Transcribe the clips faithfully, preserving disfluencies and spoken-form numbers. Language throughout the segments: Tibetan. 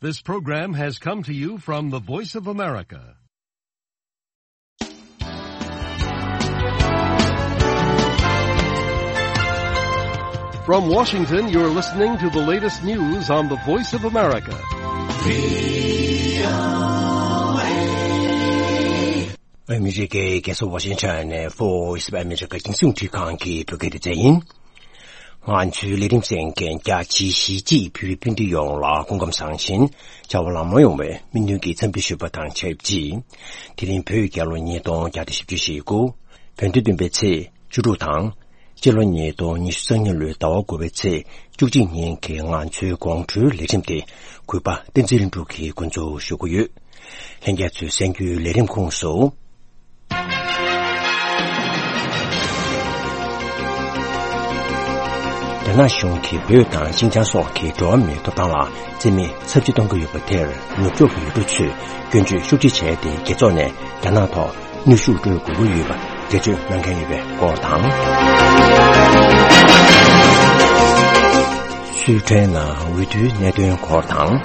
This program has come to you from the Voice of America. From Washington, you're listening to the latest news on the Voice of America. ཨ་མི་རི་ཀའི་རྒྱལ་ས་ཝ་ཤིང་ཊོན་ནས་Voice of America རྒྱང་སྲིང་འཕྲིན་ཁང་གི་བོད་སྐད་སྡེ་ཚན་ཡིན། ང་ཚོའི་ལས་རིམ་གསན་མཁན་རྒྱ་ཆེའི་གཞིས་བྱེས་བོད་རིགས་སྤུན་ཟླ་ཡོངས་ལ་སྐུ་ཁམས་བཟང་ཞིང་བྱ་བ་ལམ་ལྷོང་ཡོང་བའི་སྨོན་འདུན་གྱི་འཚམས་འདྲི་ཞུ་བ་དང་ཆབས་ཅིག་དེ་རིང་བོད་རྒྱལ་ལོ་ཉིས་སྟོང་བརྒྱ་དང་བཞི་བཅུ་ཞེ་དགུ། བོད་ཟླ་བདུན་པའི་ཚེས་བཅུ་དྲུག་དང་། སྤྱི་ལོ་ཉིས་སྟོང་ཉི་ཤུ་རྩ་གཉིས་ལོའི་ཟླ་བ་དགུ་པའི་ཚེས་བཅུ་གཅིག་ཉིན་གྱི་ང་ཚོའི་དགོང་དྲོའི་ལས་རིམ་དེ་གུས་པ་བསྟན་འཛིན་ལྷུན་གྲུབ་ཀྱིས་འགོ་འཛུགས་ཞུ་གི་ཡོད། ལྷན་རྒྱས་ཚོས་གསན་རྒྱུའི་ལས་རིམ་ཁོངས་སུ། རྒྱ་ནག་གཞུང་གིས་བོད་དང་ཤིན་ཅང་སོགས་ཀྱི་འགྲོ་བ་མིའི་ཐོབ་ཐང་ལ་བརྩི་མེད་ཚབས་ཆེ་གཏོང་གི་ཡོད་པ་དེར་ནུབ་ཕྱོགས་ཀྱི་ཡུལ་གྲུ་ཚོས་སྐྱོན་བརྗོད་ཤུགས་ཆེ་བྱས་ཏེ། རྒྱལ་ཚོགས་ནས་རྒྱ་ནག་ཐོག་གནོན་ཤུགས་སྤྲོད་དགོས་ཀྱི་ཡོད་པ་འགྲེལ་བརྗོད་གནང་མཁན་ཡོད་པའི་སྐོར་དང་། སུའེ་ཊེན་ནང་འོས་བསྡུའི་གནད་དོན་སྐོར་དང་།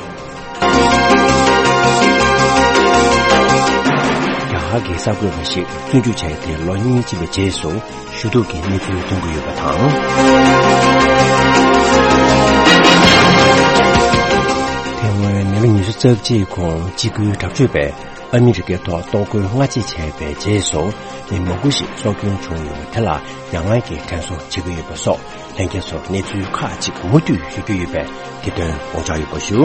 རྒྱ་གར་གྱི་གསར་འགོད་པ་ཞིག་བཙོན་འཇུག་བྱས་ཏེ་ལོ་གཉིས་ཕྱིན་པའི་རྗེས་སུ། ཞུ་གཏུག་གི་གནས་ཚུལ་ཐོན་གྱི་ཡོད་པ་དང་། དེ་སྔོན་མི་ལོ་ཉི་ཤུ་རྩ་གཅིག་གོང་འཇིགས་སྐུལ་དྲག་སྤྱོད་པས་ཨ་མི་རི་ཀའི་ཐོག་གཏོར་རྒོལ་སྔ་རྗེས་བྱས་པའི་རྗེས་སུ། མི་མང་པོ་ཞིག་སྲོག་སྐྱོན་བྱུང་ཡོད་པ་དེ་ལ་ཡང་བསྐྱར་གྱི་དྲན་གསོ་བྱེད་ཀྱི་ཡོད་པ་སོགས་ལྷན་རྒྱས་ཚོར་གནས་ཚུལ་ཁག་ཅིག་མུ་མཐུད་ཞུ་རྒྱུ་ཡོད་པས། དེ་དོན་དགོངས་འཇགས་ཡོད་པ་ཞུ།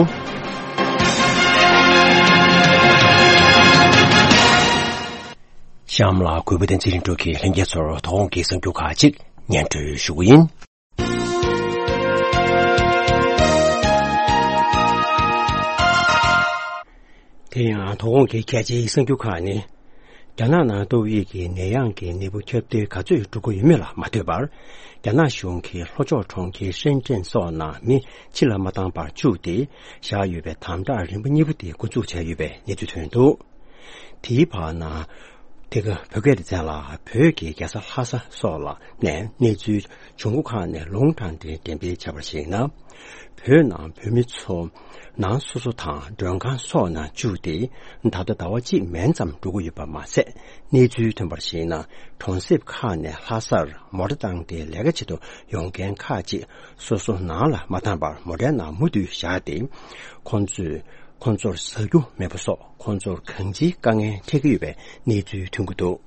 གཤམ་ལ་གུས་པ་བསྟན་འཛིན་ལྷུན་གྲུབ་ཀྱིས་ལྷན་རྒྱས་ཚོར་དོ་དགོང་གི་གསར་འགྱུར་ཁག་ཅིག་སྙན་སྒྲོན་ཞུ་གི་ཡིན། དེ་ཡང་དོ་དགོང་གི་གལ་ཆེའི་གསར་འགྱུར་ཁག་ནི། རྒྱ་ནག་ནང་ཏོག་དབྱིབས་ཀྱི་ནད་ཡམས་ཀྱི་ནད་འབུ་ཁྱབ་གདལ་ག་ཚོད་འགྲོ་གི་ཡོད་མེད་ལ་མ་ལྟོས་པར། རྒྱ་ནག་གཞུང་གིས་ལྷོ་ཕྱོགས་གྲོང་ཁྱེར་ཧྲེན་ཀྲེན་སོགས་ནང་མི་ཕྱི་ལ་མ་བཏང་བར་བཅུག་སྟེ་བཞག་ཡོད་པའི་དམ་དྲག་རིམ་པ་གཉིས་པ་དེ་འགོ་འཛུགས་བྱས་ཡོད་པའི་གནས་ཚུལ་ཐོན་འདུག་དེའི་བར་ན། དེ་ག་བོད་སྐད་སྡེ་ཚན་ལ་བོད་ཀྱི་རྒྱལ་ས་ལྷ་ས་སོགས་ལ་ནས་གནས་ཚུལ་བྱུང་སྒོ་ཁག་ནས་ལུང་དྲངས་ཏེ་འགྲེམས་སྤེལ་བྱས་པར་གཞིགས་ན། བོད་ནང་བོད་མི་ཚོ་ནང་སོ་སོ་དང་མགྲོན་ཁང་སོགས་ནང་བཅུག་སྟེ། ད་ལྟ་ཟླ་བ་གཅིག་མན་ཙམ་འགྲོ་གི་ཡོད་པ་མ་ཟད། གནས་ཚུལ་ཐོན་པར་གཞིགས་ན། གྲོང་གསེབ་ཁག་ནས་ལྷ་སར་མོ་ཊ་བཏང་སྟེ་ལས་ཀ་བྱེད་དུ་ཡོང་མཁན་ཁག་ཅིག་སོ་སོ་ནང་ལ་མ་བཏང་བར་མོ་ཊའི་ནང་མུ་མཐུད་བཞག་སྟེ། ཁོང་ཚོས། ཁོང་ཚོར་ཟ་རྒྱུ་མེད་པ་སོགས་ཁོང་ཚོར་གང་ཅིའི་དཀའ་ངལ་འཕྲད་ཀྱི་ཡོད་པའི་གནས་ཚུལ་ཐོན་གྱི་འདུག་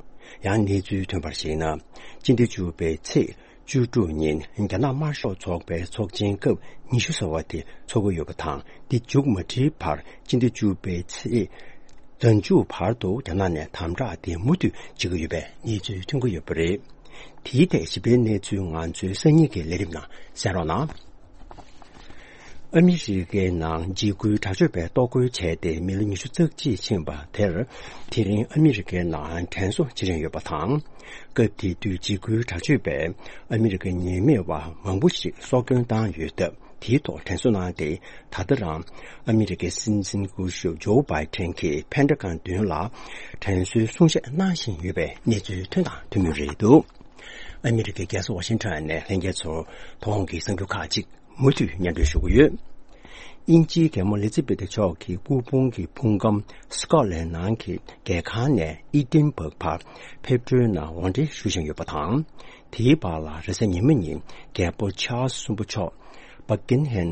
ཡང་གནས་ཚུལ་ཐོན་པར་གཞིགས་ན། སྤྱི་ཟླ་བཅུ་པའི་ཚེས་བཅུ་དྲུག་ཉིན་རྒྱ་ནག་དམར་ཤོག་ཚོགས་པའི་ཚོགས་ཆེན་སྐབས་ཉི་ཤུ་ཟེར་བ་དེ་འཚོགས་ཀྱི་ཡོད་པ་དང་། འདི་མཇུག་མ་སྒྲིལ་བར་སྤྱི་ཟླ་བཅུ་པའི་ཚེས་བདུན་ཅུ་བར་དུ་རྒྱ་ནག་ནས་དམ་དྲག་དེ་མུ་མཐུད་བྱེད་ཀྱི་ཡོད་པའི་གནས་ཚུལ་ཐོན་གྱི་ཡོད་པ་རེད། དེའི་ཐད་ཞིབ་ཕྲའི་གནས་ཚུལ་ང་ཚོའི་སང་ཉིན་གྱི་ལས་རིམ་ནང་གསན་རོགས་གནང་། ཨ་མི་རི་ཀའི་ནང་འཇིགས་སྐུལ་དྲག་སྤྱོད་པས་གཏོར་རྒོལ་བྱས་ཏེ་མི་ལོ་ཉི་ཤུ་རྩ་གཅིག་ཕྱིན་པ་དེར། དེ་རིང་ཨ་མི་རི་ཀའི་ནང་དྲན་གསོ་བྱེད་རིན་ཡོད་པ་དང་། སྐབས་དེ་དུས་འཇིགས་སྐུལ་དྲག་སྤྱོད་པས་ཨ་མི་རི་ཀའི་ཉེས་མེད་པ་མང་པོ་ཞིག་སྲོག་སྐྱོན་བཏང་ཡོད་སྟབས། དེའི་ཐོག་དྲན་གསོ་གནང་སྟེ། ད་ལྟ་རང་ཨ་མི་རི་ཀའི་སྲིད་འཛིན་སྐུ་ཞབས་ཇོ་བྷའི་ཏན་གྱིས་ཕན་ཌ་གྷན་མདུན་ལ་དྲན་གསོའི་གསུང་བཤད་གནང་བཞིན་ཡོད་པའི་གནས་ཚུལ་ཐོན་དང་ཐོན་མུས་རེད་འདུག་ཨ་མི་རི་ཀའི་རྒྱལ་ས་ཝ་ཤིང་ཊོན་ནས་ལྷན་རྒྱས་ཚོར་དོ་དགོང་གི་གསར་འགྱུར་ཁག་ཅིག་མུ་མཐུད་སྙན་སྒྲོན་ཞུ་གི་ཡོད། དབྱིན་ཇིའི་རྒྱལ་མོ་ལི་ཛི་བེ་ཐ་མཆོག་གི་སྐུ་ཕུང་གི་ཕུང་ཁམས་སི་ཀོ་ལན་ནང་གི་རྒྱལ་ཁང་ནས་ཨི་ཏིན་བག་བར་ཕེབས་འཕྲོའི་ནང་འོར་འདྲེན་ཞུ་བཞིན་ཡོད་པ་དང་། དེའི་བར་ལ་རེས་གཟའ་ཉི་མ་ཉིན་རྒྱལ་པོ་ཆཱལ་སི་གསུམ་པ་མཆོག་བྷག་ཀིང་ཧམ་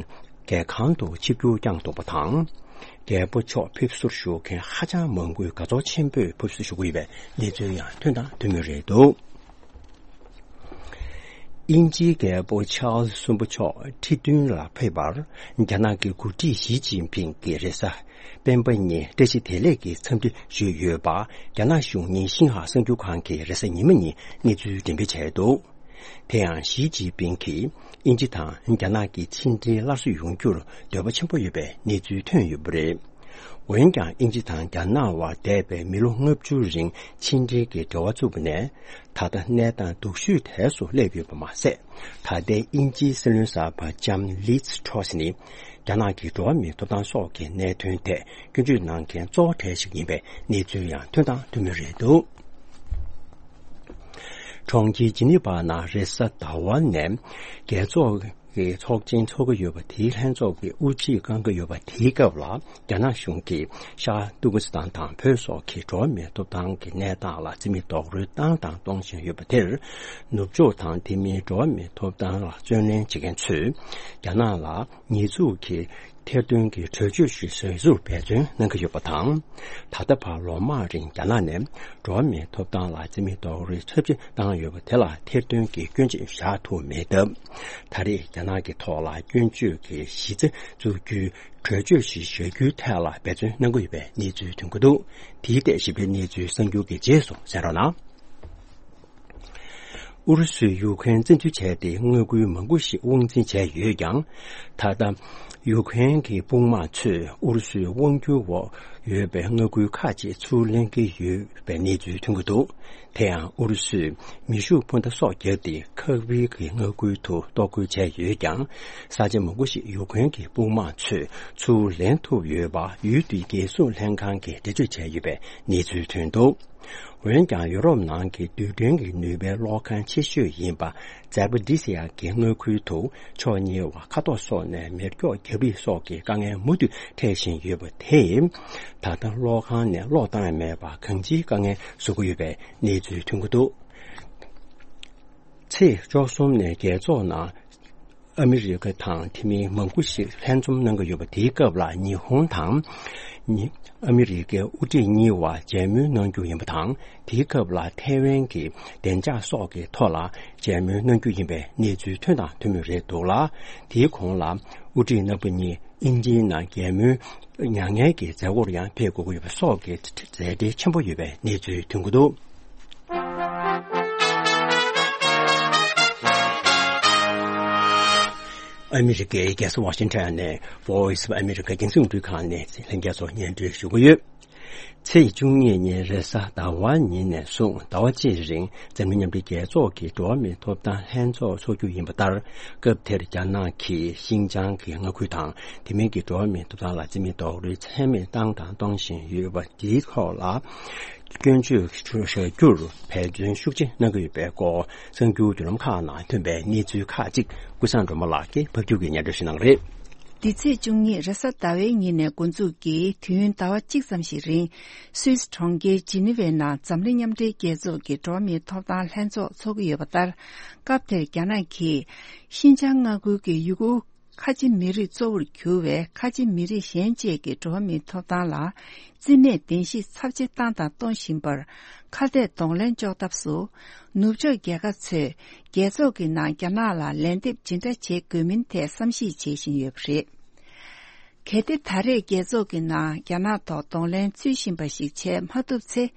རྒྱལ་ཁང་དུ་ཆིབས་བསྒྱུར་བསྐྱངས་འདུག་པ་དང་། རྒྱལ་པོ་མཆོག་ཕེབས་བསུར་ཞུགས་མཁན་ཧ་ཅང་མང་པོས་དགའ་ཚོར་ཆེན་པོས་ཕེབས་བསུ་ཞུ་གི་ཡོད་པའི་གནས་ཚུལ་ཡང་ཐོན་དང་ཐོན་མུས་རེད་འདུག་དབྱིན་ཇིའི་རྒྱལ་པོ་ཆཱལ་སི་གསུམ་པ་མཆོག་ཁྲི་སྟོན་ལ་ཕེབས་པར་རྒྱ་ནག་གི་འགོ་ཁྲིད་ཞི་ཅིན་ཕིང་གིས་རེས་གཟའ་སྤེན་པ་ཉིན་བཀྲ་ཤིས་བདེ་ལེགས་ཀྱི་འཚམས་འདྲི་ཞུས་ཡོད་པ། རྒྱ་ནག་གཞུང་གཉིས་ཤིན་ཧྭ་གསར་འགྱུར་ཁང་གིས་རེས་གཟའ་ཉི་མ་ཉིན་གནས་ཚུལ་འགྲེམས་སྤེལ་བྱས་འདུག་དེ་ཡང་ཞི་ཅིན་ཕིང་གིས་དབྱིན་ཇི་དང་རྒྱ་ནག་གི་ཕྱི་འབྲེལ་སླར་གསོ་ཡོང་རྒྱུར་འདོད་པ་ཆེན་པོ་ཡོད་པའི་གནས་ཚུལ་ཐོན་ཡོད་པ་རེད། འོན་ཀྱང་དབྱིན་ཇི་དང་རྒྱ་ནག་དབར་འདས་པའི་མི་ལོ་ལྔ་བཅུ་རིང་ཕྱི་འབྲེལ་གྱི་འབྲེལ་བ་བཙུགས་པ་ནས། ད་ལྟ་གནས་སྟངས་སྡུག་ཤོས་དལ་སུ་སླེབས་ཡོད་པ་མ་ཟད། ད་ལྟའི་དབྱིན་ཇིའི་སྲིད་བློན་གསར་པ་ལྕམ་ལིཛ་ཊོ་སི་ནི། རྒྱ་ནག་གི་འགྲོ་བ་མིའི་ཐོབ་ཐང་སོགས་ཀྱི་གནད་དོན་ཐད་སྐྱོན་བརྗོད་གནང་མཁན་གཙོ་བོ་གྲས་ཤིག་ཡིན་པའི་གནས་ཚུལ་ཡང་ཐོན་དང་ཐོན་མུས་རེད་འདུག་གྲོང་ཁྱེར་ཇི་ནི་ཝ་ནང་རེས་གཟའ་ཟླ་བ་ནས་རྒྱལ་ཚོགས་ གི་ཚོགས་ཆེན་འཚོགས་ཀྱི་ཡོད་པ་དེའི་ལྷན་ཚོགས་ཀྱི་དབུ་འབྱེད་བསྐང་གི་ཡོད་པ་དེའི་སྐབས་ལ། རྒྱ་ནག་གཞུང་གིས་ཤར་ཏུར་ཀི་སི་ཐན་དང་བོད་སོགས་ཀྱི་འགྲོ་བ་མིའི་ཐོབ་ཐང་གི་གནས་སྟངས་ལ་རྩིས་མེད་རྡོག་རོལ་བཏང་དང་གཏོང་བཞིན་ཡོད་པ་དེར། ནུབ་ཕྱོགས་དང་དེ་མིན་འགྲོ་བ་མིའི་ཐོབ་ཐང་ལ་བརྩོན་ལེན་བྱེད་མཁན་ཚོས་རྒྱ་ནག་ལ་ཉེས་འཛུགས་ཀྱི་ཐེར་འདོན་གྱི་གྲོས་ཆོད་ཞིག་བཟོ་རྒྱུར་འབད་བརྩོན་གནང་གི་ཡོད་པ་དང་། ད་ལྟ་བར་ལོ་མང་རིང་རྒྱ་ནག་ནས་འགྲོ་བ་མིའི་ཐོབ་ཐང་ལ་རྩིས་མེད་རྡོག་རོལ་ཚབས་ཆེ་བཏང་ཡོད་པ་དེ་ལ་ཐེར་འདོན་གྱི་སྐྱོན་ཆ་བཞག་ཐུབ་མེད་སྟབས། ད་རེས་རྒྱ་ནག་གི་ཐོག་ལ་སྐྱོན་བརྗོད་ཀྱི་གཞི་རྩ་འཛུགས་རྒྱུའི་གྲོས་ཆོད་ཞིག་བཞག་རྒྱུའི་ཐད་ལ་འབད་བརྩོན་གནང་གི་ཡོད་པའི་གནས་ཚུལ་ཐོན་གྱི་འདུག་དེའི་ཐད་ཞིབ་ཕྲའི་གནས་ཚུལ་གསར་འགྱུར་གྱི་རྗེས་སུ་གསན་རོགས་གནང་། ཨུ་རུ་སུས་ཡུ་ཁུ་རེན་བཙན་འཛུལ་བྱས་ཏེ་མངའ་ཁུལ་མང་པོ་ཞིག་དབང་འཛིན་བྱས་ཡོད་ཀྱང་། ད་ལྟ་ཡུ་ཁུ་རེན་གྱི་དཔུང་དམག་ཚོས་ཨུ་རུ་སུའི་དབང་སྒྱུར་འོག་ཡོད་པའི་མངའ་ཁུལ་ཁག་ཅིག་ཚུར་ལེན་གྱི་ཡོད་པའི་གནས་ཚུལ་ཐོན་གྱི་འདུག་དེ་ཡང་ཨུ་རུ་སུས་མེ་ཤུགས་འཕུར་མདའ་སོགས་བརྒྱབ་སྟེ་ཁ་བིལ་གྱི་མངའ་ཁུལ་དུ་གཏོར་རྒོལ་བྱས་ཡོད་ཀྱང་། ས་ཆ་མང་པོ་ཞིག་ཡུ་ཁུ་རེན་གྱི་དཔུང་དམག་ཚོས་ཚུར་ལེན་ཐུབ་ཡོད་པ་ཡུལ་དེའི་རྒྱལ་སྲུང་ལྷན་ཁང་གིས་འགྲེལ་བརྗོད་བྱས་ཡོད་པའི་གནས་ཚུལ་ཐོན་འདུག་འོན་ཀྱང་ཡུ་རོབ་ནང་གི་རྡུལ་ཕྲན་གྱི་ནུས་པའི་གློག་ཁང་ཆེ་ཤོས་ཡིན་པ་ཛ་པ་ཏི་སི་ཡ་གི་མངའ་ཁུལ་དུ་ཕྱོགས་གཉིས་བར་མཁའ་ཐོག་སོགས་ནས་མེ་སྒྱོགས་བརྒྱབ་རེས་སོགས་ཀྱི་དཀའ་ངལ་མུ་མཐུད་འཕྲད་བཞིན་ཡོད་པ་དེས། ད་ལྟ་གློག་ཁང་ནས་གློག་བཏང་ཡ་མེད་པར་གང་ཅིའི་དཀའ་ངལ་བཟོ་གི་ཡོད་པའི་གནས་ཚུལ་ཐོན་གྱི་འདུག་ཚེས་བཅུ་གསུམ་ནས་རྒྱལ་ཚོགས་ནང་ཨ་མི་རི་ཀ་དང་དེ་མིན་མང་པོ་ཞིག་ལྷན་འཛོམས་གནང་གི་ཡོད་པ། དེའི་སྐབས་ལ་ཉི་ཧོང་དང་ཉི་ཨ་མི་རི་ཀའི་དབུ་ཁྲིད་གཉིས་བར་མཇལ་མོལ་གནང་རྒྱུ་ཡིན་པ་དང་། དེའི་སྐབས་ལ་ཐའེ་ཝན་གྱི་བདེ་འཇགས་སོགས་ཀྱི་ཐོག་ལ་མཇལ་མོལ་གནང་རྒྱུ་ཡིན་པའི་གནས་ཚུལ་ཐོན་དང་ཐོན་མུས་རེད་འདུག་ལ། དེའི་གོང་ལ་དབུ་ཁྲིད་རྣམ་པ་གཉིས་དབྱིན་ཇིའི་ནང་མཇལ་མོལ་མྱ་ངན་གྱི་མཛད་སྒོར་ཡང་ཕེབས་དགོས་ཀྱི་ཡོད་པ་སོགས་ཀྱི་མཛད་བྲེལ་ཆེན་པོ་ཡོད་པའི་གནས་ཚུལ་ཐོན་གྱི་འདུག་ཨ་མི་རི་ཀའི་རྒྱལ་ས་ཝ་ཤིང་ཊོན་ནས་Voice of America་རྒྱང་སྲིང་རླུང་འཕྲིན་ཁང་ནས་ལྷན་རྒྱས་ཚོ་སྙན་སྒྲོན་ཞུ་གི་ཡོད། ཚེས་བཅུ་གཉིས་ཉིན་རེས་གཟའ་ཟླ་བ་ཉིན་ནས་བཟུང་ཟླ་བ་གཅིག་རིང་འཛམ་གླིང་མཉམ་འབྲེལ་རྒྱལ་ཚོགས་ཀྱི་འགྲོ་བ་མིའི་ཐོབ་ཐང་ལྷན་ཚོགས་འཚོགས་རྒྱུ་ཡིན་པ་ལྟར། སྐབས་དེར་རྒྱ་ནག་གིས་ཤིན་ཅང་གི་མངའ་ཁུལ་དང་དེ་མིན་གྱི་འགྲོ་བ་མིའི་ཐོབ་ཐང་ལ་རྩིས་མེད་རྡོག་རོལ་ཚད་མེད་བཏང་དང་གཏོང་བཞིན་ཡོད་པ་འདིའི་ཐོག་ལ། སྐྱོན་བརྗོད་བྱ་རྒྱུར་འབད་བརྩོན་ཤུགས་ཆེ་གནང་གི་ཡོད་པའི་སྐོར། གསར་འགྱུར་བརྒྱུད་ལམ་ཁག་ནང་ཐོན་པའི་གནས་ཚུལ་ཁག་ཅིག་ཀུན་བཟང་སྒྲོལ་མ་ལགས་ཀྱིས་ཕབ་སྒྱུར་གྱིས་སྙན་སྒྲོན་ཞུ་གནང་གི་རེད། འདི་ཚེས་བཅུ་གཉིས་རེས་གཟའ་ཟླ་བའི་ཉིན་ནས་འགོ་འཛུགས་ཀྱིས་དུས་ཡུན་ཟླ་བ་གཅིག་ཙམ་ཞིག་རིང་སུད་སི་གྲོང་ཁྱེར་ཇི་ནི་ཝའི་ནང་འཛམ་གླིང་མཉམ་འབྲེལ་རྒྱལ་ཚོགས་ཀྱི་འགྲོ་བ་མིའི་ཐོབ་ཐང་ལྷན་ཚོགས་འཚོགས་ཀྱི་ཡོད་པ་ལྟར། སྐབས་དེར་རྒྱ་ནག་གིས་ཤིན་ཅང་མངའ་ཁུལ་གྱི་ཡུ་གུར་ཁ་ཆེ་མི་རིགས་གཙོ་བོར་གྱུར་བའི་ཁ་ཆེ་མི་རིགས་གཞན་བཅས་ཀྱི་འགྲོ་བ་མིའི་ཐོབ་ཐང་ལ་རྩིས་མེད་བདེན་བཞི་ཚབས་ཆེ་བཏང་དང་གཏོང་བཞིན་པར་ཁ་གཏད་གདོང་ལེན་གཅོག་ཐབས་སུ། ནུབ་ཕྱོགས་རྒྱལ་ཁབ་ཚོས་རྒྱལ་ཚོགས་ཀྱི་ནང་རྒྱ་ནག་ལ་ལན་འདེབས་ཇི་འདྲ་བྱེད་དགོས་མིན་ཐད་བསམ་གཞིག་བྱེད་བཞིན་ཡོད་པ་རེད། གལ་ཏེ་ད་རེས་རྒྱལ་ཚོགས་ཀྱི་ནང་རྒྱ་ནག་ཐོག་གདོང་ལེན་ཚུལ་བཞིན་པ་ཞིག་བྱས་མ་ཐུབ་ཚེ།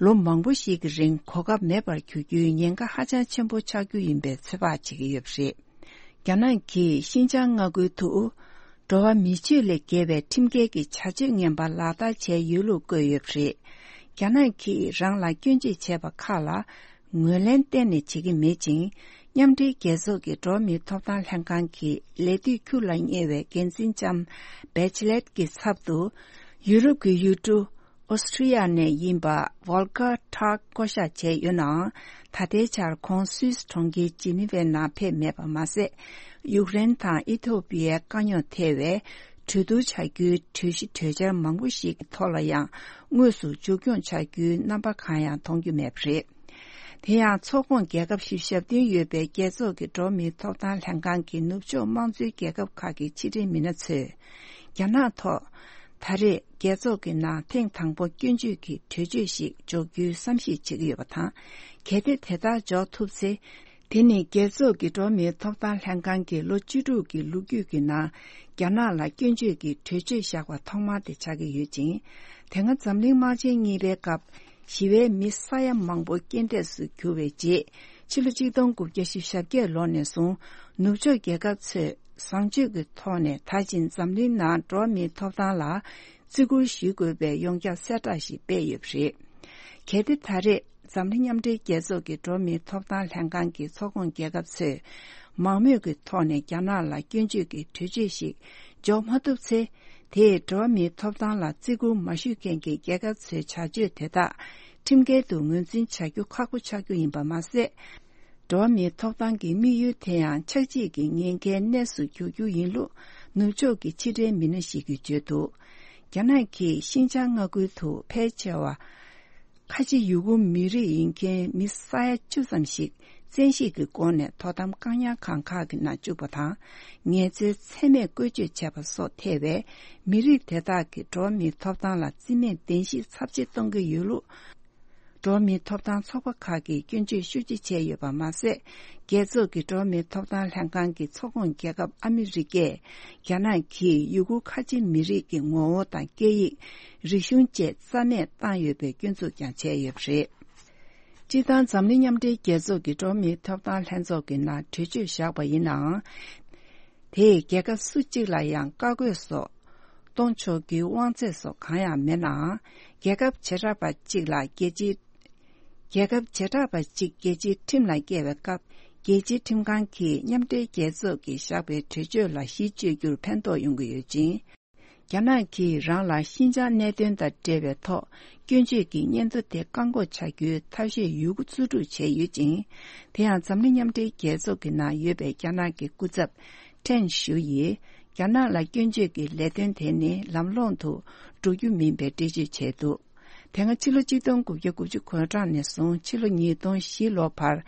ལོ་མང་པོ་ཞིག་གི་རིང་གོ་སྐབས་མེད་པར་གྱུར་རྒྱུའི་ཉེན་ཁ་ཧ་ཅང་ཆེན་པོ་ཆགས་རྒྱུ་ཡིན་པའི་ཚོད་དཔག་བྱེད་ཀྱི་ཡོད་པ་རེད། རྒྱ་ནག་གིས་ཤིན་ཅང་མངའ་ཁུལ་དུ། འགྲོ་བ་མི་སྤྱོད་ལས་བརྒལ་བའི་ཁྲིམས་འགལ་གྱི་བྱ་སྤྱོད་ངན་པ་ལག་བསྟར་བྱས་ཡོད་ལུགས་བཀོད་ཡོད་པ་རེད། རྒྱ་ནག་གིས་རང་ལ་སྐྱོན་བརྗོད་བྱས་པ་ཁག་ལ་ངོས་ལེན་གཏན་ནས་བྱེད་ཀྱི་མེད་ཅིང་། མཉམ་འབྲེལ་རྒྱལ་ཚོགས་ཀྱི་འགྲོ་བ་མིའི་ཐོབ་ཐང་ལྷན་ཁང་གི་ལས་དུས་འཁྱུག་ལ་ཉེ་བའི་འགན་འཛིན་ལྕམ་བེ་ཆི་ལེད་ཀྱི་ཚབ་ཏུ། ཡུ་རོབ་ཀྱི་ཡུལ་གྲུ། ཨོ་སི་ཁྲི་ཡ་ནས་ཡིན་པ་ཝོལ་ཀར་ཊརཀ་བསྐོ་བཞག་བྱས་ཡོད་ནའང་། ད་ལྟའི་ཆར་ཁོང་སུད་སི་གྲོང་ཁྱེར་ཇི་ནི་ཝའི་ནང་ཕེབས་མེད་པ་མ་ཟད། ཡུཀ་རེན་དང་ཨི་ཐོ་པི་ཡའི་དཀའ་རྙོག་ཐེ་བའི་གྲོས་བསྡུར་བྱ་རྒྱུའི་གྲོས་གཞི་གྲོས་འཆར་མང་པོ་ཞིག་གི་ཐོག་ལ་ཡང་དངོས་སུ་མཇུག་སྐྱོང་བྱ་རྒྱུའི་རྣམ་པ་གང་ཡང་མཐོང་རྒྱུ་མེད་པ་རེད། དེ་ཡང་ཚོགས་ཁོངས་རྒྱལ་ཁབ་བཞི་བཅུ་ཞེ་བདུན་ཡོད་པའི་རྒྱལ་ཚོགས་ཀྱི་འགྲོ་བ་མིའི་ཐོབ་ཐང་ལྷན་ཁང་གི་ནུབ་ཕྱོགས་དམངས་གཙོའི་རྒྱལ་ཁབ་ཁག་གི་ཕྱི་འབྲེལ་མི་སྣ་ཚོས། རྒྱ་ནག་ཐོག་ད་རེས་རྒྱལ་ཚོགས་ཀྱི་ནང་ཐེངས་དང་པོ་སྐྱོན་བརྗོད་ཀྱི་གྲོས་ཆོད་ཞིག་འཇོག་རྒྱུའི་བསམ་གཞིག་བྱེད་ཀྱི་ཡོད་པ་དང་། གལ་ཏེ་དེ་ལྟར་འཇོག་ཐུབ་ཚེ། དེ་ནི་རྒྱལ་ཚོགས་ཀྱི་འགྲོ་བ་མིའི་ཐོབ་ཐང་ལྷན་ཁང་གི་ལོ་བཅུ་དྲུག་གི་ལོ་རྒྱུས་ཀྱི་ནང་རྒྱ་ནག་ལ་སྐྱོན་བརྗོད་ཀྱི་གྲོས་ཆོད་བཞག་པ་ཐོག་མ་དེ་ཆགས་ཀྱི་ཡོད་ཅིང་། དེ་སྔ་འཛམ་གླིང་དམག་ཆེན་གཉིས་པའི་སྐབས། ཞི་བའི་མི་ས་ཡ་མང་པོ་རྐྱེན་འདས་སུ་གྱུར་བའི་རྗེས། ཕྱི་ལོ་ཆིག་སྟོང་དགུ་བརྒྱ་བཞི་བཅུ་ཞེ་བརྒྱད་ལོ་ནས་བཟུང་། ནུབ་ཕྱོགས་རྒྱལ་ཁབ་ཚོས་བཟང་སྤྱོད་ཀྱི་ཐོག་ནས་ད་ཕྱིན་འཛམ་གླིང་ནང་འགྲོ་བ་མིའི་ཐོབ་ཐང་ལ་བརྩི་བཀུར་ཞུ་དགོས་པའི་ཡོངས་ཁྱབ་གསལ་བསྒྲགས་ཤིག་སྤེལ་ཡོད་པ་རེད། གལ་ཏེ་ད་རེས་འཛམ་གླིང་མཉམ་འབྲེལ་རྒྱལ་ཚོགས་ཀྱི་འགྲོ་བ་མིའི་ཐོབ་ཐང་ལྷན་ཁང་གི་ཚོགས་ཁོངས་རྒྱལ་ཁབ་ཚོས་མང་མོས་ཀྱི་ཐོག་ནས་རྒྱ་ནག་ལ་སྐྱོན་བརྗོད་ཀྱི་གྲོས་ཆོད་ཞིག་འཇོག་མ་ཐུབ་ཚེ། དེས་འགྲོ་བ་མིའི་ཐོབ་ཐང་ལ་བརྩི་བཀུར་མ་ཞུ་མཁན་གྱི་རྒྱལ་ཁབ་ཚོའི་བྱ་སྤྱོད་དེ་དག་ཁྲིམས་འགལ་དུ་ངོས་འཛིན་བྱ་རྒྱུ་ཁག་པོ་ཆགས་རྒྱུ་ཡིན་པ་མ་ཟད། འགྲོ་བ་མིའི་ཐོབ་ཐང་གི་དམིགས་ཡུལ་དེ་ཡང་ཆགས་འཇིག་གི་ཉེན་ཁའི་གནས་སུ་འགྱུར་རྒྱུ་ཡིན་ལུགས་ནུབ་ཕྱོགས་ཀྱི་ཕྱི་འབྲེལ་མི་སྣ་ཞིག་གིས་བརྗོད་འདུག། རྒྱ་ནག་གིས་ཤིན་ཅང་མངའ་ཁུལ་དུ་ཕལ་ཆེ་བ་ཁ་ཆེ་ཡུ་གུར་མི་རིགས་ཡིན་མཁན་མི་ས་ཡ་བཅུ་ཙམ་ཞིག་བཙན་ཤེད་ཀྱི་སྒོ་ནས་དོ་དམ་བཀག་ཉར་ཁང་ཁག་གི་ནང་བཅུག་པ་དང་། ངལ་རྩོལ་ཚད་མེད་བཀོལ་སྤྱོད་བྱས་པ་སོགས་ཐེ་བའི་མི་རིགས་དེ་དག་གི་འགྲོ་བ་མིའི་ཐོབ་ཐང་ལ་བརྩི་མེད་བདེན་བཞིའི་ཚབས་ཆེ་གཏོང་གི་ཡོད་ལུགས། འགྲོ་བ་མིའི་ཐོབ་ཐང་ཚོགས་པ་ཁག་གིས་སྐྱོན་བརྗོད་ཤུགས་ཆེ་བྱས་ཡོད་པ་མ་ཟད། རྒྱལ་ཚོགས་ཀྱི་འགྲོ་བ་མིའི་ཐོབ་ཐང་ལྷན་ཁང་གི་ཚོགས་ཁོངས་རྒྱལ་ཁབ་ཨ་མི་རི་ཀས་རྒྱ་ནག་གིས་ཡུ་གུར་ཁ་ཆེ་མི་རིགས་ཀྱི་ངོ་བོ་དང་སྐད་ཡིག་རིག་གཞུང་བཅས་རྩ་མེད་བཏང་ཡོད་པའི་སྐྱོན་འཛུགས་ཀྱང་བྱས་ཡོད་པ་རེད། སྤྱིར་བཏང་འཛམ་གླིང་མཉམ་འབྲེལ་རྒྱལ་ཚོགས་ཀྱི་འགྲོ་བ་མིའི་ཐོབ་ཐང་ལྷན་ཚོགས་ཀྱི་ནང་གྲོས་ཆོད་བཞག་པ་ཡིན་ནའང་། དེས་རྒྱལ་ཁབ་སུ་གཅིག་ལ་ཡང་བཀའ་བཀོད་སོགས་གཏོང་ཆོག་རྒྱུའི་དབང་ཚད་སོགས་གང་ཡང་མེད་ནའང་། རྒྱལ་ཁབ་བྱེ་བྲག་པ་གཅིག་ལ་རྒྱལ་སྤྱིའི། རྒྱལ་ཁབ་བྱེ་བྲག་པ་གཅིག་རྒྱལ་སྤྱིའི་ཁྲིམས་ལ་བཀལ་བའི་སྐབས། རྒྱལ་སྤྱིའི་ཁྲིམས་ཁང་གིས་མཉམ་འབྲེལ་རྒྱལ་ཚོགས་ཀྱིས་བཞག་པའི་གྲོས་ཆོད་ལ་གཞི་བཅོལ་རྒྱུར་ཕན་ཐོགས་ཡོང་གི་ཡོད་ཅིང་། རྒྱ་ནག་གིས་རང་ལ་ཤིན་ཅང་གནད་དོན་དང་འབྲེལ་བའི་ཐོག་སྐྱོན་བརྗོད་ཀྱི་སྙན་ཐོ་དེ་བཀག་འགོག་བྱ་རྒྱུའི་ཐབས་ཤེས་ཡོད་རྒུ་རྩོལ་སྒྲུག་བྱས་ཡོད་ཅིང་། དེ་ཡང་འཛམ་གླིང་མཉམ་འབྲེལ་རྒྱལ་ཚོགས་ཀྱི་ནང་ཡོད་པའི་རྒྱ་ནག་གི་སྐུ་ཚབ་ཁྲེན་ཞུ་ཡིས་རྒྱ་ནག་ལ་སྐྱོན་བརྗོད་ཀྱི་ལས་དོན་དེ་ནི་ལམ་ལྷོང་དུ་འགྲོ་རྒྱུ་མིན་པའི་འགྲེལ་བརྗོད་བྱས་འདུག། དེ་སྔ་ཕྱི་ལོ་གཅིག་སྟོང་དགུ་བརྒྱ་དགུ་བཅུ་གོ་གྲངས་ནས་བཟུང་ཕྱི་ལོ་ཉིས་སྟོང་བཞི་ལོ་བར།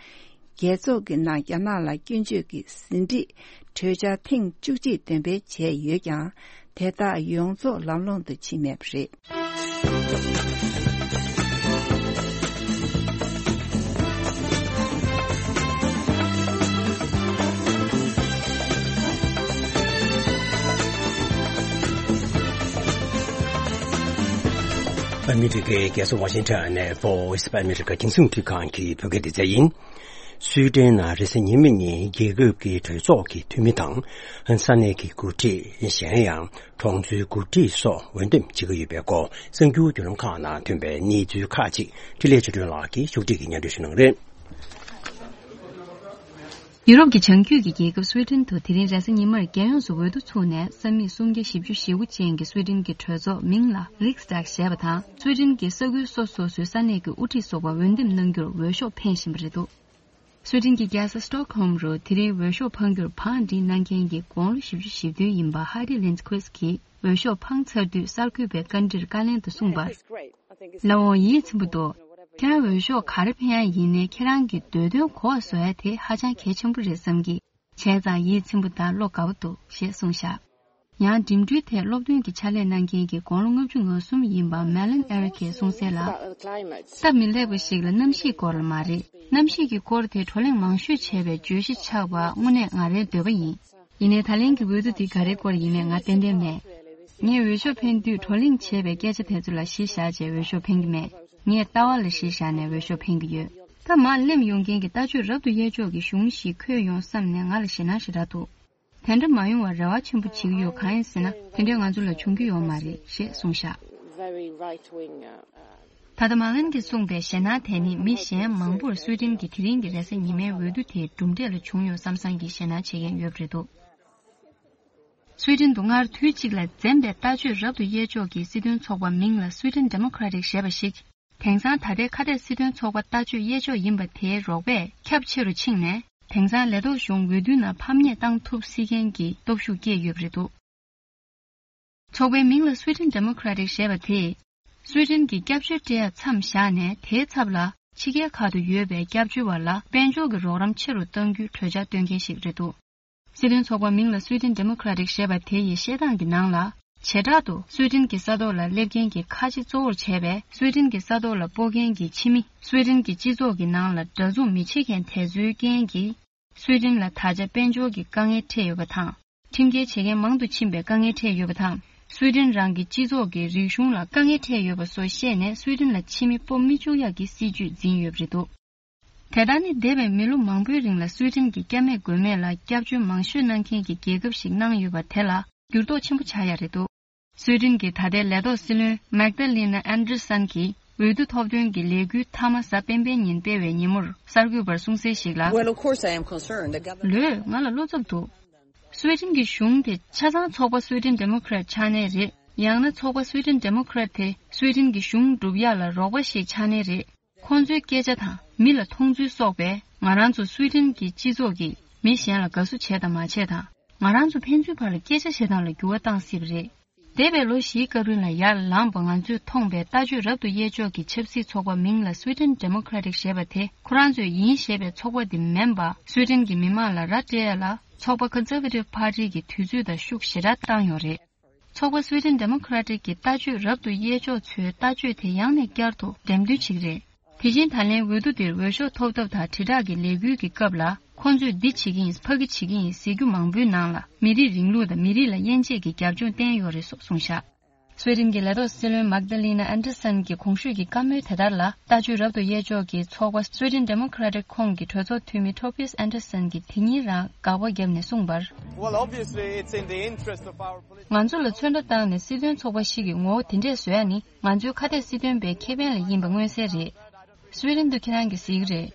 རྒྱལ་ཚོགས་ཀྱི་ནང་རྒྱ་ནག་ལ་སྐྱོན་བརྗོད་ཀྱི་ཟིན་བྲིས་གྲོས་འཆར་ཐེངས་བཅུ་གཅིག་འདོན་སྤེལ་བྱས་ཡོད་ཀྱང་། དེ་དག་ཡོངས་རྫོགས་ལམ་ལྷོང་དུ་ཕྱིན་མེད་པ་རེད། ཨ་མི་རི་ཀའི་རྒྱལ་ས་ཝ་ཤིང་ཊོན་ནས་Voice of America རྒྱང་སྲིང་རླུང་འཕྲིན་ཁང་གི་བོད་སྐད་སྡེ་ཚན་ཡིན། སུའེ་ཏེན་ནང་རེས་གཟའ་ཉི་མ་ཉིན་རྒྱལ་ཁབ་ཀྱི་གྲོས་ཚོགས་ཀྱི་འཐུས་མི་དང་། ས་གནས་ཀྱི་འགོ་ཁྲིད། གཞན་ཡང་གྲོང་ཚོའི་འགོ་ཁྲིད་སོགས་འོས་འདེམས་བྱེད་ཀྱི་ཡོད་པའི་སྐོར་གསར་འགྱུར་བརྒྱུད་ལམ་ཁག་ནང་ཐོན་པའི་གནས་ཚུལ་ཁག་ཅིག་འཕྲིན་ལས་ཆོས་སྒྲོན་ལགས་ཀྱིས་ཕྱོགས་སྒྲིག་གིས་སྙན་སྒྲོན་ཞུ་གནང་གི་རེད། ཡུ་རོབ་ཀྱི་བྱང་རྒྱུད་ཀྱི་རྒྱལ་ཁབ་སུའེ་ཏེན་དུ་དེ་རིང་རེས་གཟའ་ཉི་མར་རྒྱལ་ཡོངས་སུ་འོས་བསྡུ་ཚུགས་ནས་ས་མིག་སུམ་བརྒྱ་བཞི་བཅུ་ཞེ་དགུ་ཅན་གྱི་སུའེ་ཏེན་གྱི་གྲོས་ཚོགས་མིང་ལ་Riksdag ཞེས་པ་དང་། སུའེ་ཏེན་གྱི་ས་ཁུལ་སོ་སོ་སོའི་ས་གནས་ཀྱི་དབུ་ཁྲིད་སོགས་པ་འོས་འདེམས་གནང་རྒྱུར་འོས་ཤོག་འཕེན་བཞིན་པ་རེད་འདུག། སུའེ་ཏེན་གྱི་རྒྱལ་ས་སི་ཊོག་ཧོམ་རུ་དེ་རིང་འོས་ཤོག་འཕང་རྒྱུར་བང་སྒྲིག་གནང་མཁན་གྱི་དགུང་ལོ་བཞི་བཅུ་ཞེ་བདུན་ཡིན་པ་ཧ་ཏི་ལིན་ཁུས་ཀྱིས་འོས་ཤོག་འཕངས་ཚར་དུས་གསར་འགོད་པའི་བཀའ་འདྲིར་བཀའ་ལན་དུ་གསུངས་པར། ལགས་འོང་། ཡིད་ཚིམ་པོ་འདུག། ཁྱེད་རང་འོས་ཤོག་ག་རེ་འཕེན་ཡ་ཡིན་ནའི་ཁྱེད་རང་གི་འདོད་དོན་གོ་བ་བཟོ་ཡ་དེ་ཧ་ཅང་གལ་ཆེན་པོ་རེད་བསམ་གི། བྱས་ཙང་ཡིད་ཚིམ་པོ་དང་བློ་དགའ་པོ་འདུག་ཞེས་གསུངས་བཞག། ཡང་འགྲིམ་འགྲུལ་ཐད་སློབ་སྟོན་གྱི་ཕྱག་ལས་གནང་མཁན་གྱི་དགུང་ལོ་ལྔ་བཅུ་ང་གསུམ་ཡིན་པ་མེ་ལན་ཨེ་རི་ཁས་གསུངས་གསལ་ལ། སྟབས་མི་ལེགས་པ་ཞིག་ལ་གནམ་གཤིས་སྐོར་ལ་མ་རེད། གནམ་གཤིས་ཀྱི་སྐོར་དེ་བགྲོ་གླེང་མང་ཤོས་བྱས་པའི་བརྗོད་གཞི་ཆགས་པ་དངོས་གནས་ང་རའི་འདོད་པ་ཡིན། ཡིན་ནའི་ད་ལན་གྱི་འོས་བསྡུ་འདི་ག་རེའི་སྐོར་ཡིན་མིན་ང་ཏན་ཏན་མེད། ངས་འོས་ཤོག་འཕེན་དུས་བགྲོ་གླེང་བྱས་པའི་སྐད་ཆ་དེ་ཚོ་ལ་གཞི་བཞག་བྱས་འོས་ཤོག་འཕེན་གྱི་མེད། ངས་ལྟ་བ་ལ་གཞི་བཞག་ནས་འོས་ཤོག་འཕེན་གྱི་ཡོད། ད་མར་སླེབས་ཡོང་མཁན་གྱི་ལྟ་སྤྱོད་རབ་ཏུ་གཡས་ཕྱོགས་ཀྱི་གཞུང་ཞིག་འཁོད་ཡོང་བསམ་ནས་ང་ལ་ཞེད་སྣང་ཞེ་དྲག་འདུག། དེ་འདྲ་མ་ཡོང་བར་རེ་བ་ཆེན་པོ་བྱེད་ཀྱི་ཡོད། གང་ཡིན་ཟེར་ན་དེ་འདྲའི་ང་ཚོ་ལ་བྱུང་རྒྱུ་ཡོད་མ་རེད་ཞེས་གསུངས་བཞག། ད་ལྟ་མ་ལན་གྱིས་གསུངས་པའི་ཞེད་སྣང་དེ་ནི་མི་གཞན་མང་པོར་སུའེ་ཏེན་གྱི་དེ་རིང་གི་རེས་གཟའ་ཉི་མའི་འོས་བསྡུ་དེའི་གྲུབ་འབྲས་ལ་བྱུང་ཡོད་བསམ་བསམ་གྱི་ཞེད་སྣང་བྱེད་མཁན་ཡོད་པ་རེད་འདུག། སུའེ་ཏེན་དུ་སྔར་དུས་གཅིག་ལ་འཛེམ་པའི་ལྟ་སྤྱོད་རབ་ཏུ་གཡས་ཕྱོགས་ཀྱི་སྲིད་དོན་ཚོགས་པ་མིང་ལ་Sweden Democratic ཞེས་པ་ཞིག། དེང་སང་ད་ལྟའི་ཁ་གཏད་སྲིད་དོན་ཚོགས་པ་ལྟ་སྤྱོད་གཡས་ཕྱོགས་ཡིན་པ་དེའི་རོགས་པས་ཁྱབ་ཆེ་རུ་ཕྱིན་ནས། དེང་སང་ལས་ཐོག་གཞུང་འོས་བསྡུའི་ནང་ཕམ་ཉེས་བཏང་ཐུབ་སྲིད་མཁན་གྱི་སྟོབས་ཤུགས་སྐྱེས་ཡོད་པ་རེད་འདུག། ཚོགས་པའི་མིང་ལ་Sweden Democratic ཞེས་པ་དེས། སུའེ་ཏེན་གྱི་སྐྱབས་བཅོལ་སྤྲད་ཡ་མཚམས་བཞག་ནས་དེའི་ཚབ་ལ་ཕྱི་རྒྱལ་ཁག་ཏུ་ཡོད་པའི་སྐྱབས་བཅོལ་བ་ལ་དཔལ་འབྱོར་གྱི་རོགས་རམ་ཆེ་རུ་གཏང་རྒྱུའི་གྲོས་འཆར་བཏོན་མཁན་ཞིག་རེད་འདུག། སྲིད་དོན་ཚོགས་པ་མིང་ལ་Sweden Democratic ཞེས་པ་དེ་ཡི་བཤད་སྟངས་ཀྱི་ནང་ལ། བྱེ་བྲག་ཏུ་སུའེ་ཏེན་གྱི་ས་ཐོག་ལ་སླེབས་མཁན་གྱི་ཁ་ཆེ་གཙོ་བོར་བྱས་པའི་སུའེ་ཏེན་གྱི་ས་ཐོག་ལ་སྤོ་མཁན་གྱི་ཕྱི་མི། སུའེ་ཏེན་གྱི་སྤྱི་ཚོགས་ཀྱི་ནང་ལ་འདྲ་མཚུངས་མི་བྱེད་མཁན་དེ་ཚོའི་རྐྱེན་གྱིས། སུའེ་ཏེན་ལ་ད་ཆ་དཔལ་འབྱོར་གྱི་དཀའ་ངལ་འཕྲད་ཡོད་པ་དང་། ཁྲིམས་འགལ་བྱེད་མཁན་མང་དུ་ཕྱིན་པའི་དཀའ་ངལ་འཕྲད་ཡོད་པ་དང་། སུའེ་ཏེན་རང་གི་སྤྱི་ཚོགས་ཀྱི་རིག་གཞུང་ལ་དཀའ་ངལ་འཕྲད་ཡོད་པ་སོགས་བཤད་ནས་སུའེ་ཏེན་ལ་ཕྱི་མི་སྤོ་མི་བཅུག་ཡག་གི་སྲིད་ཇུས་འཛིན་ཡོད་པ་རེད་འདུག། དེ་ལྟར་ནི་འདས་པའི་མི་ལོ་མང་པོའི་རིང་ལ་སུའེ་ཏེན་གྱི་སྐྱབས་མེད་མགོན་མེད་ལ་སྐྱབས་བཅོལ་མང་ཤོས་གནང་མཁན་གྱི་རྒྱལ་ཁབ་ཞིག་གནང་ཡོད་པ་དེ་ལ་འགྱུར་ལྡོག་ཆེན་པོ་ཆགས་ཡ་རེད་འདུག། སུའེ་ཏེན་གྱི་ད་ལྟའི་ལས་ཐོག་སྲིད་བློན་Magdalena Andersson གྱིས་འོས་བསྡུ་ཐོབ་ཐོན་གྱི་ལས་འགུལ་མཐའ་མ་གཟའ་སྤེན་པའི་ཉིན་སྤེལ་བའི་ཉིན་མོར་གསར་འགོད་པར་གསུངས་གསལ་ཞིག་ལ། Well, of course I am concerned. The government ལོས། ང་ལ་བློ་འཚབ་འདུག། སུའེ་ཏེན་གྱི་གཞུང་དེ་ཆ་ཚང་ཚོགས་པ་Sweden Democrat ཆགས་ནའི་རེད། ཡང་ན་ཚོགས་པ་Sweden Democrat དེ་སུའེ་ཏེན་གྱི་གཞུང་སྒྲུབ་ཡག་ལ་རོགས་པ་ཞིག་ཆགས་ནའི་རེད། ཁོང་ཚོའི་སྐད་ཆ་དང་མི་ལ་མཐོང་ཚུལ་སོགས་པས་ང་རང་ཚོ་སུའི་ཏན་གྱི་སྤྱི་ཚོགས་ཀྱིས་མི་གཞན་ལ་དགའ་བསུ་བྱས་དང་མ་བྱས་དང་། ང་རང་ཚོ་ཕན་ཚུན་བར་ལ་སྐད་ཆ་བཤད་སྟངས་ལ་འགྱུར་བ་བཏང་སྲིད་པ་རེད། འདས་པའི་ལོ་བཞིའི་སྐབས་རིང་ལ་ཡར་ལངས་པ་ང་ཚོས་མཐོང་པའི་ལྟ་སྤྱོད་རབ་ཏུ་དབྱེ་ཕྱོགས་ཀྱི་ཆབ་སྲིད་ཚོགས་པ་མིང་ལ་Sweden Democratic ཞེས་པ་དེ་ཁོ་རང་ཚོས་ཡིན་ཞེས་པའི་ཚོགས་པ་དེ་མིན་པ། སུའི་ཏན་གྱི་མི་མང་ལ་ར་སྤྲད་ཡ་ལ་ཚོགས་པ་Conservative Party གི་དུས་ཚོད་དང་ཤུགས་ཞེ་དྲག་བཏང་ཡོད་རེད། ཚོགས་པ་Sweden Democratic གི་ལྟ་སྤྱོད་རབ་ཏུ་དབྱེ་ཕྱོགས་ཚོའི་ལྟ་སྤྱོད་དེ་ཡང་ནས་བསྐྱར་དུ་འགྲེམས་སྟོན་བྱེད་ཀྱི་རེད། དེ་བཞིན་ད་ལན་འོས་བསྡུ་དེར་འོས་ཤོག་ཐོབ་ཐབས་དང་དྲིལ་བསྒྲགས་ཀྱི་ལས་འགུལ་གྱི་སྐབས་ལ། ཁོང་ཚོས་འདི་བྱེད་ཀྱི་ཡིན་ཕ་གི་བྱེད་ཀྱི་ཡིན་ཟེར་རྒྱུ་མང་པོའི་ནང་ལ་མི་རིགས་རིང་ལུགས་དང་མི་རིགས་ལ་དབྱེ་འབྱེད་ཀྱི་རྒྱབ་ལྗོངས་བསྟན་ཡོད་རེད་སོགས་གསུངས་བཞག་སུའེ་ཏེན་གྱི་ལས་ཐོག་སྲིད་བློན་མཱག་ཏཱ་ལི་ན་ཨན་ཏར་སན་གྱི་གོང་ཞུས་ཀྱི་བཀའ་མོལ་དེ་ལྟར་ལ། ལྟ་སྤྱོད་རབ་ཏུ་དབྱེ་ཕྱོགས་ཀྱི་ཚོགས་པ་Sweden Democratic ཁོངས་ཀྱི་གྲོས་ཚོགས་འཐུས་མི་ཊོ་བྷི་ཡས་ཨན་ཏར་སན་གྱིས་དེ་ཉིན་རང་དགག་པ་བརྒྱབ་ནས་གསུངས་པར། Well, obviously, it's in the interest of our political ང་ཚོ་ལ་མཚོན་རྟགས་བཏང་ནས་སྲིད་དོན་ཚོགས་པ་ཞིག་གི་ངོ་བོ་དེ་འདྲས་བཟོ་ཡ་ནི་ང་ཚོའི་ཁ་གཏད་སྲིད་དོན་པའི་ཁེ་ཕན་ལ་ཡིན་པ་མངོན་གསལ་རེད། སུའེ་ཏེན་དུ་ཁྱེད་རང་གིས་གཟིགས་རེད།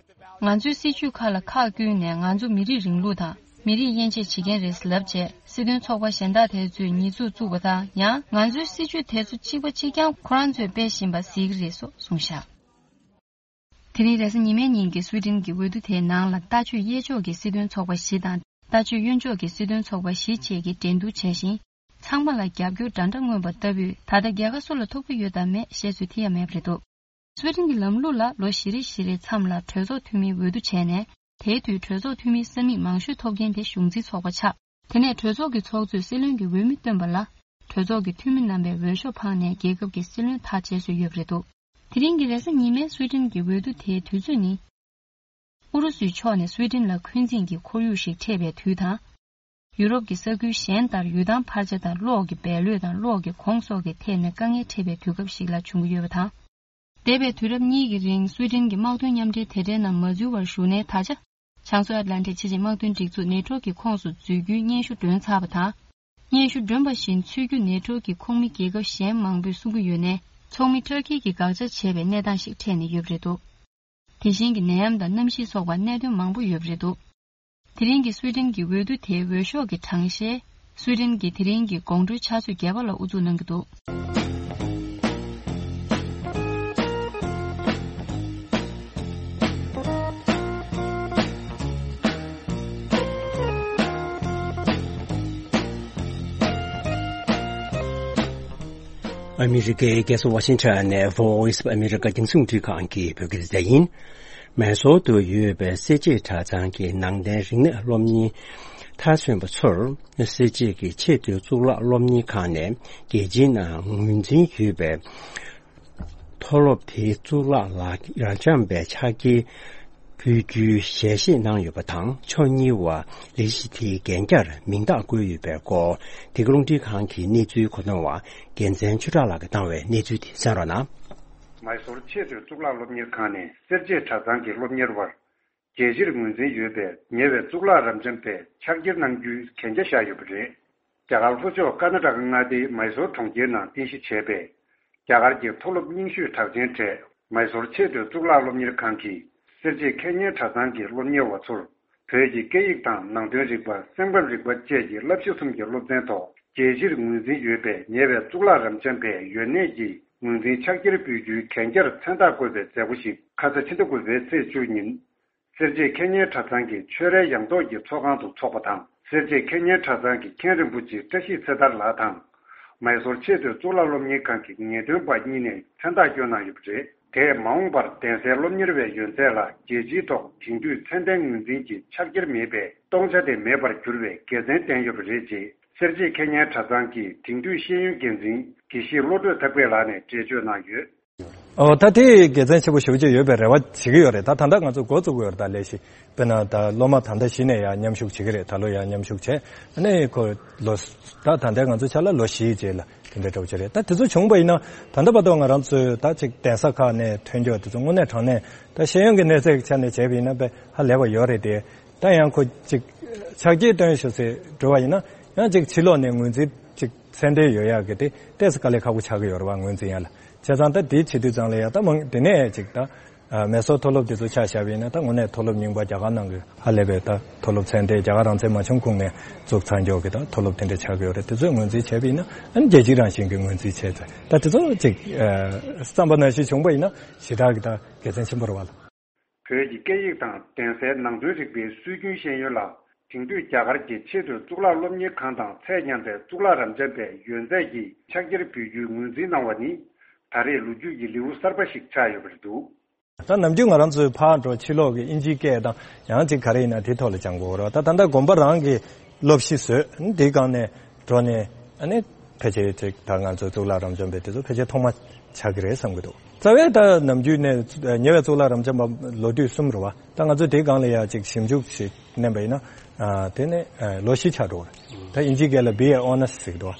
ང་ཚོའི་སྲིད་ཇུས་ཁག་ལ་ཁག་བསྐུལ་ནས་ང་ཚོ་མི་རིགས་རིང་ལུགས་དང་མི་རིགས་དབྱེ་འབྱེད་བྱེད་མཁན་རེད་ལབ་བྱས་སྲིད་དོན་ཚོགས་པ་གཞན་དག་དེ་ཚོས་ཉེས་འཛུགས་བཙུགས་པ་དང་ཡང་ང་ཚོའི་སྲིད་ཇུས་དེ་ཚོ་གཅིག་པ་གཅིག་རྐྱང་ཁོ་རང་ཚོས་སྤེལ་བཞིན་པ་གཟིགས་ཀྱི་རེད་སོགས་གསུངས་བཞག་དེ་རིང་རེས་གཟའ་ཉི་མའི་ཉིན་གྱི་སུའེ་ཏེན་གྱི་འོས་བསྡུ་དེའི་ནང་ལ་ལྟ་སྤྱོད་དབྱེ་ཕྱོགས་ཀྱི་སྲིད་དོན་ཚོགས་པ་བཞི་དང་ལྟ་སྤྱོད་གཡོན་ཕྱོགས་ཀྱི་སྲིད་དོན་ཚོགས་པ་བཞི་བཅས་ཀྱིས་འགྲན་བསྡུར་བྱས་ཤིང་། ཚང་མ་ལ་རྒྱབ་སྐྱོར་འདྲ་འདྲ་མངོན་པ་ལྟ་བུས་ད་ལྟ་རྒྱལ་ཁ་སུ་ལ་ཐོབ་ཀྱི་ཡོད་དམ་མེད་བཤད་ཚོད་ཐིག་ཡ་མེད་པ་རེད་འདུག་སུའེ་ཏེན་གྱི་ལམ་ལུགས་ལ་ལོ་བཞི་རེ་བཞི་རེའི་མཚམས་ལ་གྲོས་ཚོགས་འཐུས་མིའི་འོས་བསྡུ་བྱས་ནས་དེའི་དུས་གྲོས་ཚོགས་འཐུས་མིའི་ས་མིག་མང་ཤོས་ཐོབ་མཁན་དེ་གཞུང་འཛིན་ཚོགས་པ་ཆགས། དེ་ནས་གྲོས་ཚོགས་ཀྱི་ཚོགས་གཙོས་སྲིད་བློན་གྱི་འོས་མི་བཏོན་པ་ལ་གྲོས་ཚོགས་ཀྱི་འཐུས་མི་རྣམ་པས་འོས་ཤོག་འཕངས་ནས་རྒྱལ་ཁབ་ཀྱི་སྲིད་བློན་ཐག་བཅད་སྲོལ་ཡོད་པ་རེད་འདུག་དེ་རིང་གི་རེས་གཟའ་ཉི་མའི་སུའེ་ཏེན་གྱི་འོས་བསྡུ་དེའི་དུས་ཚོད་ནི། ཨུ་རུ་སུའི་ཕྱོགས་ནས་སུའེ་ཏེན་ལ་འཁོན་འཛིན་གྱི་ཁོར་ཡུག་ཞིག་འཕྲད་པའི་དུས་དང་། ཡུ་རོབ་ཀྱི་ས་ཁུལ་གཞན་ལྟར་ཡུལ་ཐང་འཕར་ཆ་དང་གློག་གི་འབལ་ལོད་དང་གློག་གི་གོང་སོགས་ཀྱི་ཐད་ནས་དཀའ་ངལ་འཕྲད་པའི་དུས་སྐབས་ཤིག་ལ་བྱུང་གི་ཡོད་པ་དང་། འདས་པའི་དུས་རབས་གཉིས་ཀྱི་རིང་སུའེ་ཏེན་གྱི་དམག་དོན་མཉམ་འབྲེལ་དེ་འདྲའི་ནང་མ་འཛུལ་བར་བཞུགས་ནས་ད་ཆ། བྱང་མཚོ་ཨེཊ་ལན་ཊིག་ཕྱི་ཆིངས་དམག་དོན་སྒྲིག་འཛུགས་ནེ་ཊོ་གི་ཁོངས་སུ་འཛུལ་རྒྱུའི་སྙན་ཞུ་བསྒྲོན་ཚར་བ་དང་། སྙན་ཞུ་བསྒྲོན་པ་བཞིན་ཚུད་རྒྱུ་ནེ་ཊོ་གི་ཁོངས་མི་རྒྱལ་ཁབ་གཞན་མང་པོས་གསུང་གི་ཡོད་ནས། ཚོགས་མི་ཊར་ཀི་གིས་དགག་བྱ་བྱས་པའི་གནས་སྟངས་ཤིག་འཕྲད་ནས་ཡོད་པ་རེད་འདུག་དེ་བཞིན་གྱི་ནད་ཡམས་དང་གནམ་གཤིས་སོགས་པ་གནད་དོན་མང་པོ་ཡོད་པ་རེད་འདུག་དེ་རིང་གི་སུའེ་ཏེན་གྱི་འོས་བསྡུ་དེའི་འོས་ཤོག་གི་གྲངས་བཤེར། སུའེ་ཏེན་གྱིས་དེ་རིང་གི་དགོང་དྲོའི་ཆུ་ཚོད་བརྒྱད་པ་ལ་དབུ་འཛུགས་གནང་གི་འདུག་ཨ་མི་རི་ཀའི་རྒྱལ་ས་ཝ་ཤིང་ཊོན་ནས་Voice of America རྒྱང་སྲིང་རླུང་འཕྲིན་ཁང་གི་བོད་སྐད་སྡེ་ཚན་ཡིན། མེ་སོར་དུ་ཡོད་པའི་སེར་བྱེས་གྲྭ་ཚང་གི་ནང་བསྟན་རིག་གནས་སློབ་གཉེར་མཐར་སོན་པ་ཚོར་སེར་བྱེས་ཀྱི་ཆེས་མཐོའི་གཙུག་ལག་སློབ་གཉེར་ཁང་ནས་རྒྱལ་སྤྱིའི་ནང་ངོས་འཛིན་ཡོད་པའི་མཐོ་སློབ་དེའི་གཙུག་ལག་ལ་རབ་འབྱམས་པའི་ཕྱག་འཁྱེར་ཕུལ་རྒྱུའི་ཞལ་བཞེས་གནང་ཡོད་པ་དང་། ཕྱོགས་གཉིས་བར་ལས་གཞི་དེའི་འགན་འཁྱེར་མིང་རྟགས་བཀོད་ཡོད་པའི་སྐོར་འདི་ག་རླུང་འཕྲིན་ཁང་གི་གནས་ཚུལ་མཁོ་འདོན་པ་རྒྱལ་མཚན་ཆོས་གྲགས་ལགས་ཀྱིས་བཏང་བའི་གནས་ཚུལ་དེ་གསན་རོགས་གནང་། མའི་སོར་ཆེས་མཐོའི་གཙུག་ལག་སློབ་གཉེར་ཁང་ནས་སེར་བྱེས་གྲྭ་ཚང་གི་སློབ་གཉེར་བར་རྒྱལ་སྤྱིར་ངོས་འཛིན་ཡོད་པའི་ཉེ་བའི་གཙུག་ལག་རབ་འབྱམས་པའི་ཕྱག་འཁྱེར་གནང་རྒྱུའི་གན་རྒྱ་བཞག་ཡོད་པ་རེད། རྒྱ་གར་ལྷོ་ཕྱོགས་ཀར་ན་ཊ་ཀ་མངའ་སྡེའི་མའི་སོར་གྲོང་ཁྱེར་ནང་རྟེན་གཞི་བྱས་པའི་རྒྱ་གར་གྱི་མཐོ་སློབ་རྙིང་ཤོས་གྲགས་ཅན་གྲས་མའི་སོར་ཆེས་མཐོའི་གཙུག་ལག་སློབ་གཉེར་ཁང་གིས་སེར་བྱེས་ཁེ་ཉེན་གྲྭ་ཚང་གི་སློབ་གཉེར་བ་ཚོར་བོད་ཀྱི་སྐད་ཡིག་དང་ནང་དོན་རིག་པ། སེམས་ཁམས་རིག་པ་བཅས་ཀྱི་བསླབ་གཞི་གསུམ་གྱི་སློབ་ཚན་ཐོག་རྒྱལ་སྤྱིར་ངོས་འཛིན་ཡོད་པའི་ཉེ་བའི་གཙུག་ལག་རབ་འབྱམས་པའི་ཡོན་གནས་ཀྱི་ངོས་འཛིན་ཕྱག་འཁྱེར་ཕུལ་རྒྱུའི་གན་རྒྱར་མཚན་རྟགས་བཀོད་པའི་མཛད་སྒོ་ཞིག་ཁ་ས་ཕྱི་ཟླ་དགུ་པའི་ཚེས་བཅུ་ཉིན་སེར་བྱེས་ཁེ་ཉེན་གྲྭ་ཚང་གི་ཆོས་རའི་ཡང་ཐོག་གི་ཚོགས་ཁང་དུ་འཚོགས་པ་དང་། སེར་བྱེས་ཁེ་ཉེན་གྲྭ་ཚང་གི་མཁན་རིན་པོ་ཆེ་བཀྲ་ཤིས་ཚེ་ཐར་ལགས་དང་། མའི་སོར་ཆེས་མཐོའི་གཙུག་ལག་སློབ་གཉེར་ཁང་གི་ངེས་སྟོན་པ་གཉིས་ནས་མཚན་རྟགས་བསྐྱོན་གནང་ཡོད་པ་རེད། དེས་མ་འོངས་པར་གདན་སའི་སློབ་གཉེར་བའི་ཡོན་ཚད་ལ་རྒྱལ་སྤྱིའི་ཐོག་དེང་དུས་ཚད་ལྡན་ངོས་འཛིན་གྱི་ཕྱག་འཁྱེར་མེད་པའི་སྟོང་ཆ་དེ་མེད་པར་འགྱུར་བའི་དགེ་མཚན་བསྟན་ཡོད་པ་རེད། ཅེས་སེར་བྱེས་ཁེ་ཉེན་གྲྭ་ཚང་གི་དེང་དུས་ཤེས་ཡོན་འགན་འཛིན་དགེ་བཤེས་བློ་གྲོས་ཐར་པ་ལགས་ནས་འགྲེལ་བརྗོད་གནང་ཡོད། ཨོ་ད་དེ་དགེ་མཚན་ཆེན་པོ་ཞེ་པོ་ཅིག་ཡོད་པའི་རེ་བ་བྱེད་ཀྱི་ཡོད་རེད། ད་ད་ལྟ་ང་ཚོ་འགོ་བཙུགས་ཀྱི་ཡོད་རེད། ད་ལས་གཞི་དཔེར་ན་ད་སློབ་མ་ད་ལྟ་གཞི་ནས་ཡང་མཉམ་ཞུགས་བྱེད་ཀྱི་རེད། ད་ལོ་ཡང་མཉམ་ཞུགས་བྱས། ཨ་ནི་ཁོ་ལོ་ད་ད་ལྟའི་ང་ཚོ་ཆ་ལ་ལོ་བཞིའི་རྗེས་ལ་དེ་འདྲ་འདྲ་བོ་ཅིག་རེད། ད་དེ་ཚོ་བྱུང་བ་ཡིན་ན་ད་ལྟ་བར་དུ་ང་རང་ཚོས་ད་ཅིག་གདན་ས་ཁག་ནས་ཐོན་རྒྱུ་དེ་ཚོ་དངོས་གནས་དྲང་གནས་ད་ཤེས་ཡོན་གྱི་གནས་ཚད་ཀྱི་ཆ་ནས་བྱས་པ་ཡིན་ན་དཔེ་ཧ་ལས་པ་ཡོད་རེད་དེ། ད་ཡང་ཁོ་ཅིག་ཕྱག་འཁྱེར་བཏོན་ཞུ་ཟེར་འགྲོ་བ་ཡིན་ན་ཡང་ཅིག་ཕྱི་ལོགས་ནས་ངོས་འཛིན་ཅིག་ཚད་ལྡན་ཡོད་ཡག་གི་དེ་ཏོག་ཙམ་དཀའ་ལས་ཁག་པོ་ཆགས་ཀྱི་ཡོད་རེད་བ། ངོས་འཛིན་ཡ་ལ། བྱས་ཙང་ད་དེ་བྱེད་དུས་ཙང་ལ་ཡ་ད་མང་དེ་ནས་ཅིག་ད་ མེ་སོར་མཐོ་སློབ་དེ་ཚོ་ཆ་བཞག་པ་ཡིན་ན། ད་དངོས་གནས་མཐོ་སློབ་རྙིང་པ་རྒྱ་གར་ནང་གི་ཧ་ལས་པའི་ད་མཐོ་སློབ་ཚད་ལྡན། རྒྱ་གར་རང་བཙན་མ་བྱུང་གོང་ནས་བཙུགས་ཚར་མགྱོགས་ཀྱི་ད་མཐོ་སློབ་དེ་འདྲ་ཆགས་ཀྱི་ཡོད་རེད། དེ་ཚོས་ངོས་འཛིན་བྱས་པ་ཡིན་ན། ཨ་ནི་རྒྱལ་སྤྱི་རང་བཞིན་གྱི་ངོས་འཛིན་བྱས་ཚེ། ད་དེ་ཚོ་ཅིག་ཨ་བསམ་པ་ནང་བཞིན་བྱུང་པ་ཡིན་ན་ཞེ་དྲག་གི་ད་དགེ་མཚན་ཆེན་པོ་རེད་བ་ལ། བོད་ཀྱི་སྐད་ཡིག་དང་གདན་སའི་ནང་དོན་རིག་པའི་སྲོལ་རྒྱུན་ཤེས་ཡོན་ལ་དེང་དུས་རྒྱ་གར་གྱི་ཆེས་མཐོའི་གཙུག་ལག་སློབ་གཉེར་ཁང་དང་ཚད་མཉམ་པའི་གཙུག་ལག་རབ་འབྱམས་པའི་ཡོན་ཚད་ཀྱི་ཕྱག་འཁྱེར་འབུལ་རྒྱུའི་ངོས་འཛིན་གནང་བ་ནི། ད་རེས་ལོ་རྒྱུས་ཀྱི་ལེའུ་གསར་པ་ཞིག་ཆགས་ཡོད་པ་རེད་འདུག་ད་ནམ་རྒྱུན་ང་རང་ཚོའི་ཕར་འགྲོ་ཕྱི་ལོགས་ཀྱི་དབྱིན་ཇིའི་སྐད་དང་ཡང་ཅིག་ག་རེ་ཡིན་ན་དེའི་ཐོག་ལ་སྦྱང་དགོས་རེད། ད་ད་ལྟ་དགོན་པ་རང་གི་སློབ་གཞི་བཟོས། དེའི་སྒང་ནས་འགྲོ་ནས་ཨ་ནི་ཕལ་ཆེར་ཅིག་ད་ང་ཚོའི་གཙུག་ལག་རབ་འབྱམས་པའི་དེ་ཚོ་ཕལ་ཆེར་ཐོག་མ་ཆགས་ཀྱི་རེད་བསམ་གྱི་འདུག་རྩ་བའི་ད་ནམ་རྒྱུན་ནས་ཉེ་བའི་གཙུག་ལག་རབ་འབྱམས་པ་ལོ་དུས་གསུམ་རེད་བ། ད་ང་ཚོས་དེའི་སྒང་ལ་ཡང་ཅིག་ཞིབ་འཇུག་ཞིག་བསྣན་པ་ཡིན་ན། ཨ་དེ་ནི་ཨ་ལོ་བཞི་ཆགས་འགྲོ་གི་རེད། ད་དབྱིན་ཇིའི་སྐད་ལ་B A Honours་ཟེར་གྱི་འདུག་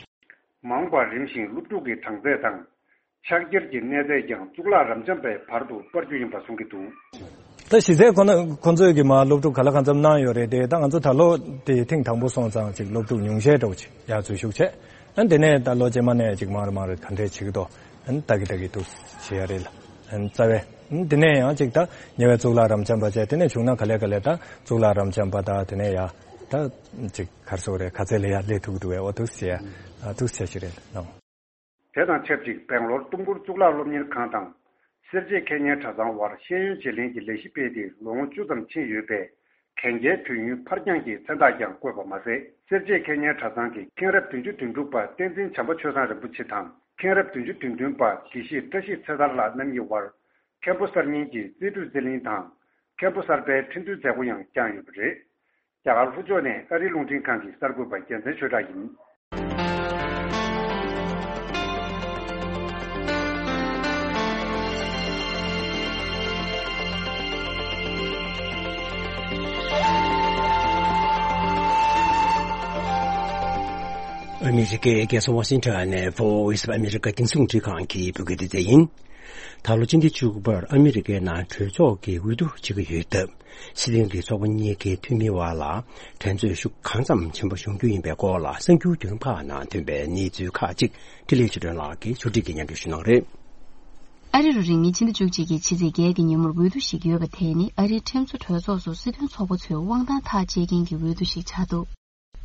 མ་འོངས་པར་རིམ་བཞིན་སློབ་ཕྲུག་གི་གྲངས་ཚད་དང་། ཕྱག་འཁྱེར་གྱི་གནས་ཚད་ཀྱང་གཙུག་ལག་རབ་འབྱམས་པའི་བར་དུ་སྤར་རྒྱུ་ཡིན་པ་གསུང་གི་འདུག་ད་གཞི་རྩའི་ཁོ་ན་ཁོ་ཚོས་ཀྱི་མ་སློབ་ཕྲུག་ག་ལ་གང་འཚམ་གནང་ཡོད་རེད་དེ། ད་ང་ཚོ་ད་ལོ་དེ་ཐེངས་དང་པོ་སོང་ཙང་ཅིག་སློབ་ཕྲུག་ཉུང་ཤས་འདྲ་བོ་ཅིག་ཡར་འཛུལ་ཞུགས་བྱས། ཨ་དེ་ནས་ད་ལོ་རྗེས་མ་ནས་ཅིག་མར་མར་ག་འདྲས་བྱེད་ཀྱི་འདུག་ཨ་ལྟ་གི་ལྟ་གི་འདུག་བྱེད་ཡ་རེད་ལ། ཨ་རྩ་བའི་ཨ་དེ་ནས་ཡང་ཅིག་ད་ཉེ་བའི་གཙུག་ལག་རབ་འབྱམས་པ་བྱས། དེ་ནས་བྱུང་ན་ག་ལེ་ག་ལེ་ད་གཙུག་ལག་རབ་འབྱམས་པ་ད་དེ་ནས་ཡ་ད་ཅིག་ག་རེ་ཟེར་དགོས་རེད། ག་ཚད་ལ་ཡ་སླེབས་ཐུབ་ཀྱི་འདུག་བས། འོ་འདུག་བྱེད་ཡ་འདུག་བྱེད་ཞིག་རེད་ལ། དེ་དང་ཆབས་ཅིག་སྦེང་ལོར་ཏུམ་གུར་གཙུག་ལག་སློབ་གཉེར་ཁང་དང་། སེར་བྱེས་ཁེ་ཉེན་གྲྭ་ཚང་དབར་ཤེས་ཡོན་བརྗེ་ལེན་གྱི་ལས་གཞི་སྤེལ་ཏེ་ལོ་ངོ་བཅུ་ཙམ་ཕྱིན་ཡོད་པས། གན་རྒྱའི་དུས་ཡུན་ཕར་འགྱངས་ཀྱི་མཚན་རྟགས་ཀྱང་བཀོད་པ་མ་ཟད། སེར་བྱེས་ཁེ་ཉེན་གྲྭ་ཚང་གི་མཁན་རབས་བདུན་ཅུ་དོན་དྲུག་པ་བསྟན་འཛིན་བྱམས་པ་ཆོས་བཟང་རིན་པོ་ཆེ་དང་། མཁན་རབས་བདུན་ཅུ་དོན་བདུན་པ་དགེ་བཤེས་བཀྲ་ཤིས་ཚེ་ཐར་ལགས་རྣམ་གཉིས་དབར། མཁན་པོ་གསར་རྙིང་གི་རྩིས་སྤྲོད་རྩིས་ལེན་དང་། མཁན་པོ་གསར་པའི་ཁྲི་འདོན་མཛད་སྒོ་ཡང་བསྐྱངས་ཡོད་པ་རེད། རྒྱ་གར་ལྷོ་ཕྱོགས་ནས་ཨ་རིའི་རླུང་འཕྲིན་ཁང་གི་གསར་འགོད་པ་རྒྱལ་མཚན་ཆོས་གྲགས་ཡིན། ཨ་མི་རི་ཀའི་རྒྱལ་ས་ཝ་ཤིང་ཊོན་ནས་Voice of America་རྒྱང་སྲིང་རླུང་འཕྲིན་ཁང་གི་བོད་སྐད་སྡེ་ཚན་ཡིན། ད་ལོ་སྤྱི་ཟླ་བཅུ་པར་ཨ་མི་རི་ཀའི་ནང་གྲོས་ཚོགས་ཀྱི་འོས་བསྡུ་བྱེད་ཀྱི་ཡོད་སྟབས། སྲིད་དོན་གྱི་ཚོགས་པ་གཉིས་ཀའི་འཐུས་མིའི་དབར་ལ་འགྲན་རྩོད་ཤུགས་གང་ཙམ་ཆེན་པོ་ཡོང་རྒྱུ་ཡིན་པའི་སྐོར་ལ་གསར་འགྱུར་བརྒྱུད་ལམ་ཁག་ནང་ཐོན་པའི་གནས་ཚུལ་ཁག་ཅིག་འཕྲིན་ལས་ཆོས་སྒྲོན་ལགས་ཀྱིས་ཕྱོགས་སྒྲིག་གིས་སྙན་སྒྲོན་ཞུ་གནང་རེད། ཨ་རི་རུ་རིང་མིན་ཕྱི་ཟླ་བཅུ་གཅིག་གི་ཕྱི་ཚེས་བརྒྱད་ཀྱི་ཉིན་མོར་འོས་བསྡུ་ཞིག་ཡོད་པ་དེ་ནི་ཨ་རིའི་ཁྲིམས་བཟོ་གྲོས་ཚོགས་སུ་སྲིད་དོན་ཚོགས་པ་ཚོའི་དབང་ཐང་ཐག་བཅད་མཁན་གྱི་འོས་བསྡུ་ཞིག་ཆགས་འདུག་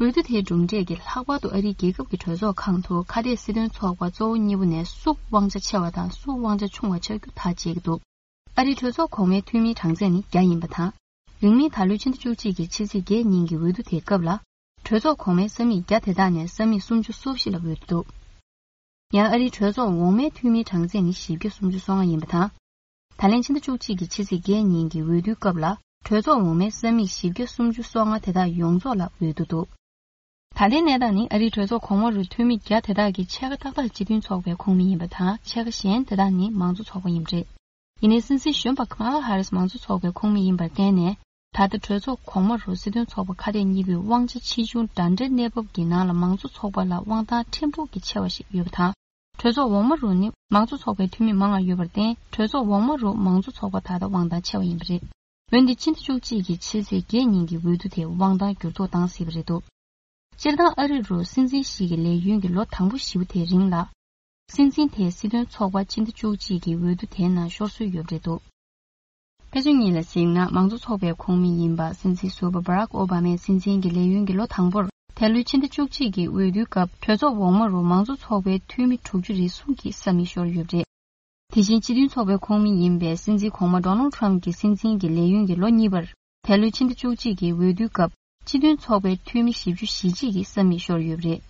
འོས་བསྡུ་དེའི་གྲུབ་འབྲས་ཀྱིས་ལྷག་པར་དུ་ཨ་རིའི་རྒྱལ་ཁབ་ཀྱི་གྲོས་ཚོགས་ཁང་དུ་ཁ་གཏད་སྲིད་དོན་ཚོགས་པ་གཙོ་བོ་གཉིས་པོ་ནས་སུ་དབང་ཆ་ཆེ་བ་དང་སུ་དབང་ཆ་ཆུང་བ་ཆགས་རྒྱུ་ཐག་བཅད་ཀྱི་འདུག་ཨ་རིའི་གྲོས་ཚོགས་གོང་མའི་འཐུས་མིའི་གྲངས་ཚད་ནི་བརྒྱ་ཡིན་པ་དང་། རིང་མིན་ད་ལོའི་ཕྱི་ཟླ་བཅུ་གཅིག་གི་ཕྱི་ཚེས་བརྒྱད་ཉིན་གྱི་འོས་བསྡུ་དེའི་སྐབས་ལ། གྲོས་ཚོགས་གོང་མའི་ས་མིག་བརྒྱ་དེ་དག་ནས་ས་མིག་སུམ་ཅུ་སོ་བཞི་ལ་འོས་བསྡུ་འདུག་ཡང་ཨ་རིའི་གྲོས་ཚོགས་འོག་མའི་འཐུས་མིའི་གྲངས་ཚད་ནི་བཞི་བརྒྱ་སུམ་ཅུ་སོ་ལྔ་ཡིན་པ་དང་། ད་ལན་ཕྱི་ཟླ་བཅུ་གཅིག་གི་ཕྱི་ཚེས་བརྒྱད་ཉིན་གྱི་འོས་བསྡུའི་སྐབས་ལ། གྲོས་ཚོགས་འོག་མའི་ས་མིག་བཞི་བརྒྱ་སུམ་ཅུ་སོ་ལྔ་དེ་དག་ཡོངས་རྫོགས་ལ་འོས་བསྡུ་འདུག་ད་ལྟའི་གནས་སྟངས་ནི་ཨ་རིའི་གྲོས་ཚོགས་གོང་མ་རུ་འཐུས་མི་བརྒྱ་དེ་དག་གིས་ཕྱེད་ཀ་ཏག་ཏག་སྤྱི་མཐུན་ཚོགས་པའི་ཁོངས་མི་ཡིན་པ་དང་། ཕྱེད་ཀ་གཞན་དེ་དག་ནི་མང་གཙོ་ཚོགས་པ་ཡིན་པ་རེད། ཡིན་ནའི་སྲིད་འཛིན་གཞོན་པ་ཁ་མ་ལ་ཧ་རིས་མང་གཙོ་ཚོགས་པའི་ཁོངས་མི་ཡིན་པར་བརྟེན་ནས། ད་ལྟ་གྲོས་ཚོགས་གོང་མ་རུ་སྲིད་དོན་ཚོགས་པ་ཁ་གཏད་གཉིས་པོའི་དབང་ཆ་ཆེ་ཆུང་འདྲ་འདྲའི་གནས་བབ་ཀྱི་ནང་ལ་མང་གཙོ་ཚོགས་པ་ལ་དབང་ཐང་ཕྲན་བུ་གྱིས་ཆེ་བ་ཞིག་ཡོད་པ་དང་། གྲོས་ཚོགས་འོག་མ་རུ་ནི་མང་གཙོ་ཚོགས་པའི་འཐུས་མི་མང་བ་ཡོད་པར་བརྟེན། གྲོས་ཚོགས་འོག་མ་རུ་མང་གཙོ་ཚོགས་པ་ད་ལྟ་དབང་ཐང་ཆེ་བ་ཡིན་པ་རེད། འོན་ཏེ་ཕྱི་ཟླ་བཅུ་གཅིག་གི་ཕྱི་ཚེས་བརྒྱད་ཉིན་གྱི་འོས་བསྡུ་དེ་དབང་ཐང་འགྱུར་ལྡོག་བཏང་སྲིད་པ་རེད་འདུག་སྤྱིར་བཏང་ཨ་རི་རུ་སྲིད་འཛིན་ཞིག་གི་ལས་ཡུན་གྱི་ལོ་དང་པོ་བཞི་པོ་དེའི་རིང་ལ། སྲིད་འཛིན་དེས་སྲིད་དོན་ཚོགས་པ་སྤྱི་ཟླ་བཅུ་གཅིག་གི་འོས་བསྡུ་དེའི་ནང་ཤོར་སྲོལ་ཡོད་པ་རེད་འདུག་དཔེ་མཚོན་གཉིས་ལ་གཟིགས་ན། མང་གཙོ་ཚོགས་པའི་ཁོངས་མི་ཡིན་པ་སྲིད་འཛིན་ཟུར་པ་Barack Obama་སྲིད་འཛིན་གྱི་ལས་ཡུན་གྱི་ལོ་དང་པོར། དེ་ལོའི་ཕྱི་ཟླ་བཅུ་གཅིག་གི་འོས་བསྡུའི་སྐབས་གྲོས་ཚོགས་འོག་མ་རུ་མང་གཙོ་ཚོགས་པའི་འཐུས་མི་དྲུག་ཅུ་རེ་གསུམ་གྱིས་ས་མིག་ཤོར་ཡོད་པ་རེད། དེ་བཞིན་སྤྱི་མཐུན་ཚོགས་པའི་ཁོངས་མི་ཡིན་པའི་སྲིད་འཛིན་གོང་མ་Donald Trump་གྱི་སྲིད་འཛིན་གྱི་ལས་ཡུན་གྱི་ལོ་གཉིས་པར། དེ་ལོའི་ཕྱི་ཟླ་བཅུ་གཅིག་གི་འོས་བསྡུའི་སྐབས་སྤྱི་མཐུན་ཚོགས་པའི་འཐུས་མི་བཞི་བཅུ་ཞེ་གཅིག་གིས་ས་མིག་ཤོར་ཡོད་པ་རེད།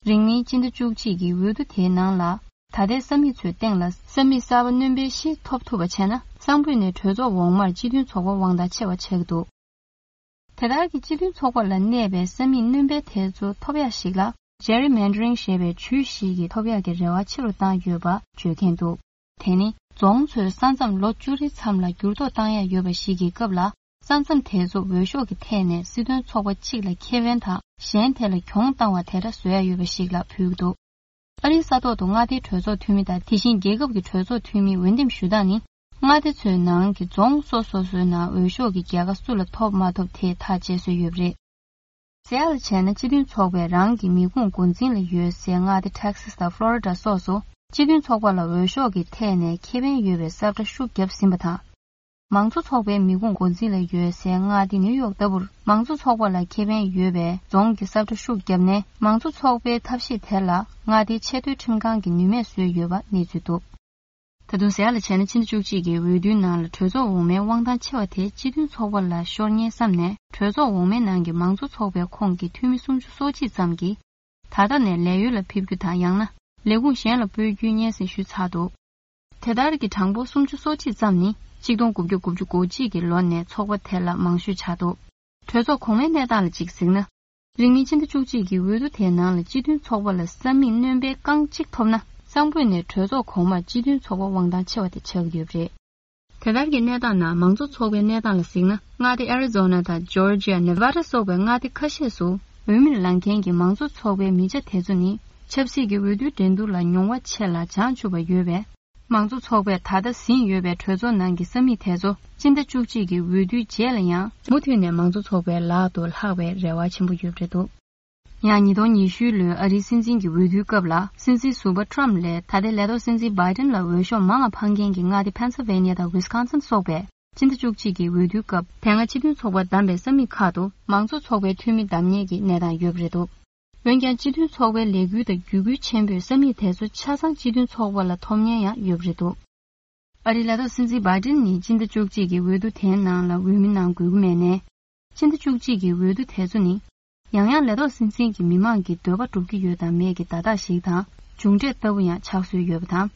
རིང་མིན་སྤྱི་ཟླ་བཅུ་གཅིག་གི་འོས་བསྡུ་དེའི་ནང་ལ། ད་ལྟའི་ས་མིག་ཚོའི་སྟེང་ལ་ས་མིག་གསར་པ་སྣོན་པའི་གཞི་ཐོབ་ཐུབ་པ་བྱས་ན། གསང་ཕུད་ནས་གྲོས་ཚོགས་འོག་མར་སྤྱི་མཐུན་ཚོགས་པ་དབང་ཐང་ཆེ་བ་ཆགས་ཀྱི་འདུག་དེ་ལྟར་གྱི་སྤྱི་མཐུན་ཚོགས་པ་ལ་གནས་པའི་ས་མིག་སྣོན་པའི་དེ་ཚོ་ཐོབ་ཡག་ཞིག་ལ། Gerrymandering་ཞེས་པའི་ཇུས་ཤིག་གིས་ཐོབ་ཡག་གི་རེ་བ་ཆེ་རུ་བཏང་ཡོད་པ་བརྗོད་མཁན་འདུག་དེ་ནི་རྫོང་ཚོའི་ས་མཚམས་ལོ་བཅུ་རེའི་མཚམས་ལ་འགྱུར་ལྡོག་བཏང་ཡག་ཡོད་པ་ཞིག་གི་སྐབས་ལ། ས་མཚམས་དེ་ཚོ་འོས་ཤོག་གི་ཐད་ནས་སྲིད་དོན་ཚོགས་པ་གཅིག་ལ་ཁེ་ཕན་དང་། གཞན་དེ་ལ་གྱོང་བཏང་བ་དེ་འདྲ་བཟོ་ཡག་ཡོད་པ་ཞིག་ལ་ཕུལ་གྱི་འདུག་ཨ་རིའི་ས་ཐོག་ཏུ་མངའ་སྡེའི་གྲོས་ཚོགས་འཐུས་མི་དང་། དེ་བཞིན་རྒྱལ་ཁབ་ཀྱི་གྲོས་ཚོགས་འཐུས་མིའི་འོས་འདེམས་ཞུ་སྟངས་ནི། མངའ་སྡེ་ཚོའི་ནང་གི་རྫོང་སོ་སོ་སོའི་ནང་འོས་ཤོག་གི་རྒྱལ་ཁ་སུ་ལ་ཐོབ་མ་ཐོབ་དེ་ཐག་བཅད་སྲོལ་ཡོད་པ་རེད། གསལ་ལ་བྱས་ན། སྤྱི་མཐུན་ཚོགས་པས་རང་གི་མི་ཁུངས་འགོ་འཛིན་ལ་ཡོད་སའི་མངའ་སྡེ་Texas་དང་Florida་སོགས་སུ། སྤྱི་མཐུན་ཚོགས་པ་ལ་འོས་ཤོག་གི་ཐད་ནས་ཁེ་ཕན་ཡོད་པའི་གསལ་བསྒྲགས་ཤུགས་བརྒྱབ་ཟིན་པ་དང་། མང་གཙོ་ཚོགས་པའི་མི་ཁུངས་འགོ་འཛིན་ལ་ཡོད་སའི་མངའ་སྡེ་ནིའུ་ཡོག་ལྟ་བུར་མང་གཙོ་ཚོགས་པ་ལ་ཁེ་ཕན་ཡོད་པའི་རྫོང་གི་ས་ཁྲ་ཤུགས་བརྒྱབ་ནས། མང་གཙོ་ཚོགས་པའི་ཐབས་ཤེས་དེ་ལ་མངའ་སྡེའི་ཆེས་མཐོའི་ཁྲིམས་ཁང་གིས་ནུས་མེད་བཟོས་ཡོད་པ་གནས་ཚུལ་འདུག། ད་དུང་ཟེར་ཡག་ལ་བྱས་ན། ཕྱི་ཟླ་བཅུ་གཅིག་གི་འོས་བསྡུའི་ནང་ལ་གྲོས་ཚོགས་འོག་མའི་དབང་ཐང་ཆེ་བ་དེ་སྤྱི་མཐུན་ཚོགས་པ་ལ་ཤོར་ཉེན་བསམ་ནས། གྲོས་ཚོགས་འོག་མའི་ནང་གི་མང་གཙོ་ཚོགས་པའི་ཁོངས་ཀྱི་འཐུས་མི་སུམ་ཅུ་སོ་གཅིག་ཙམ་གྱིས། ད་ལྟ་ནས་ལས་ཡུལ་ལ་ཕེབས་རྒྱུ་དང་། ཡང་ན་ལས་ཁུངས་གཞན་ལ་སྤོ་རྒྱུའི་སྙན་སེང་ཞུས་ཚར་འདུག། དེ་ལྟར་གྱི་གྲངས་འབོར་སུམ་ཅུ་སོ་གཅིག་ཙམ་ནི་ཆིག་སྟོང་དགུ་བརྒྱ་དགུ་བཅུ་གོ་གཅིག་གི་ལོ་ནས་ཚོགས་པ་དེ་ལ་མང་ཤོས་ཆགས་འདུག། གྲོས་ཚོགས་གོང་མའི་གནས་སྟངས་ལ་གཅིག་གཟིགས་ན། རིང་མིན་ཕྱི་ཟླ་བཅུ་གཅིག་གི་འོས་བསྡུ་དེའི་ནང་ལ་སྤྱི་མཐུན་ཚོགས་པ་ལ་ས་མིག་སྣོན་པའི་རྐང་གཅིག་ཐོབ་ན། གསང་ཕོད་ནས་གྲོས་ཚོགས་གོང་མར་སྤྱི་མཐུན་ཚོགས་པ་དབང་ཐང་ཆེ་བ་དེ་ཆགས་ཀྱི་ཡོད་པ་རེད། དེ་ལྟར་གྱི་གནས་སྟངས་ནང་མང་གཙོ་ཚོགས་པའི་གནས་སྟངས་ལ་གཟིགས་ན། མངའ་སྡེ་ཨ་རི་ཛོ་ན་དང་ཇོར་ཇི་ཡ། ནེ་ཝ་ཌ་སོགས་པའི་མངའ་སྡེ་ཁ་ཤས་སུ་འོས་མིར་ལངས་མཁན་གྱི་མང་གཙོ་ཚོགས་པའི་མི་ཆ་དེ་ཚོ་ནི། ཆབ་སྲིད་ཀྱི་འོས་བསྡུའི་འགྲན་བསྡུར་ལ་མྱོང་བ་ཆེ་ལ་བྱང་ཆུབ་པ་ཡོད་པས། མང་གཙོ་ཚོགས་པས་ད་ལྟ་ཟིན་ཡོད་པའི་གྲོས་ཚོགས་ནང་གི་ས་མིག་དེ་ཚོ་སྤྱི་ཟླ་བཅུ་གཅིག་གི་འོས་བསྡུའི་རྗེས་ལ་ཡང་མུ་མཐུད་ནས་མང་གཙོ་ཚོགས་པའི་ལག་ཏུ་ལྷག་པའི་རེ་བ་ཆེན་པོ་ཡོད་པ་རེད་འདུག། ཡང་ཉིས་སྟོང་ཉི་ཤུ་ལོའི་ཨ་རིའི་སྲིད་འཛིན་གྱི་འོས་བསྡུའི་སྐབས་ལ། སྲིད་འཛིན་ཟུར་པ་ཊྲམ་ལས་ད་ལྟའི་ལས་ཐོག་སྲིད་འཛིན་བྷའི་ཌེན་ལ་འོས་ཤོག་མང་བ་འཕངས་མཁན་གྱི་མངའ་སྡེ་ཕེན་སིལ་ཝེ་ནི་ཡ་དང་ཝིས་ཀོན་སིན་སོགས་པས། སྤྱི་ཟླ་བཅུ་གཅིག་གི་འོས་བསྡུའི་སྐབས། དེ་སྔ་སྤྱི་མཐུན་ཚོགས་པ་བདམས་པའི་ས་མིག་ཁག་ཏུ་མང་གཙོ་ཚོགས་པའི་འཐུས་མི་བདམས་ཉེན་གྱི་གནས་སྟངས་ཡོད་པ་རེད་འདུག། འོན་ཀྱང་། སྤྱི་མཐུན་ཚོགས་པའི་ལས་འགུལ་དང་བརྒྱུད་སྐུལ་ཆེན་པོས་ས་མིག་དེ་ཚོ་ཆ་ཚང་སྤྱི་མཐུན་ཚོགས་པ་ལ་ཐོབ་ཉེན་ཡང་ཡོད་པ་རེད་འདུག། ཨ་རིའི་ལས་ཐོག་སྲིད་འཛིན་བྷའི་ཌེན་ནི་སྤྱི་ཟླ་བཅུ་གཅིག་གི་འོས་བསྡུ་དེའི་ནང་ལ་འོས་མི་གནང་དགོས་ཀྱི་མེད་ནས། སྤྱི་ཟླ་བཅུ་གཅིག་གི་འོས་བསྡུ་དེ་ཚོ་ནི། ཡང་ཡང་ལས་ཐོག་སྲིད་འཛིན་གྱི་མི་མང་གི་འདོད་པ་འགྲུབ་ཀྱི་ཡོད་དང་མེད་ཀྱི་བརྡ་རྟགས་ཤིག་དང་། མཇུག་འབྲས་ལྟ་བུ་ཡང་ཆགས་སྲོལ་ཡོད་པ་དང་།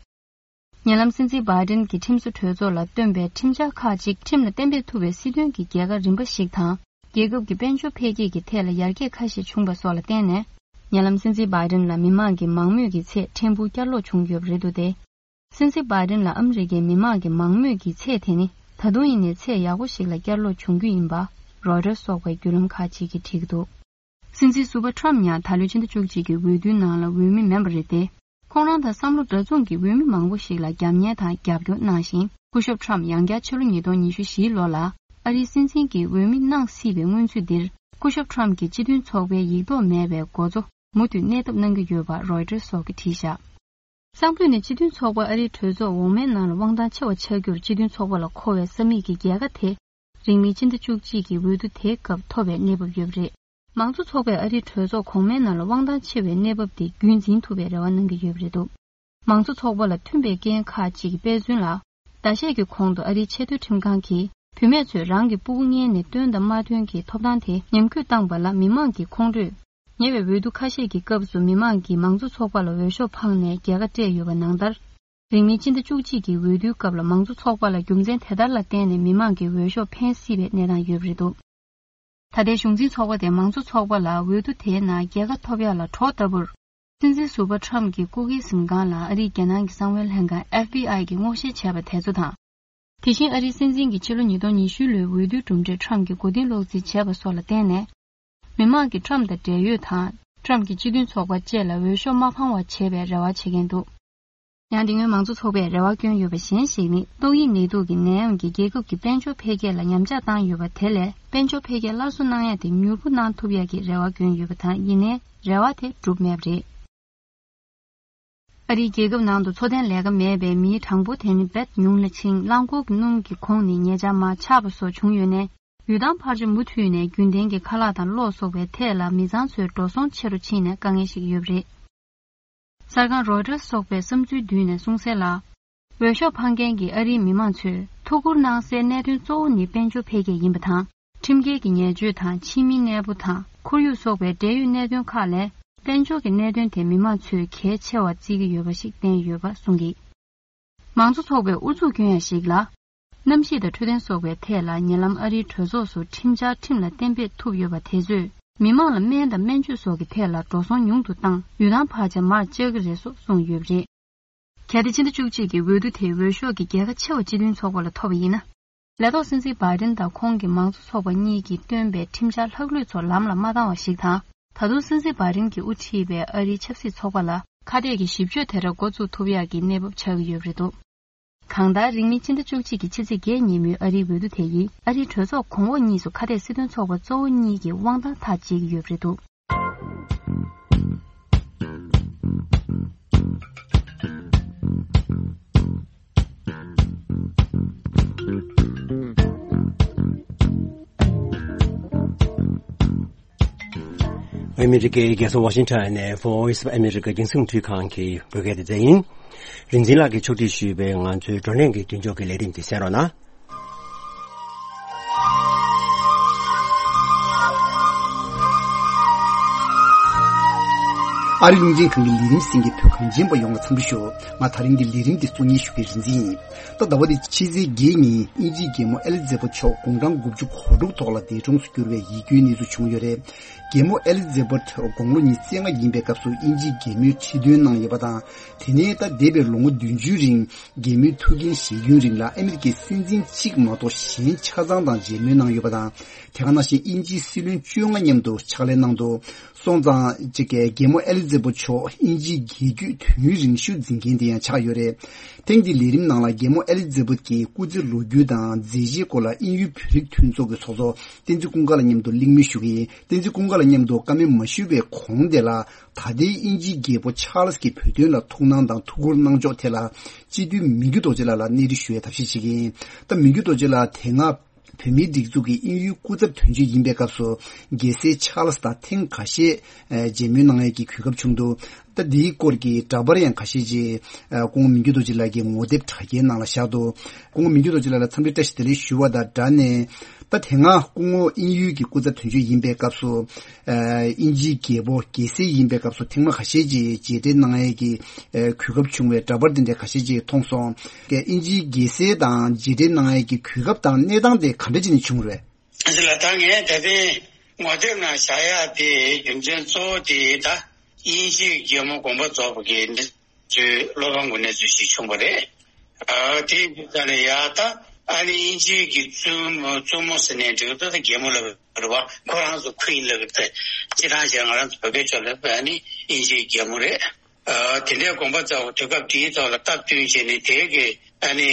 ཉེ་ལམ་སྲིད་འཛིན་བྷའི་ཌེན་གྱིས་ཁྲིམས་བཟོ་གྲོས་ཚོགས་ལ་བཏོན་པའི་ཁྲིམས་འཆར་ཁག་ཅིག་ཁྲིམས་ལ་གཏན་འབེབས་ཐུབ་པའི་སྲིད་དོན་གྱི་རྒྱལ་ཁ་རིམ་པ་ཞིག་དང་། རྒྱལ་ཁབ་ཀྱི་དཔལ་འབྱོར་འཕེལ་རྒྱས་ཀྱི་ཐད་ལ་ཡར་རྒྱས་ཁ་ཤས་བྱུང་བ་སོགས་ལ་བརྟེན་ནས། ཉེ་ལམ་སྲིད་འཛིན་བྷའི་ཌེན་ལ་མི་མང་གི་མང་མོས་ཀྱི་ཚད་ཕྲན་བུ་བསྐྱར་ལོག་བྱུང་ཡོད་པ་རེད་འདུག་སྟེ། སྲིད་འཛིན་བྷའི་ཌེན་ལ་ཨ་མི་རི་ཀའི་མི་མང་གི་མང་མོས་ཀྱི་ཚད་དེ་ནི། ད་དུང་ཡིན་ནའི་ཚད་ཡག་པོ་ཞིག་ལ་བསྐྱར་ལོག་བྱུང་རྒྱུ་ཡིན་པ། རོའི་ཊར་སོགས་པའི་བརྒྱུད་ལམ་ཁག་ཅིག་གིས་བྲིས་ཀྱི་འདུག། སྲིད་འཛིན་ཟུར་པ་ཊྲམ་ཡང་ད་ལོའི་ཕྱི་ཟླ་བཅུ་གཅིག་གི་འོས་བསྡུའི་ནང་ལ་འོས་མི་མིན་པ་རེད་དེ། ཁོང་རང་དང་བསམ་བློ་འདྲ་མཚུངས་ཀྱི་འོས་མི་མང་པོ་ཞིག་ལ་རྒྱབ་གཉེར་དང་རྒྱབ་སྐྱོར་གནང་ཞིང་། སྐུ་ཞབས་ཊྲམ་ཡང་བསྐྱར་ཕྱི་ལོ་ཉིས་སྟོང་ཉི་ཤུ་བཞིའི་ལོ་ལ་ཨ་རིའི་སྲིད་འཛིན་གྱི་འོས་མི་གནང་སྲིད་པའི་སྔོན་ཚུད་འདིར། སྐུ་ཞབས་ཊྲམ་གྱིས་སྤྱི་མཐུན་ཚོགས་པའི་ཡིག་ཐོག་མེད་པའི་འགོ་གཙོ་མུ་མཐུད་གནས་ཐབས་གནང་གི་ཡོད་པ་རོའི་ཊར་སོགས་ཀྱིས་བྲིས་བཞག། གསང་ཕུད་ནས་སྤྱི་མཐུན་ཚོགས་པ་ཨ་རིའི་གྲོས་ཚོགས་འོག་མའི་ནང་ལ་དབང་ཐང་ཆེ་བ་ཆགས་རྒྱུར་སྤྱི་མཐུན་ཚོགས་པ་ལ་མཁོ་བའི་ས་མིག་གི་རྒྱལ་ཁ་དེ། རིང་མིན་ཕྱི་ཟླ་བཅུ་གཅིག་གི་འོས་བསྡུ་དེའི་སྐབས་ཐོབ་པའི་གནས་བབ་ཡོད་པ་རེད། མང་གཙོ་ཚོགས་པས་ཨ་རིའི་གྲོས་ཚོགས་གོང་མའི་ནང་ལ་དབང་ཐང་ཆེ་བའི་གནས་བབ་དེ་རྒྱུན་འཛིན་ཐུབ་པའི་རེ་བ་གནང་གི་ཡོད་པ་རེད་འདུག། མང་གཙོ་ཚོགས་པ་ལ་མཐུན་པའི་རྐྱེན་ཁག་ཅིག་གི་དཔེ་མཚོན་ལ། ཟླ་ཤས་ཀྱི་གོང་དུ་ཨ་རིའི་ཆེས་མཐོའི་ཁྲིམས་ཁང་གིས་བུད་མེད་ཚོས་རང་གི་སྤུ་གུ་མངལ་ནས་བཏོན་དང་མ་བཏོན་གྱི་ཐོབ་ཐང་དེ་ཉམས་རྒུད་བཏང་བ་ལ་མི་མང་གི་ཁོང་ཁྲོས། ཉེ་བའི་འོས་བསྡུ་ཁ་ཤས་ཀྱི་སྐབས་སུ་མི་མང་གིས་མང་གཙོ་ཚོགས་པ་ལ་འོས་ཤོག་འཕངས་ནས་རྒྱལ་ཁ་སྤྲད་ཡོད་པ་ནང་ལྟར། རིང་མིན་ཕྱི་ཟླ་བཅུ་གཅིག་གི་འོས་བསྡུའི་སྐབས་ལ་མང་གཙོ་ཚོགས་པ་ལ་རྒྱུ་མཚན་དེ་ལྟར་ལ་བརྟེན་ནས་མི་མང་གི་འོས་ཤོག་འཕེན་སྲིད་པའི་གནས་སྟངས་ཡོད་པ་རེད་འདུག། ད་ལྟའི་གཞུང་འཛིན་ཚོགས་པ་དེ་མང་གཙོ་ཚོགས་པ་ལ་འོས་བསྡུ་དེའི་ནང་རྒྱལ་ཁ་ཐོབ་ཡག་ལ་གྲོགས་ལྟ་བུར། སྲིད་འཛིན་ཟུར་པ་ཊྲམ་གྱི་སྐུ་སྒེར་གཟིམ་ཁང་ལ་ཨ་རིའི་རྒྱལ་ནང་གི་གསང་བའི་ལྷན་ཁང་ཨེཕ་བི་ཨའི་གིས་སྔོག་བཤེར་བྱས་པ་དེ་ཚོ་དང་། དེ་བཞིན་ཨ་རིའི་སྲིད་འཛིན་གྱིས་ཕྱི་ལོ་ཉིས་སྟོང་ཉི་ཤུ་ལོའི་འོས་བསྡུའི་གྲུབ་འབྲས་ཊྲམ་གྱིས་མགོ་རྟིང་སློག་རྩིས་བྱས་པ་སོགས་ལ་བརྟེན་ནས། མི་མང་གིས་ཊྲམ་དང་འབྲེལ་ཡོད་དང་། ཊྲམ་གྱིས་སྤྱི་མཐུན་ཚོགས་པ་བཅས་ལ་འོས་ཤོག་མ་འཕང་བ་བྱེད་པའི་རེ་བ་བྱེད་མཁན་འདུག། ཡང་དེ་སྔོན་མང་གཙོ་ཚོགས་པས་རེ་བ་བསྐྱོན་ཡོད་པ་གཞན་ཞིག་ནི། ཏོག་དབྱིབས་ནད་དུག་གི་ནད་ཡམས་ཀྱིས་རྒྱལ་ཁབ་ཀྱི་དཔལ་འབྱོར་འཕེལ་རྒྱས་ལ་ཉམས་ཆག་བཏང་ཡོད་པ་དེ་ལས། དཔལ་འབྱོར་འཕེལ་རྒྱས་སླར་གསོ་གནང་ཡ་དེ་མྱུར་པོ་གནང་ཐུབ་ཡ་གི་རེ་བ་བསྐྱོན་ཡོད་པ་དང་། ཡིན་ནའི་རེ་བ་དེ་འགྲུབ་མེད་པ་རེད། ཨ་རིའི་རྒྱལ་ཁབ་ནང་དུ་འཚོ་རྟེན་ལས་ཀ་མེད་པའི་མིའི་གྲངས་འབོར་དེ་ནི་རྦད་ཉུང་ལ་ཕྱིན། རླངས་འཁོར་གྱི་སྣུམ་གྱི་གོང་ནས་ཉེ་ཆར་མར་ཆག་པ་སོགས་བྱུང་ཡོད་ནས། ཡུལ་ཐང་ཕར་ཕྱིན་མུ་མཐུད་ནས་རྒྱུན་ལྡན་གྱི་ཁ་ལག་དང་གློག་སོགས་པའི་ཐད་ལ་མི་ཚང་ཚོའི་འགྲོ་སོང་ཆེ་རུ་ཕྱིན་ནས་དཀའ་ངལ་ཞིག་ཡོད་པ་རེད། གསར་ཁང་རོའི་ཊར་སོགས་པའི་བསམ་ཚུལ་བསྡུས་ནས་གསུངས་གསལ་ལ། འོས་ཤོག་འཕང་མཁན་གྱི་ཨ་རིའི་མི་མང་ཚོས་ཐུགས་ཁུར་གནང་སའི་གནད་དོན་གཙོ་བོ་ནི་དཔལ་འབྱོར་འཕེལ་རྒྱས་ཡིན་པ་དང་། ཁྲིམས་འགལ་གྱི་ཉེས་སྤྱོད་དང་ཕྱི་མིའི་གནས་སྤོ་དང་ཁོར་ཡུག་སོགས་པའི་འབྲེལ་ཡོད་གནད་དོན་ཁག་ལས། དཔལ་འབྱོར་གྱི་གནད་དོན་དེ་མི་མང་ཚོས་གལ་ཆེ་བར་བརྩི་གི་ཡོད་པ་ཞིག་བསྟན་ཡོད་པ་གསུངས་ཀྱིས། མང་གཙོ་ཚོགས་པས་ཨུ་ཚུགས་སྐྱོན་ཡ་ཞིག་ལ། གནམ་གཤིས་དང་འཕྲོད་བསྟེན་སོགས་པའི་ཐད་ལ་ཉེ་ལམ་ཨ་རིའི་གྲོས་ཚོགས་སུ་ཁྲིམས་འཆར་ཁྲིམས་ལ་གཏན་འབེབས་ཐུབ་ཡོད་པ་དེ་ཚོས་མི་མང་ལ་སྨན་དང་སྨན་བཅོས་སོགས་ཀྱི་ཐད་ལ་འགྲོ་སོང་ཉུང་དུ་བཏང་། ཡུལ་ཐང་བར་ཆད་མར་བཅག་གི་རེད་སོགས་གསུངས་ཡོད་པ་རེད། གལ་ཏེ་ཕྱི་ཟླ་བཅུ་གཅིག་གི་འོས་བསྡུ་དེའི་འོས་ཤོག་གི་རྒྱལ་ཁ་ཆེ་བ་སྤྱི་མཐུན་ཚོགས་པ་ལ་ཐོབ་པ་ཡིན་ན། ལས་ཐོག་སྲིད་འཛིན་བྷའི་ཌེན་དང་ཁོང་གི་མང་གཙོ་ཚོགས་པ་གཉིས་ཀྱིས་བཏོན་པའི་ཁྲིམས་འཆར་ལྷག་ལུས་ཚོ་ལམ་ལ་མ་བཏང་བ་ཞིག་དང་། ད་དུང་སྲིད་འཛིན་བྷའི་ཌེན་གྱིས་དབུ་ཁྲིད་པའི་ཨ་རིའི་ཆབ་སྲིད་ཚོགས་པ་ལ་ཁ་གཏད་ཀྱི་ཞིབ་དཔྱོད་དེ་འདྲ་འགོ་བཙུགས་ཐུབ་ཡག་གི་གནས་བབ་ཆགས་ཀྱི་ཡོད་པ་རེད་འདུག། གང་ལྟར། རིང་མིན་ཕྱི་ཟླ་བཅུ་གཅིག་གི་ཕྱི་ཚེས་བརྒྱད་ཉིན་མོའི་ཨ་རིའི་འོས་བསྡུ་དེ་ཡིས་ཨ་རིའི་གྲོས་ཚོགས་གོང་འོག་གཉིས་སུ་ཁ་གཏད་སྲིད་དོན་ཚོགས་པ་གཙོ་བོ་གཉིས་ཀྱི་དབང་ཐང་ཐག་བཅད་ཀྱི་ཡོད་པ་རེད་འདུག། ཨ་མི་རི་ཀའི་རྒྱལ་ས་ཝ་ཤིང་ཊོན་ནས་Voice of America རྒྱང་སྲིང་རླུང་འཕྲིན་ཁང་གི་བོད་སྐད་སྡེ་ཚན་ཡིན། རིག་འཛིན་ལགས་ཀྱིས་ཕྱོགས་སྒྲིག་ཞུས་པའི་ང་ཚོའི་བགྲོ་གླེང་གི་མདུན་ལྕོག་གི་ལས་རིམ་དེ་གསན་རོགས་གནང་། ཨ་རི་རླུང་འཕྲིན་ཁང་གི་ལས་རིམ་གསན་མཁན་བོད་གངས་ཅན་པ་ཡོངས་ལ་འཚམས་འདྲི་ཞུ། ང་ད་རིང་གི་ལས་རིམ་འདི་གཙོ་གཉེར་ཞུ་མཁན་རིག་འཛིན་ཡིན། ད་ཟླ་བ་འདི་ཕྱི་ཚེས་བརྒྱད་ཉིན་དབྱིན་ཇིའི་རྒྱལ་མོ་ཨེ་ལི་ཛེ་བྷ་མཆོག་དགུང་གྲངས་དགུ་བཅུ་གོ་དྲུག་ཐོག་ལ་འདས་གྲོངས་སུ་གྱུར་བའི་ཡིད་སྐྱོའི་གནས་ཚུལ་བྱུང་ཡོད་རེད། རྒྱལ་མོ་ཨེ་ལི་ཛེ་བྷ་དགུང་ལོ་ཉི་ཤུ་རྩ་ལྔ་ཡིན་པའི་སྐབས་སུ་དབྱིན་ཇིའི་རྒྱལ་མོའི་ཁྲི་འདོན་གནང་ཡོད་པ་དང་། དེ་ནས་ད་འདས་པའི་ལོ་ངོ་བདུན་ཅུའི་རིང་རྒྱལ་མོའི་ཐུགས་འགན་བཞེས་རྒྱུན་རིང་ལ་ཨ་མི་རི་ཀའི་སྲིད་འཛིན་གཅིག་མ་གཏོགས་གཞན་ཆ་ཚང་དང་མཇལ་མོལ་གནང་ཡོད་པ་དང་། དེ་ག་ནང་བཞིན་དབྱིན་ཇིའི་སྲིད་བློན་བཅོ་ལྔ་མཉམ་དུ་ཕྱག་ལས་གནང་འདུག་སོང་ཙང་གཅིག་གི་རྒྱལ་མོ་ཨེ་ལི་ཛེ་བྷ་མཆོག་དབྱིན་ཇིའི་རྒྱལ་རྒྱུད་དུས་ཡུན་རིང་ཤོས་འཛིན་མཁན་དེ་ཡང་ཆགས་ཡོད་རེད། ཐེངས་འདིའི་ལས་རིམ་ནང་ལ་རྒྱལ་མོ་ཨེ་ལི་ཛེ་བྷ་ཀྱི་སྐུ་ཚེ་ལོ་རྒྱུས་དང་མཛད་རྗེས་སྐོར་ལ་དབྱིན་ཡུལ་བོད་རིགས་མཐུན་ཚོགས་ཀྱི་ཚོགས་གཙོ་བསྟན་འཛིན་ཀུན་དགའ་ལགས་མཉམ་དུ་གླེང་མོལ་ཞུ་གི་ཡིན། བསྟན་འཛིན་ཀུན་དགའ་ལགས་མཉམ་དུ་བཀའ་མོལ་མ་ཞུས་པའི་གོང་དེ་ལ། ད་ལྟའི་དབྱིན་ཇིའི་རྒྱལ་པོ་ཆཱལ་སི་གི་བོད་དོན་ལ་ཐུགས་སྣང་དང་ཐུགས་ཁུར་གནང་ཕྱོགས་ཐད་ལ། སྤྱི་འཐུས་མི་འགྱུར་རྡོ་རྗེ་ལགས་ལ་གནས་འདྲི་ཞུ་བའི་ཐབས་ཤེས་བྱེད་ཀྱི་ཡིན། ད་མི་འགྱུར་རྡོ་རྗེ་ལགས་དེ་སྔ་བོད་མིའི་སྒྲིག་འཛུགས་ཀྱི་དབྱིན་ཡུལ་སྐུ་ཚབ་དོན་གཅོད་ཡིན་པའི་སྐབས་སུ། རྒྱལ་སྲས་ཆཱལ་སི་དང་ཐེངས་ཁ་ཤས་མཇལ་མོལ་གནང་ཡས་ཀྱི་གོ་སྐབས་བྱུང་འདུག་ད་འདིའི་སྐོར་གྱི་འདྲ་པར་ཡང་ཁ་ཤས་ཅིག་སྐུ་ངོ་མི་འགྱུར་རྡོ་རྗེ་ལགས་ཀྱི་ངོ་དེབ་དྲ་རྒྱའི་ནང་ལ་བཞག་འདུག་སྐུ་ངོ་མི་འགྱུར་རྡོ་རྗེ་ལགས་ལ་འཚམས་འདྲི་བཀྲ་ཤིས་བདེ་ལེགས་ཞུ་བ་དང་སྦྲགས་ནས། ད་དེ་སྔ་སྐུ་ངོ་དབྱིན་ཡུལ་གྱི་སྐུ་ཚབ་དོན་གཅོད་ཡིན་པའི་སྐབས་སུ། ཨ་དབྱིན་ཇིའི་རྒྱལ་པོ་རྒྱལ་སྲས་ཡིན་པའི་སྐབས་སུ་ཐེངས་མ་ཁ་ཤས་ཅིག་མཇལ་འཕྲད་གནང་ཡས་ཀྱི་ཨ་གོ་སྐབས་བྱུང་བའི་འདྲ་པར་དེ་འདྲ་ཁ་ཤས་ཅིག་མཐོང་སོང་། དབྱིན་ཇིའི་རྒྱལ་སྲས་དང་མཇལ་འཕྲད་གནང་ཡས་ཀྱི་གོ་སྐབས་དང་གནས་སྟངས་དེ་ག་འདྲ་ཅིག་ནས་བྱུང་རེད། འདི་ལ་ད་ངས་ད་ལྟའི་ངོ་དེབ་ནང་བཞག་ཡག་དེ་རྒྱུ་མཚན་གཙོ་བོ་དེ་ད་དབྱིན་ཇིའི་རྒྱལ་མོ་དགོངས་པ་རྫོགས་པ་གི་གནས་ཚུལ། བློ་ཕམ་གྱི་གནས་ཚུལ་ཞིག་བྱུང་བ་རེད། ཨ་དེ་ཡིན་དུས་ཙང་ནས་ཡ་ད་ཨ་ནི་དབྱིན་ཇིའི་གི་བཙུན་མོ་བཙུན་མོ་ཟེར་ནས་འགྲིག་ད་ད་རྒྱལ་མོ་ལབ་རེད་བ། ཁོ་རང་ཚོ་ཁུ་ཡིན་ལབ་ད་སྤྱིར་བཏང་བྱས་ང་རང་ཚོ་བོད་པའི་ཕྱོགས་ལ་ཨ་ནི་དབྱིན་ཇིའི་རྒྱལ་མོ་རེད། ཨ་དེ་འདྲའི་དགོངས་པ་རྫོགས་པ་དུས་སྐབས་དེའི་ཐོག་ལ་སྟབས་བསྟུན་བྱས་ནས་དེ་གི་ཨ་ནི་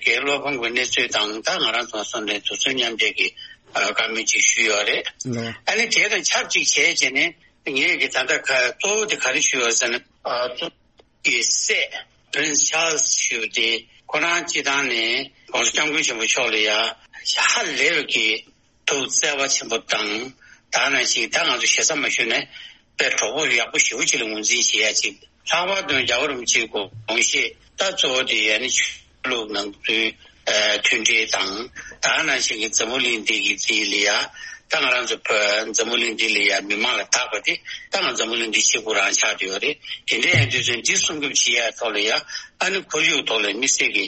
གི་བློ་ཕམ་གྱི་གནས་ཚུལ་དང་ད་ང་རང་ཚོ་སོང་ནས་དུས་ཚོད་མཉམ་འབྲེལ་གྱི་ཨ་བཀའ་མོལ་ཅིག་ཞུས་ཡོད་རེད། ལགས། ཨ་ནི་དེ་དང་ཆབས་ཅིག་བྱས་བྱས་ནས་ངས་གི་ད་ལྟ་ག་གཙོ་བོ་དེ་ག་རེ་ཞུས་ཡོད་ཟེར་ན། ཨ་གཙོ་གི་སྲས་Prince Charles ཞུ་དེ་ཁོ་རང་སྤྱི་བཏང་ནས་༸གོང་ས་༸སྐྱབས་མགོན་ཆེན་པོ་མཆོག་ལ་ཡ་ཧ་ལས་པའི་གི་ཐུགས་བརྩེ་བ་ཆེན་པོ་དང་། ད་ནང་བཞིན་ད་ང་ཚོ་ཞེ་ས་མ་ཞུས་ནས་དཔེ་གྲོགས་པོ་ཡག་པོ་ཞེ་པོ་ཅིག་ལ་ངོས་འཛིན་བྱེད་ཡ་ཅིག་ལྷག་པར་དུ་རྒྱལ་བ་རིན་པོ་ཆེའི་དགོངས་བཞེད་ད་གཙོ་བོ་དེ་ཡ་ནི་ཆོས་ལུགས་ནང་ཁུལ་མཐུན་སྒྲིལ་དང་། ད་ནང་བཞིན་གྱི་འཛམ་བུ་གླིང་འདི་གི་རྩིས་ལ་ཡ། ད་ང་རང་ཚོ་བོད་འཛམ་བུ་གླིང་འདི་ལ་ཡ་མི་མང་ལ་བདག་པ་དེ་ད་ང་འཛམ་བུ་གླིང་འདི་གཅིག་པུ་རང་ཆགས་བསྡད་ཡོད་རེད། དེ་འདྲ་ཡིན་དུས་ཚོད་འདི་སྲུང་སྐྱོབ་བྱེད་ཡ་ཐོག་ལ་ཡ་ཨ་ནི་ཁོར་ཡུག་ཐོག་ལ་དམིགས་བསལ་གྱི་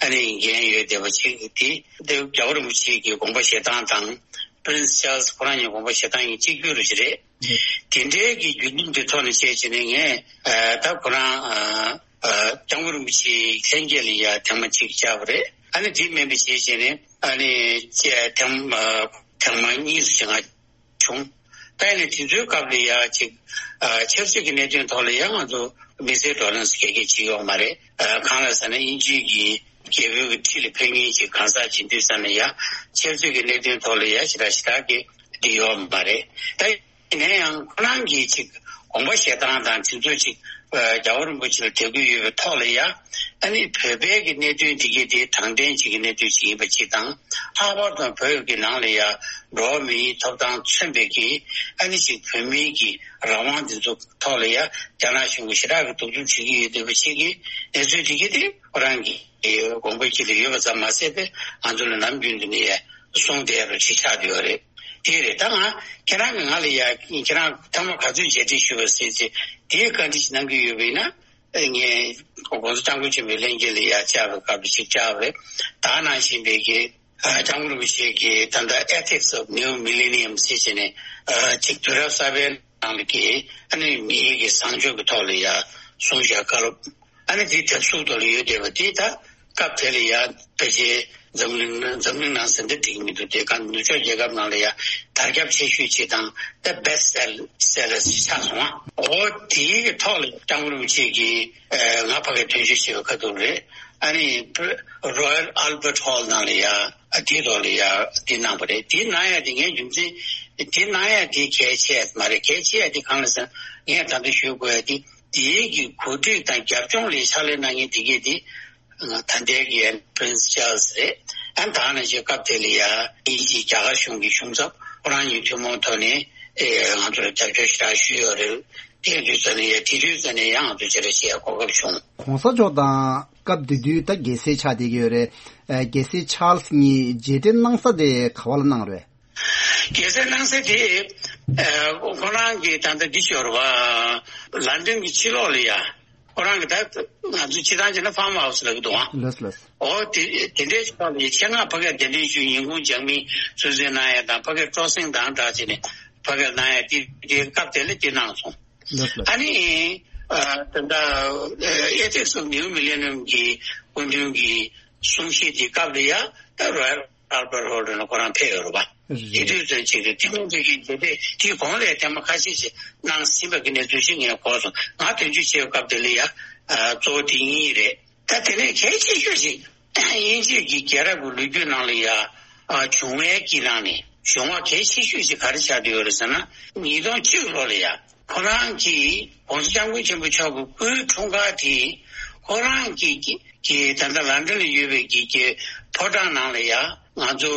ཨ་ནི་འགན་ཡོད་བསྡད་པ་ཅིག་དེ་དེ་རྒྱལ་བ་རིན་པོ་ཆེ་གི་དགོངས་པ་བཞེས་སྟངས་དང་། Prince Charles ཁོ་རང་གི་དགོངས་པ་བཞེས་སྟངས་ཀྱི་གཅིག་གྱུར་རེད། དེ་འདྲའི་གི་བརྒྱུད་རིམ་དེ་ཐོག་ནས་བཤད་བྱས་ནས་ངས་ཨ་ད་ཁོ་རང་ཨ་ཨ་སྐྱབས་མགོན་རིན་པོ་ཆེའི་ལྷན་རྒྱས་ལ་ཡ་ཐེངས་མ་གཅིག་བཅར་བ་རེད། ཨ་ནི་དེ་མིན་པ་བྱས་བྱས་ནས་ཨ་ནི་ཐེངས་ཨ་ཐེངས་མ་གཉིས་སུ་ཞིག་ང་བྱུང་། ད་ཡིན་ནའི་དེ་ཚོའི་སྐབས་ལ་ཡ་ཅིག་ཨ་ཆབ་སྲིད་ཀྱི་གནད་དོན་ཐོག་ལ་ཡ་ང་ཚོ་དམིགས་བསལ་བགྲོ་གླེང་སོགས་ག་གེ་བྱས་ཡོད་མ་རེད། ཨ་གང་ལ་ཟེར་ན་དབྱིན་ཇི་གི་རྒྱལ་པོའི་གི་ཁྲི་ལ་ཕེབས་མཁན་ཅིག་གང་ཟག་ཅིག་ཡིན་དུས་ཙང་ནས་ཡ་ཆབ་སྲིད་ཀྱི་གནད་དོན་ཐོག་ལ་ཡ་ཞེ་དྲག་ཞེ་དྲག་གི་འདི་ཡོད་མ་རེད། ད་ཡིན་ན་ཡང་ཁོ་རང་གིས་ཅིག་དགོངས་པ་བཞེས་སྟངས་དང་དེ་ཚོ་ཅིག་ཨ་རྒྱལ་བ་རིན་པོ་ཆེ་ལ་དད་གུས་ཡོད་པའི་ཐོག་ལ་ཡ། ཨ་ནི་བོད་པའི་གི་གནད་དོན་འདི་གའི་དེ་དྲང་བདེན་ཅིག་གི་གནད་དོན་ཅིག་ཡིན་པ་ཅིག་དང་། ལྷག་པར་དུ་བོད་ཀྱི་ནང་ལ་ཡ་འགྲོ་བ་མིའི་ཐོབ་ཐང་མཚོན་པའི་གི་ཨ་ནི་ཅིག་བོད་མིའི་གི་རང་དབང་འདི་ཚོ་ཐོག་ལ་ཡ་རྒྱ་ནག་གཞུང་གིས་ཞེ་དྲག་གི་གདུག་རྩུབ་བྱེད་ཀྱི་ཡོད་བསྡད་པ་ཅིག་གི་གནས་ཚུལ་འདི་གའི་དེ་ཁོ་རང་གི་དགོངས་པ་དཀྱིལ་དུ་ཡོད་པ་ཙམ་མ་ཟད་པའི་ང་ཚོ་ལ་ནམ་རྒྱུན་དུ་ནས་ཡ་གསུངས་བསྡད་རོགས་ཅིག་ཆགས་བསྡད་ཡོད་རེད། དེ་རེད། ད་ང་ཁྱེད་རང་གིས་ང་ལ་ཡ་ཁྱེད་རང་ཐེངས་མ་ག་ཚོད་མཇལ་འཕྲད་ཞུས་པ་ཟེར་ཚེ་དེའི་བཀའ་འདྲི་ཞིག་གནང་གི་ཡོད་པ་ཡིན་ན། ངས་༸གོང་ས་༸སྐྱབས་མགོན་ཆེན་པོའི་ལྷན་རྒྱས་ལ་ཡ་བཅར་བའི་སྐབས་ལ་ཅིག་བཅར་བ་རེད། ད་ནང་བཞིན་པའི་གི་ཨ་སྐྱབས་མགོན་རིན་པོ་ཆེ་གི་ད་ལྟ་Ethics of New Millennium ཟེར་བྱས་ནས་ཨ་ཅིག་དུས་རབས་གསར་པའི་ནང་ལ་གི་ཨ་ནི་མིའི་གི་བཟང་སྤྱོད་ཀྱི་ཐོག་ལ་ཡ་གསུངས་བཞག་བཀའ་སློབ། ཨ་ནི་དེ་དེབ་གཟུགས་ཐོག་ལ་ཡོད་བསྡད་པ་དེ་ད་སྐབས་དེ་ལ་ཡ་ཕལ་ཆེར་འཛམ་གླིང་འཛམ་གླིང་ནང་ཟེར་འདི་འགྲིག་གི་མི་འདུག་དེ་ག་ནུབ་ཕྱོགས་རྒྱལ་ཁབ་ནང་ལ་ཡ་དར་ཁྱབ་ཆེ་ཤོས་ཅིག་དང་ད་best sell sellers ཆགས་སོང་ཨ། འོ་དེའི་གི་ཐོག་ལ་སྐྱབས་མགོན་རིན་པོ་ཆེ་གིས་ཨ་ང་ཕ་གིར་དོན་གཅོད་བྱས་པའི་ཁ་ཐུག་རེད། ཨ་ནི་Royal Albert Hall ནང་ལ་ཡ་ཨ་དེའི་ཐོག་ལ་ཡ་དེ་གནང་བ་རེད། དེ་གནང་ཡ་དེ་ངའི་རྒྱུ་མཚན་དེ་གནང་ཡ་དེ་གལ་ཆེ་ཡ་མ་རེད། གལ་ཆེ་ཡ་དེ་གང་ལ་ཟེར་ན་ངས་ད་ལྟ་ཞུ་དགོས་ཡ་དེ། དེའི་གི་གོ་སྒྲིག་དང་རྒྱབ་ལྗོངས་ལ་ཕྱག་ལས་གནང་མཁན་དེ་གས་དེ་ད་ལྟའི་གི་Prince Charles རེད། ཨ་ད་ནང་བཞིན་སྐབས་དེ་ལ་ཡ་དབྱིན་ཇི་རྒྱ་གར་གཞུང་གི་གཞུང་ཚབ་ཁོ་རང་གཉིས་ཐུན་མོང་ཐོག་ནས་ ཨེ་ང་ཚོར་རྒྱབ་སྐྱོར་ཞེ་དྲག་ཞུས་ཡོད་རེད། དེ་དུས་ཙམ་ནས་ཡ་དེ་དུས་ཙམ་ནས་ཡང་ང་ཚོ་ཆེ་ར་ཞེ་ཡ་གོ་སྐབས་བྱུང་། གོང་ས་མཆོག་དང་སྐབས་དེ་དུས་ད་རྒྱལ་སྲས་ཆགས་བསྡད་ཀྱི་ཡོད་རེད། ཨེ་རྒྱལ་སྲས་ཆཱལ་སི་གཉིས་མཇལ་འཕྲད་གནང་ས་དེ་ག་བ་ལ་གནང་རེད། རྒྱལ་སྲས་གནང་ས་དེ་ཨེ་ཁོ་རང་གི་ད་ལྟ་འདི་ཞོར་བ་ལན་ཌན་གྱི་ཕྱི་ལོགས་ལ་ཡ། ཁོ་རང་གི་ད་ང་ཚོ་སྤྱི་བཏང་བྱས་ན་ཕཱམ་ཧའུ་སི་ལབ་ཀྱི་འདུག་ཨང་། ལགས་ལགས། ཨོ་དེ་དེ་འདྲའི་ཆ་ལ་ཆེད་མངགས་ཕ་གིར་གདན་འདྲེན་ཞུས། ཉིན་གུང་ཇག་མི་གསོལ་སྩལ་གནང་ཡ་དང་། ཕ་གིར་སྤྲོ་གསེང་དང་སྦྲགས་བྱས་ནས་ཕ་གིར་གནང་ཡ་དེ་དེ་སྐབས་དེ་ལ་དེ་གནང་སོང་། ལགས་ལགས། ཨ་ནི་ཨ་ད་ལྟ་ཨེ་ཐིག་སི་ནིའུ་མི་ལེ་ནམ་གྱི་སྐུ་མདུན་གྱི་གསུང་བཤད་དེ་སྐབས་ལ་ཡ་ད་རོ་ཡལ་ཨལ་བར་ཧོལ་ལ་ཁོ་རང་ཕེབས་ཡོད་རེད་པ། རེད། དེ་དུས་ཚོད་ཅིག་རེད། ཐུན་མོང་ཐུགས་ཀྱི་མཛད་པ་དེའི་གོང་ལ་ཐེངས་མ་ཁ་ཤས་ཤིག་གནང་ཟིན་པ་གི་གནས་ཚུལ་ཞིག་ངས་གོ་སོང་། ང་དོན་གཅོད་བྱེད་པའི་སྐབས་དེ་ལ་ཡ་ཨ་གཙོ་བོ་དེ་གཉིས་རེད། ད་དེ་ནས་གལ་ཆེ་ཤོས་ཤིག་དབྱིན་ཇི་གི་རྒྱལ་རབས་ཀྱི་ལོ་རྒྱུས་ནང་ལ་ཡ་ཨ་བྱུང་བའི་གི་ནང་ནས་བྱུང་བ་གལ་ཆེ་ཤོས་ཤིག་ག་རེ་ཆགས་བསྡད་ཡོད་རེད་ཟེར་ན། ཉིས་སྟོང་གཅིག་ལོ་ལ་ཡ། ཁོ་རང་གིས་༸གོང་ས་༸སྐྱབས་མགོན་ཆེན་པོ་མཆོག་གི་སྐུའི་འཁྲུངས་སྐར་དེ་ཁོ་རང་གི་གི་གི་ད་ལྟ་ལན་ཌན་ལ་ཡོད་པའི་གི་གི་ཕོ་བྲང་ནང་ལ་ཡ་ང་ཚོ་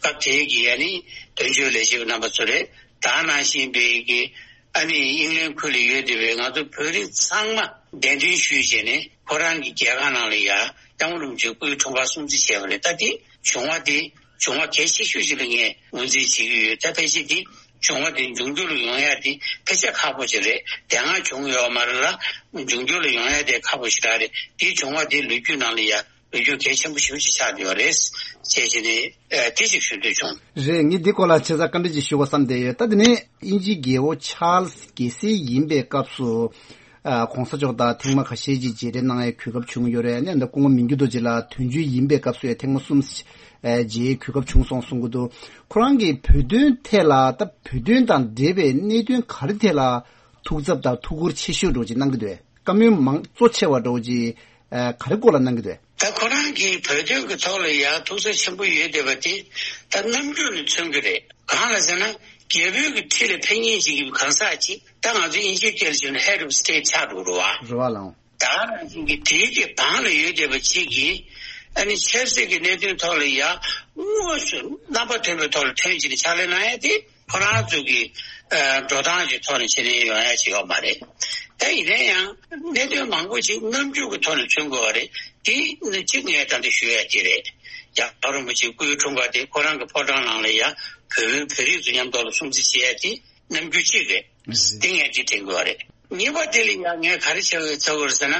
སྐབས་དེའི་གི་ཡ་ནི་དོན་གཅོད་ལས་བྱེད་པ་རྣམ་པ་ཚོ་རེད། ད་ནང་བཞིན་པའི་གི་ཨ་ནི་ཨིང་ལན་ཁུལ་ལ་ཡོད་བསྡད་པའི་ང་ཚོ་བོད་རིགས་ཚང་མ་གདན་འདྲེན་ཞུས་བྱས་ནས་ཁོ་རང་གི་རྒྱལ་ཁང་ནང་ལ་ཡ་སྐྱབས་མགོན་རིན་པོ་ཆེའི་སྐུའི་འཁྲུངས་སྐར་སྲུང་བརྩི་བྱས་པ་རེད། ད་དེ་བྱུང་བ་དེ། བྱུང་བ་གལ་ཆེ་ཤོས་ཤིག་ལ་ངས་ངོས་འཛིན་བྱེད་ཀྱི་ཡོད། ད་ཕལ་ཆེར་དེ་བྱུང་བ་དེ་འབྱུང་འགྱུར་ལ་ཡོང་ཡ་དེ་ཕལ་ཆེར་ཁག་པོ་ཞིག་རེད། དེ་སྔ་བྱུང་ཡོད་མ་རེད་ལ། འབྱུང་འགྱུར་ལ་ཡོང་ཡ་དེ་ཁག་པོ་ཞིག་རང་རེད། དེ་བྱུང་བ་དེ་ལོ་རྒྱུས་ནང་ལ་ཡ་ལོ་རྒྱུས་གལ་ཆེན་པོ་ཞེ་པོ་ཅིག་ཆགས་ཡོད་རེད་ཅེས་བྱས་ནས་ཨ་དེ་ཅིག་ཞུ་འདོད་བྱུང་། རེད། ངས་འདི་སྐོར་ལ་ཆེ་ས་བཀའ་འདྲི་ཅིག་ཞུ་དགོས་བསམ་བསྡད་ཡོད། ད་དེ་ནས་དབྱིན་ཇིའི་རྒྱལ་པོ་ཆཱལ་སི་རྒྱལ་སྲས་ཡིན་པའི་སྐབས་སུ། ཨ་༸གོང་ས་མཆོག་དང་ཐེངས་མ་ཁ་ཤས་ཅིག་མཇལ་འཕྲད་གནང་ཡའི་གོ་སྐབས་བྱུང་ཡོད་རེད། ཨ་ནི་ད་སྐུ་ངོ་མི་འགྱུར་རྡོ་རྗེ་ལགས་དོན་གཅོད་ཡིན་པའི་སྐབས་སུ་ཡང་ཐེངས་མ་གསུམ་ཨ་མཇལ་ཡའི་གོ་སྐབས་བྱུང་སོང་གསུང་གི་འདུག་ཁོ་རང་གིས་བོད་དོན་ཐད་ལ་ད་བོད་དོན་དང་འབྲེལ་བའི་གནད་དོན་ག་རེ་ཐད་ལ་ཐུགས་འཚབ་དང་ཐུགས་ཁུར་ཆེ་ཤོས་འདྲ་བོ་ཅིག་གནང་གི་འདུག་བཀའ་མོལ་མང་གཙོ་ཆེ་བ་འདྲ་བོ་ཅིག་ཨ་ག་རེ་སྐོར་ལ་གནང་གི་འདུག་ད་ཁོ་རང་གིས་བོད་དོན་གྱི་ཐོག་ལ་ཡང་ཐུགས་འཚབ་ཆེན་པོ་ཡོད་བསྡད་པ་དེ་ད་རྣམ་འགྱུར་ནས་མཚོན་གྱི་རེད། གང་ལ་ཟེར་ན། རྒྱལ་པོའི་གི་ཁྲི་ལ་ཕེབས་མཁན་ཅིག་གི་གང་ཟག་ཅིག་ད་ང་ཚོ་དབྱིན་ཇིའི་སྐད་ལ་བྱས་ན་head of state ཆགས་འགྲོ་རེད་བ། རེད་བ་ལགས། ད་ནང་བཞིན་གྱི་དེའི་གི་བང་ལ་ཡོད་བསྡད་པ་ཅིག་གིས་ཨ་ནི་ཆབ་སྲིད་ཀྱི་གནད་དོན་ཐོག་ལ་ཡ་དངོས་སུ་རྣམ་པ་མཐུན་པའི་ཐོག་ལ་ཐོན་བྱས་ནས་ཕྱག་ལས་གནང་ཡ་དེ་ཁོ་རང་ཚོ་གི་ཨ་འགྲོ་སྟངས་ཀྱི་ཐོག་ནས་བྱས་ནས་ཡོང་ཡ་ཅིག་ཡོད་མ་རེད། ད་ཡིན་ན་ཡང་གནད་དོན་མང་པོ་ཅིག་རྣམ་འགྱུར་གྱི་ཐོག་ནས་མཚོན་དགོས་པ་རེད། དེ་ནི་གཅིག་ངས་ད་ལྟ་ཞུ་ཡ་དེ་རེད། རྒྱལ་བ་རིན་པོ་ཆེའི་སྐུའི་འཁྲུངས་སྐར་དེ་ཁོ་རང་གི་ཕོ་བྲང་ནང་ལ་ཡ་བོད་བོད་རིགས་ཚོ་མཉམ་དུ་ལ་སྲུང་བརྩི་བྱེད་ཡ་དེ་རྣམ་འགྱུར་གཅིག་རེད། དེ་ངས་དེ་དྲན་དགོས་པ་རེད། གཉིས་པ་དེ་ལ་ཡ་ངས་ག་རེ་བྱ་དགོས་བྱ་དགོས་རེད་ཟེར་ན།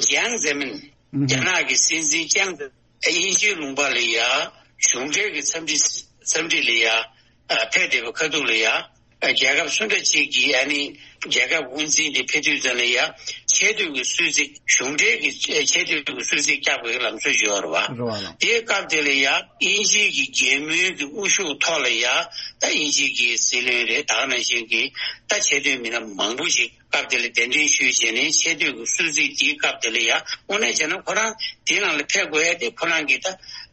ཅང་ཙེ་མིན། རྒྱ་ནག་གི་སྲིད་འཛིན་ཅང་ཙེ། དབྱིན་ཇིའི་ལུང་པ་ལ་ཡ་གཞུང་འབྲེལ་གྱི་འཚམས་འདྲི་འཚམས་འདྲི་ལ་ཡ་ཨ་ཕེབས་བསྡད་པའི་ཁ་ཐུག་ལ་ཡ་ཨ་རྒྱལ་ཁབ་སུ་འདྲ་ཅིག་གི་ཨ་ནི་རྒྱལ་ཁབ་དབུ་འཛིན་དེ་ཕེབས་དུས་ཙམ་ལ་ཡ་ཆེ་བསྟོད་ཀྱི་གསོལ་ཚིགས། གཞུང་འབྲེལ་གྱི་ཆེ་བསྟོད་ཀྱི་གསོལ་ཚིགས་བཀྱག་པའི་ལམ་སྲོལ་ཞིག་ཡོད་རེད་བ། རེད་བ་ལགས། དེའི་སྐབས་དེ་ལ་ཡ་དབྱིན་ཇིའི་གི་རྒྱལ་མོའི་གི་དབུ་བཞུགས་ཐོག་ལ་ཡ་ད་དབྱིན་ཇིའི་གི་སྲིད་བློན་རེད། ད་ག་ནང་བཞིན་གྱི་ད་ཆེ་བསྟོད་མི་སྣ་མང་པོ་ཞིག་སྐབས་དེ་ལ་གདན་འདྲེན་ཞུས་བྱས་ནས་ཆེ་བསྟོད་ཀྱི་གསོལ་ཚིགས་དེའི་སྐབས་དེ་ལ་ཡ་དངོས་གནས་བྱས་ན་ཁོ་རང་དེའི་ནང་ལ་ཕེབས་དགོས་ཡ་དེ་ཁོ་རང་གི་ད་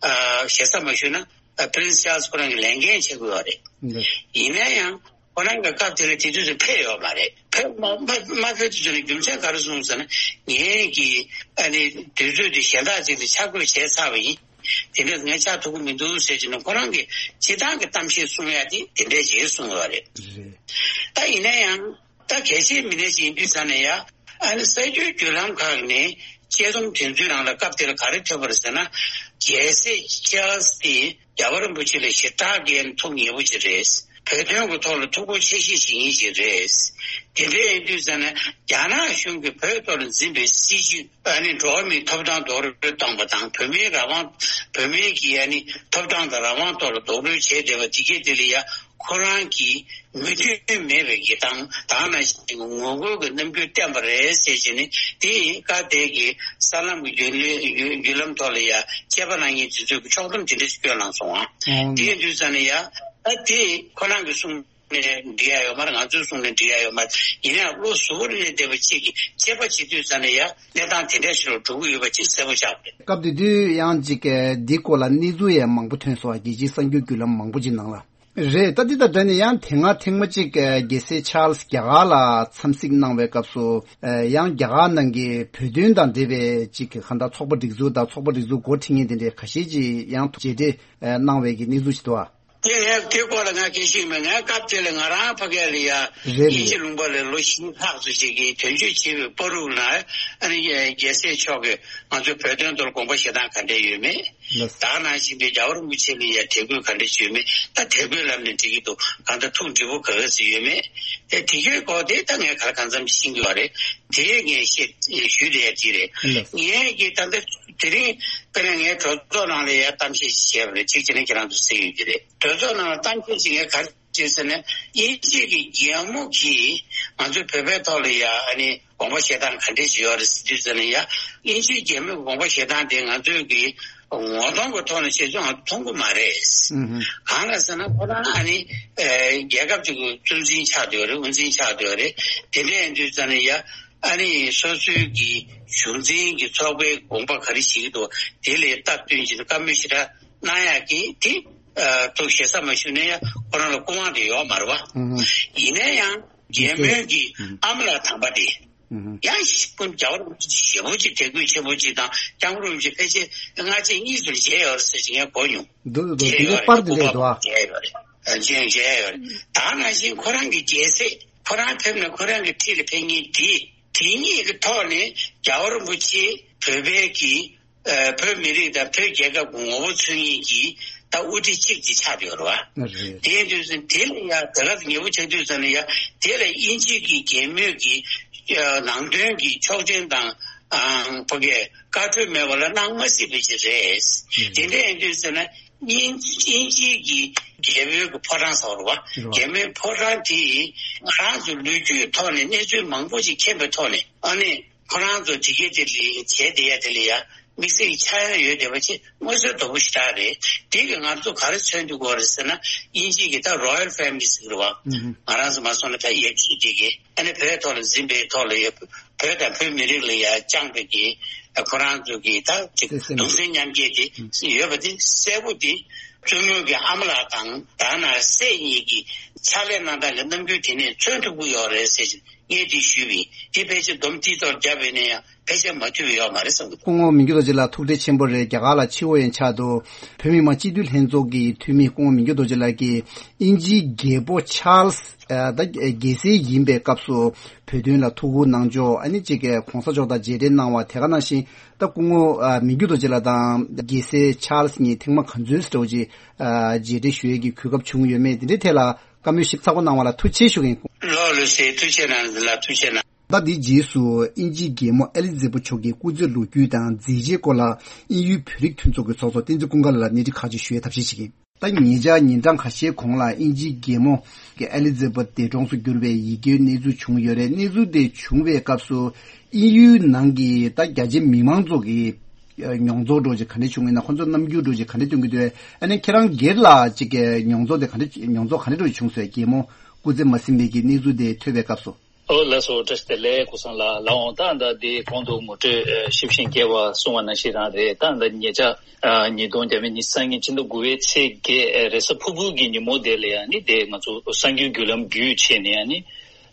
ཨ་ཞེ་ས་མ་ཞུས་ན་ཨ་Prince Charles ཁོ་རང་གི་ལས་འགན་བྱེད་དགོས་པ་རེད། ཡིན་ན་ཡང་ཁོ་རང་གི་སྐབས་དེ་ལ་དེ་དུས་སུ་ཕེབས་ཡོད་མ་རེད། ཕེབས་མ་མ་མ་ཕེབས་དུས་ཚོད་ལ་རྒྱུ་མཚན་ག་རེ་གསུངས་ཟེར་ན། ངས་ཀྱི་ཨ་ནི་དུས་ཚོད་དེ་གཞན་དག་ཅིག་ལ་ཆ་བགོས་བྱས་ཚར་བ་ཡིན། དེ་འདྲ་ངས་ཆགས་ཐུབ་ཀྱི་མི་འདུག་ཟེར་གྱི་ནས་ཁོ་རང་གི་སྤྱིར་བཏང་གི་གཏམ་བཤད་གསུང་ཡ་དེ་དེ་འདྲས་ཅིག་གསུངས་ཡོད་རེད། རེད། ད་ཡིན་ན་ཡང་ད་གལ་ཆེའི་མི་སྣ་ཅིག་ཡིན་དུས་ཙང་ནས་ཡ་ཨ་ནི་གསར་འགྱུར་བརྒྱུད་ལམ་ཁག་ནས་དཔྱད་རྩོམ་དེ་ཚོའི་ནང་ལ་སྐབས་དེར་ག་རེ་ཐོས་པ་རེད་ཟེར་ན། རྒྱལ་སྲས་ཆཱལ་སི་དེ་རྒྱལ་བ་རིན་པོ་ཆེ་ལ་ཞེ་དྲག་གི་ཐུགས་མཉེས་པོ་ཅིག་རེད། བོད་དོན་གྱི་ཐོག་ལ་ཐུགས་ཁུར་ཆེ་བཞེས་བྱེད་མཁན་ཅིག་རེད། དེ་འདྲ་ཡིན་དུས་ཙང་ནས་རྒྱ་ནག་གཞུང་གིས་བོད་ཐོག་ལ་འཛིན་པའི་སྲིད་བྱུས་ཨ་ནི་འགྲོ་བ་མིའི་ཐོབ་ཐང་རྡོག་རོལ་བཏང་པ་དང་། བོད་མིའི་རང་དབང་། བོད་མིའི་གི་ཨ་ནི་ཐོབ་ཐང་དང་རང་དབང་ཐོག་ལ་རྡོག་རོལ་བྱས་བསྡད་པ་དེ་གས་དེ་ལ་ཡ་ཁོ་རང་གིས་མོས་མཐུན་མེད་པའི་གི་དང་ད་ག་ནང་བཞིན་གྱི་ངོ་རྒོལ་གྱི་རྣམ་འགྱུར་བསྟན་པ་རེད་ཟེར་བྱས་ནས། དེ་ཡིན་སྐབས་དེ་གི་གསར་ལམ་གྱི་བརྒྱུད་ལམ་བརྒྱུད་ལམ་ཐོག་ལ་ཡ་དཔྱད་པ་གནང་མཁན་དེ་ཚོས་ཀྱི་ཕྱོགས་བསྡོམས་དེ་འདྲ་ཞིག་སྐྱོན་གནང་སོང་ཨ། ཨོ། དེ་ཡིན་དུས་ཙང་ནས་ཡ་ཨ་དེ་ཁོ་རང་གི་གསུང་ནས་འགྲིག་ཡ་ཡོད་མ་རེད། ང་ཚོའི་གསུང་ནས་འགྲིག་ཡ་ཡོད་མ་རེད། ཡིན་ནའང་བློ་གཟུ་བོར་གནས་བསྡད་པ་ཅིག་གིས་དཔྱད་པ་བྱེད་དུས་ཙང་ནས་ཡ་གནས་སྟངས་དེ་འདྲ་ཞིག་ལ་འགྲོ་གི་ཡོད་པ་ཅིག་གསལ་པོ་ཆགས་པ་རེད། སྐབས་དེ་དུས་ཡང་ཅིག་འདི་སྐོར་ལ་གནས་ཚུལ་ཡང་མང་པོ་ཐོན་སོང་ཨ། རྒྱལ་སྤྱིའི་གསར་འགྱུར་བརྒྱུད་ལམ་མང་པོ་ཅིག་ནང་ལ། རེད། ད་འདི་དང་འབྲེལ་ནས་ཡང་དེ་སྔ་ཐེངས་མ་གཅིག་རྒྱལ་སྲས་ཆཱལ་སི་རྒྱ་གར་ལ་འཚམས་གཟིགས་གནང་བའི་སྐབས་སུ། ཡང་རྒྱ་གར་ནང་གི་བོད་དོན་དང་འབྲེལ་བའི་གཅིག་གི་གང་ལྟར་ཚོགས་པ་སྒྲིག་འཛུགས་དང་ཚོགས་པ་སྒྲིག་འཛུགས་འགོ་ཁྲིད་མཁན་དེ་འདྲའི་ཁ་ཤས་ཀྱིས་ཡང་མཇལ་འཕྲད་གནང་བའི་གི་གནས་ཚུལ་ཞིག་འདུག་ཨ། དེ་ངས་དེ་སྐོར་ལ་ང་སྐད་ཆ་ཡིན་པ། ངས་སྐབས་དེ་ལ་ང་རང་ཕ་གི་ལ་ཡ་རེད་རེད། དབྱིན་ཇི་ལུང་པ་ལ་ལོ་བཞི་ལྷག་ཙམ་ཞིག་གི་དོན་གཅོད་བྱས་པའི་བར་དུ་ན། ཨ་ནི་རྒྱལ་སྲས་མཆོག་གིས་ང་ཚོའི་བོད་དོན་ཐོག་དགོངས་པ་བཞེས་སྟངས་ག་འདྲ་ཡོད་མེད། ལགས། ད་ག་ནང་བཞིན་པའི་རྒྱལ་བ་རིན་པོ་ཆེ་ལ་ཡ་དད་གུས་ག་འདྲ་ཡོད་མེད། ད་དད་གུས་ལབ་ནས་འགྲིག་གི་འདུག་གང་ལྟར་ཐུགས་འདྲིས་པོ་ག་ག་ཚོད་ཡོད་མེད། དེ་དེ་གའི་སྐོར་དེ་ད་ངས་ག་ལ་གང་འཚམ་ཤེས་ཀྱི་ཡོད་རེད། དེ་ངས་བཤད་ཞུས་བསྡད་ཡ་དེ་རེད། ལགས། ངས་ཀྱི་ད་ལྟ་དེ་རིང་དཔེར་ན་ངས་གྲོས་ཚོགས་ནང་ལ་ཡ་གཏམ་བཤད་ཞིག་བྱས་པ་རེད། གཅིག་བྱས་ན་ཁྱེད་རང་ཚོ་གསན་ཡོད་ཀྱི་རེད། གྲོས་ཚོགས་ནང་ལ་གཏམ་བཤད་ཅིག་ངས་ག་རེ་བྱས་ཟེར་ན། དབྱིན་ཇི་གི་རྒྱལ་མོ་གིས་ང་ཚོའི་བོད་པའི་ཐོག་ལ་ཡ་ཨ་ནི་དགོངས་པ་བཞེས་སྟངས་ག་འདྲས་ཅིག་ཡོད་རེད་ཟེར་དུས་ཙམ་ལ་ཡ། དབྱིན་ཇིའི་རྒྱལ་མོའི་དགོངས་པ་བཞེས་སྟངས་དེ་ང་ཚོའི་གི་ངོ་གདོང་གི་ཐོག་ནས་བྱས་ཚུལ་ང་ཚོ་མཐོང་གི་མ་རེད། ཨུ་ཧུ། གང་ལ་ཟེར་ན་ཁོ་རང་ཨ་ནི་ཨེ་རྒྱལ་ཁབ་ཅིག་གི་གཙོ་འཛིན་ཆགས་བསྡད་ཡོད་རེད། དབུ་འཛིན་ཆགས་བསྡད་ཡོད་རེད། དེ་འདྲ་ཡིན་དུས་ཙམ་ལ་ཡ་ཨ་ནི་སོ་སོའི་གི་གཞུང་འཛིན་གྱི་ཚོགས་པའི་དགོངས་པ་ག་རེ་བཞེས་ཀྱི་འདུག་དེ་ལ་སྟབས་བསྟུན་བྱས་ནས་བཀའ་མོལ་ཞེ་དྲག་གནང་ཡག་གི་དེ་ཨ་ཐུགས་ཞེ་ས་མ་ཞུ་ན་ཡང་ཁོ་རང་ལ་སྐུ་དབང་དེ་ཡོད་མ་རེད་བ། ཨུ་ཧུ། ཡིན་ན་ཡང་རྒྱལ་མོའི་གི་ཨ་མ་ལགས་དམ་པ་དེ་ཨུ་ཧུ། ཡང་ཞིག་ཀུན་རྒྱལ་བ་རིན་པོ་ཆེ་ཞེ་པོ་ཅིག་དད་གུས་ཆེན་པོ་ཅིག་དང་། སྐྱབས་མགོན་རིན་པོ་ཆེ་ཕལ་ཆེར་སྔ་རྗེས་གཉིས་སུ་མཇལ་ཡོད་རེད་ཟེར་ཅིག་ངས་གོ་མྱོང་། འདུག་འདུག་མཇལ་དེ་གའི་ཡོད་རེད། པར་དེ་སྐུ་འདྲ་པར་འདུག་ཨ། མཇལ་ཡོད་རེད། མཇལ་མཇལ་ཡོད་རེད། ད་ནང་བཞིན་ཁོ་རང་གི་རྒྱལ་སྲས་ཁོ་རང་ཕེབས་ནས་ཁོ་རང་གི་འཁྲིས་ལ་ཕེབས་མཁན་དེ། དེ་གཉིས་ཀྱི་ཐོག་ནས་རྒྱལ་བ་རིན་པོ་ཆེ་བོད་པའི་གི་ཨ་བོད་མི་རིགས་དང་བོད་རྒྱལ་ཁབ་ཀྱི་ངོ་བོ་མཚོན་མཁན་གྱི་ད་དབུ་ཁྲིད་གཅིག་ཅིག་ཆགས་བསྡད་ཡོད་རེད་བ། རེད། དེ་ཡིན་དུས་ཙམ་དེ་ལ་ཡང་དེ་ག་ཚོད་ཉེ་བོ་ཆགས་དུས་ཙམ་ལ་ཡང་དེ་ལ་དབྱིན་ཇི་གི་རྒྱལ་མོས་ཀྱི་ཨ་ནང་དོན་གྱི་ཆོག་མཆན་དང་ཨ་ཕ་གིའི་བཀའ་འཁྲོལ་མེད་པ་ལ་གནང་མ་སྲིད་པ་ཅིག་རེད། རེད། དེ་འདྲ་ཡིན་དུས་ཙམ་ན། དབྱིན་དབྱིན་ཇིའི་གི་རྒྱལ་པོའི་གི་ཕོ་བྲང་ཟེར་བ་རེད་བ། རེད་བ། རྒྱལ་མོའི་ཕོ་བྲང་དེ་ང་རང་ཚོ་ལོ་རྒྱུས་ཐོག་ནས་གནས་ཚུལ་མང་པོ་ཞིག་མཁྱེན་པའི་ཐོག་ནས། ཨ་ནི་ཁོ་རང་ཚོ་དེ་གའི་དེ་ལ་བྱས་བསྡད་ཡ་དེ་ལ་ཡ་དམིགས་བསལ་གྱི་ཆགས་ཡ་ཡོད་བསྡད་པ་ཅིག་མངོན་གསལ་དོད་པོ་ཞེ་དྲག་རེད། དེ་གིས་ང་ཚོ་ག་རེ་མཚོན་ཐུབ་ཀྱི་ཡོད་རེད་ཟེར་ན། དབྱིན་ཇི་གི་ད་Royal Family་ཟེར་གྱི་རེད་བ། ཨུ་ཧུ། ང་རང་ཚོ་མ་སོང་ན་ད་ཡ་གཅིག་དེ་གི་ཨ་ནི་བོད་ཐོག་ལ་འཛིན་པའི་ཐོག་ལ་ཡ། བོད་དང་བོད་མི་རིགས་ལ་ཡ་བཅངས་པའི་གི་ཁོ་རང་ཚོ་གི་ད་ཅིག་བརྩེ་སེམས། གདུང་སེམས་མཉམ་སྐྱེད་དེ་ཡོད་པ་དེ་གསལ་པོ་དེ་བཙུན་མོ་གི་ཨ་མ་ལགས་དང་ད་ནང་སྲས་གཉིས་ཀྱི་ཕྱག་ལས་གནང་སྟངས་ཀྱི་རྣམ་འགྱུར་དེ་ནས་མཚོན་ཐུབ་ཀྱི་ཡོད་རེད་ཟེར་ངས་དེ་ཞུས་པ་ཡིན། དེ་ཕལ་ཆེར་སྡོམ་མཐིལ་ཐོག་བརྒྱབ་པ་ཡིན་ན་ཡང་ཕལ་ཆེར་མ་ཐུབ་པ་ཡོད་མ་རེད་བསམ་གྱི་འདུག་སྐུ་ངོ་མི་འགྱུར་རྡོ་རྗེ་ལགས་ཐུགས་རྗེ་ཆེན་པོ་རེད། རྒྱ་གར་ལ་ཕྱི་དབུ་ཡན་ཆད་དུ་བོད་མི་མང་སྤྱི་འཐུས་ལྷན་ཚོགས་ཀྱི་འཐུས་མི་སྐུ་ངོ་མི་འགྱུར་རྡོ་རྗེ་ལགས་ཀྱིས་དབྱིན་ཇིའི་རྒྱལ་པོ་ཆཱལ་སི་ཨ་ད་རྒྱལ་སྲས་ཡིན་པའི་སྐབས་སུ་བོད་དོན་ལ་ཐུགས་ཁུར་གནང་ཕྱོགས། ཨ་ནི་གཅིག་གི་གོང་ས་མཆོག་དང་མཇལ་འཕྲད་གནང་བ་དེ་ག་ནང་བཞིན། ད་སྐུ་ངོ་ཨ་མི་འགྱུར་རྡོ་རྗེ་ལགས་དང་རྒྱལ་སྲས་ཆཱལ་སི་གཉིས་ཐེངས་མ་ག་ཚོད་འདྲ་བོ་ཅིག་ཨ་མཇལ་འཕྲད་ཞུ་ཡས་ཀྱི་གོ་སྐབས་བྱུང་ཡོད་མེད། དེ་འདྲའི་ཐད་ལ་བཀའ་མོལ་ཞིབ་ཚགས་པོ་གནང་བ་ལ་ཐུགས་རྗེ་ཆེ་ཞུ་གི་ཡིན། ལགས་ལགས་སེ། ཐུགས་རྗེ་གནང་ལགས། ཐུགས་རྗེ་གནང་། ད་འདིའི་རྗེས་སུ་དབྱིན་ཇིའི་རྒྱལ་མོ་ཨེ་ལི་ཛེ་བྷ་མཆོག་གི་སྐུ་ཚེ་ལོ་རྒྱུས་དང་མཛད་རྗེས་སྐོར་ལ་དབྱིན་ཡུལ་བོད་རིགས་མཐུན་ཚོགས་ཀྱི་ཚོགས་གཙོ་བསྟན་འཛིན་ཀུན་དགའ་ལགས་ལ་སྣེ་ཁྲིད་ཁག་ཅིག་ཞུ་ཡས་ཐབས་ཤེས་བྱེད་ཀྱི་ཡིན། ད་ཉེ་ཆར་ཉིན་གྲངས་ཁ་ཤས་གོང་ལ་དབྱིན་ཇིའི་རྒྱལ་མོ་གི་ཨེ་ལི་ཛེ་བྷ་འདས་གྲོངས་སུ་གྱུར་བའི་ཡི་གེའི་གནས་ཚུལ་བྱུང་ཡོད་རེད། གནས་ཚུལ་དེ་བྱུང་བའི་སྐབས་སུ་དབྱིན་ཡུལ་ནང་གི་ད་རྒྱ་ཆེ་མི་མང་ཚོ་གི་མྱོང་ཚོར་འདྲ་བོ་ཅིག་ག་འདྲ་བྱུང་ཡོད་ན། ཁོ་ཚོ་རྣམ་འགྱུར་འདྲ་བོ་ཅིག་ག་འདྲ་སྟོན་གྱི་འདུག་ཨ་ནི་ཁྱེད་རང་སྒེར་ལ་ཅིག་གི་མྱོང་ཚོར་དེ་ག་འདྲ་མྱོང་ཚོར་ག་འདྲ་འདྲ་བོ་ཅིག་བྱུང་སོང་། རྒྱལ་མོ་སྐུ་ཚེ་མ་ཟིན་པའི་གི་གནས་ཚུལ་དེ་ཐོས་པའི་སྐབས་སུ། ཨོ་ལགས་སོ། བཀྲ་ཤིས་བདེ་ལེགས། ཀུན་བཟང་ལགས། ལགས་འོང་། ད་ལྟ་འདི་གོང་དུ་ངོ་སྤྲོད་ཨ་ཞིབ་ཞིང་རྒྱས་པ་གསུངས་པ་ནང་བཞིན་རང་རེད། ད་ལྟ་ཉེ་ཆར་ཨ་ཉིས་སྟོང་ཉི་ཤུ་རྩ་གཉིས་ཕྱི་ཟླ་དགུ་པའི་ཚེས་བརྒྱད་ཨ་རེས་གཟའ་ཕུར་བུ་གི་ཉིན་མོ་དེ་ལ་ཡང་ནི་དེ་ང་ཚོ་གསར་འགྱུར་བརྒྱུད་ལམ་བརྒྱུད་བྱས་ནས་ཡང་ནི་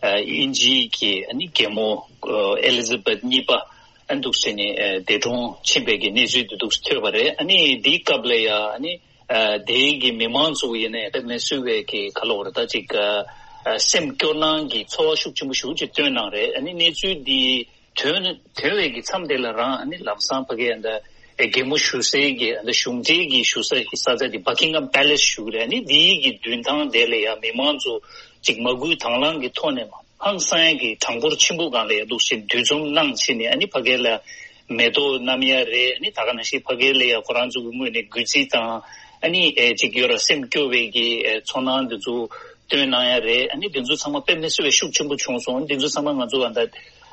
ཨ་དབྱིན་ཇིའི་གི་ཨ་ནི་རྒྱལ་མོ་ཨ་ཨེ་ལི་ཛ་བེད་གཉིས་པ་ཨ་འདུག་སེ་ནས་ཨ་འདས་གྲོངས་ཕྱིན་པའི་གི་གནས་ཚུལ་དེ་འདུག་སེ་ཐོས་པ་རེད། ཨ་ནི་དེའི་སྐབས་ལ་ཡང་ཨ་ནི། ཨ་དེའི་གི་མི་མང་ཚོ་ཡིན་ནའི་དཔེ་མི་སྲིད་པའི་གི་ག་ལབ་དགོས་རེད། ད་ཅིག་ཨ་ཨ་སེམས་སྐྱོ་སྣང་གི་ཚོར་བ་ཤུགས་ཆེན་པོ་ཞེ་པོ་ཅིག་བཏོན་གནང་རེད། ཨ་ནི་གནས་ཚུལ་འདི་ཐོན་ཐོན་པའི་གི་མཚམས་དེ་ལ་རང་ཨ་ནི་ལམ་སང་ཕ་གི་ཨ་ད་ཨ་རྒྱལ་མོ་བཞུགས་སའི་གི་ཨ་ད་གཞུང་འབྲེལ་གྱི་བཞུགས་ས་གི་ས་ཆ་དེ་Buckingham Palace་ཞུ་གི་རེད། ཨ་ནི་འདིའི་གི་མདུན་ཐང་དེ་ལ་ཡང་མི་མང་ཚོ་ཅིག་མ་སྐུལ་དང་བླངས་ཀྱི་ཐོག་ནས་མ། ཧང་སང་ཡ་གི་གྲངས་འབོར་ཆེན་པོ་སྒང་ལ་ཡ་འདུག་སེ་འདུ་འཛོམས་གནང་བྱས་ནས། ཨ་ནི་ཕ་གི་ལ་མེ་ཏོག་བསྣམས་ཡ་རེད། ཨ་ནི་ད་ག་ནང་བཞིན་ཕ་གི་ལ་ཡ་ཁོ་རང་ཚོ་གི་ངོས་ནས་གུས་བརྩི་དང་། ཨ་ནི་ཨེ་ཅིག་ཡོད་ར་སེམས་སྐྱོ་བའི་གི་ཨེ་ཚོར་སྣང་འདི་ཚོ་སྟོན་གནང་ཡ་རེད། ཨ་ནི་འདི་ཚོ་ཚང་མ་དཔེ་མི་སྲིད་པའི་ཤུགས་ཆེན་པོ་བྱུང་སོང་། འདི་ཚོ་ཚང་མ་ང་ཚོ་ཨ་ད་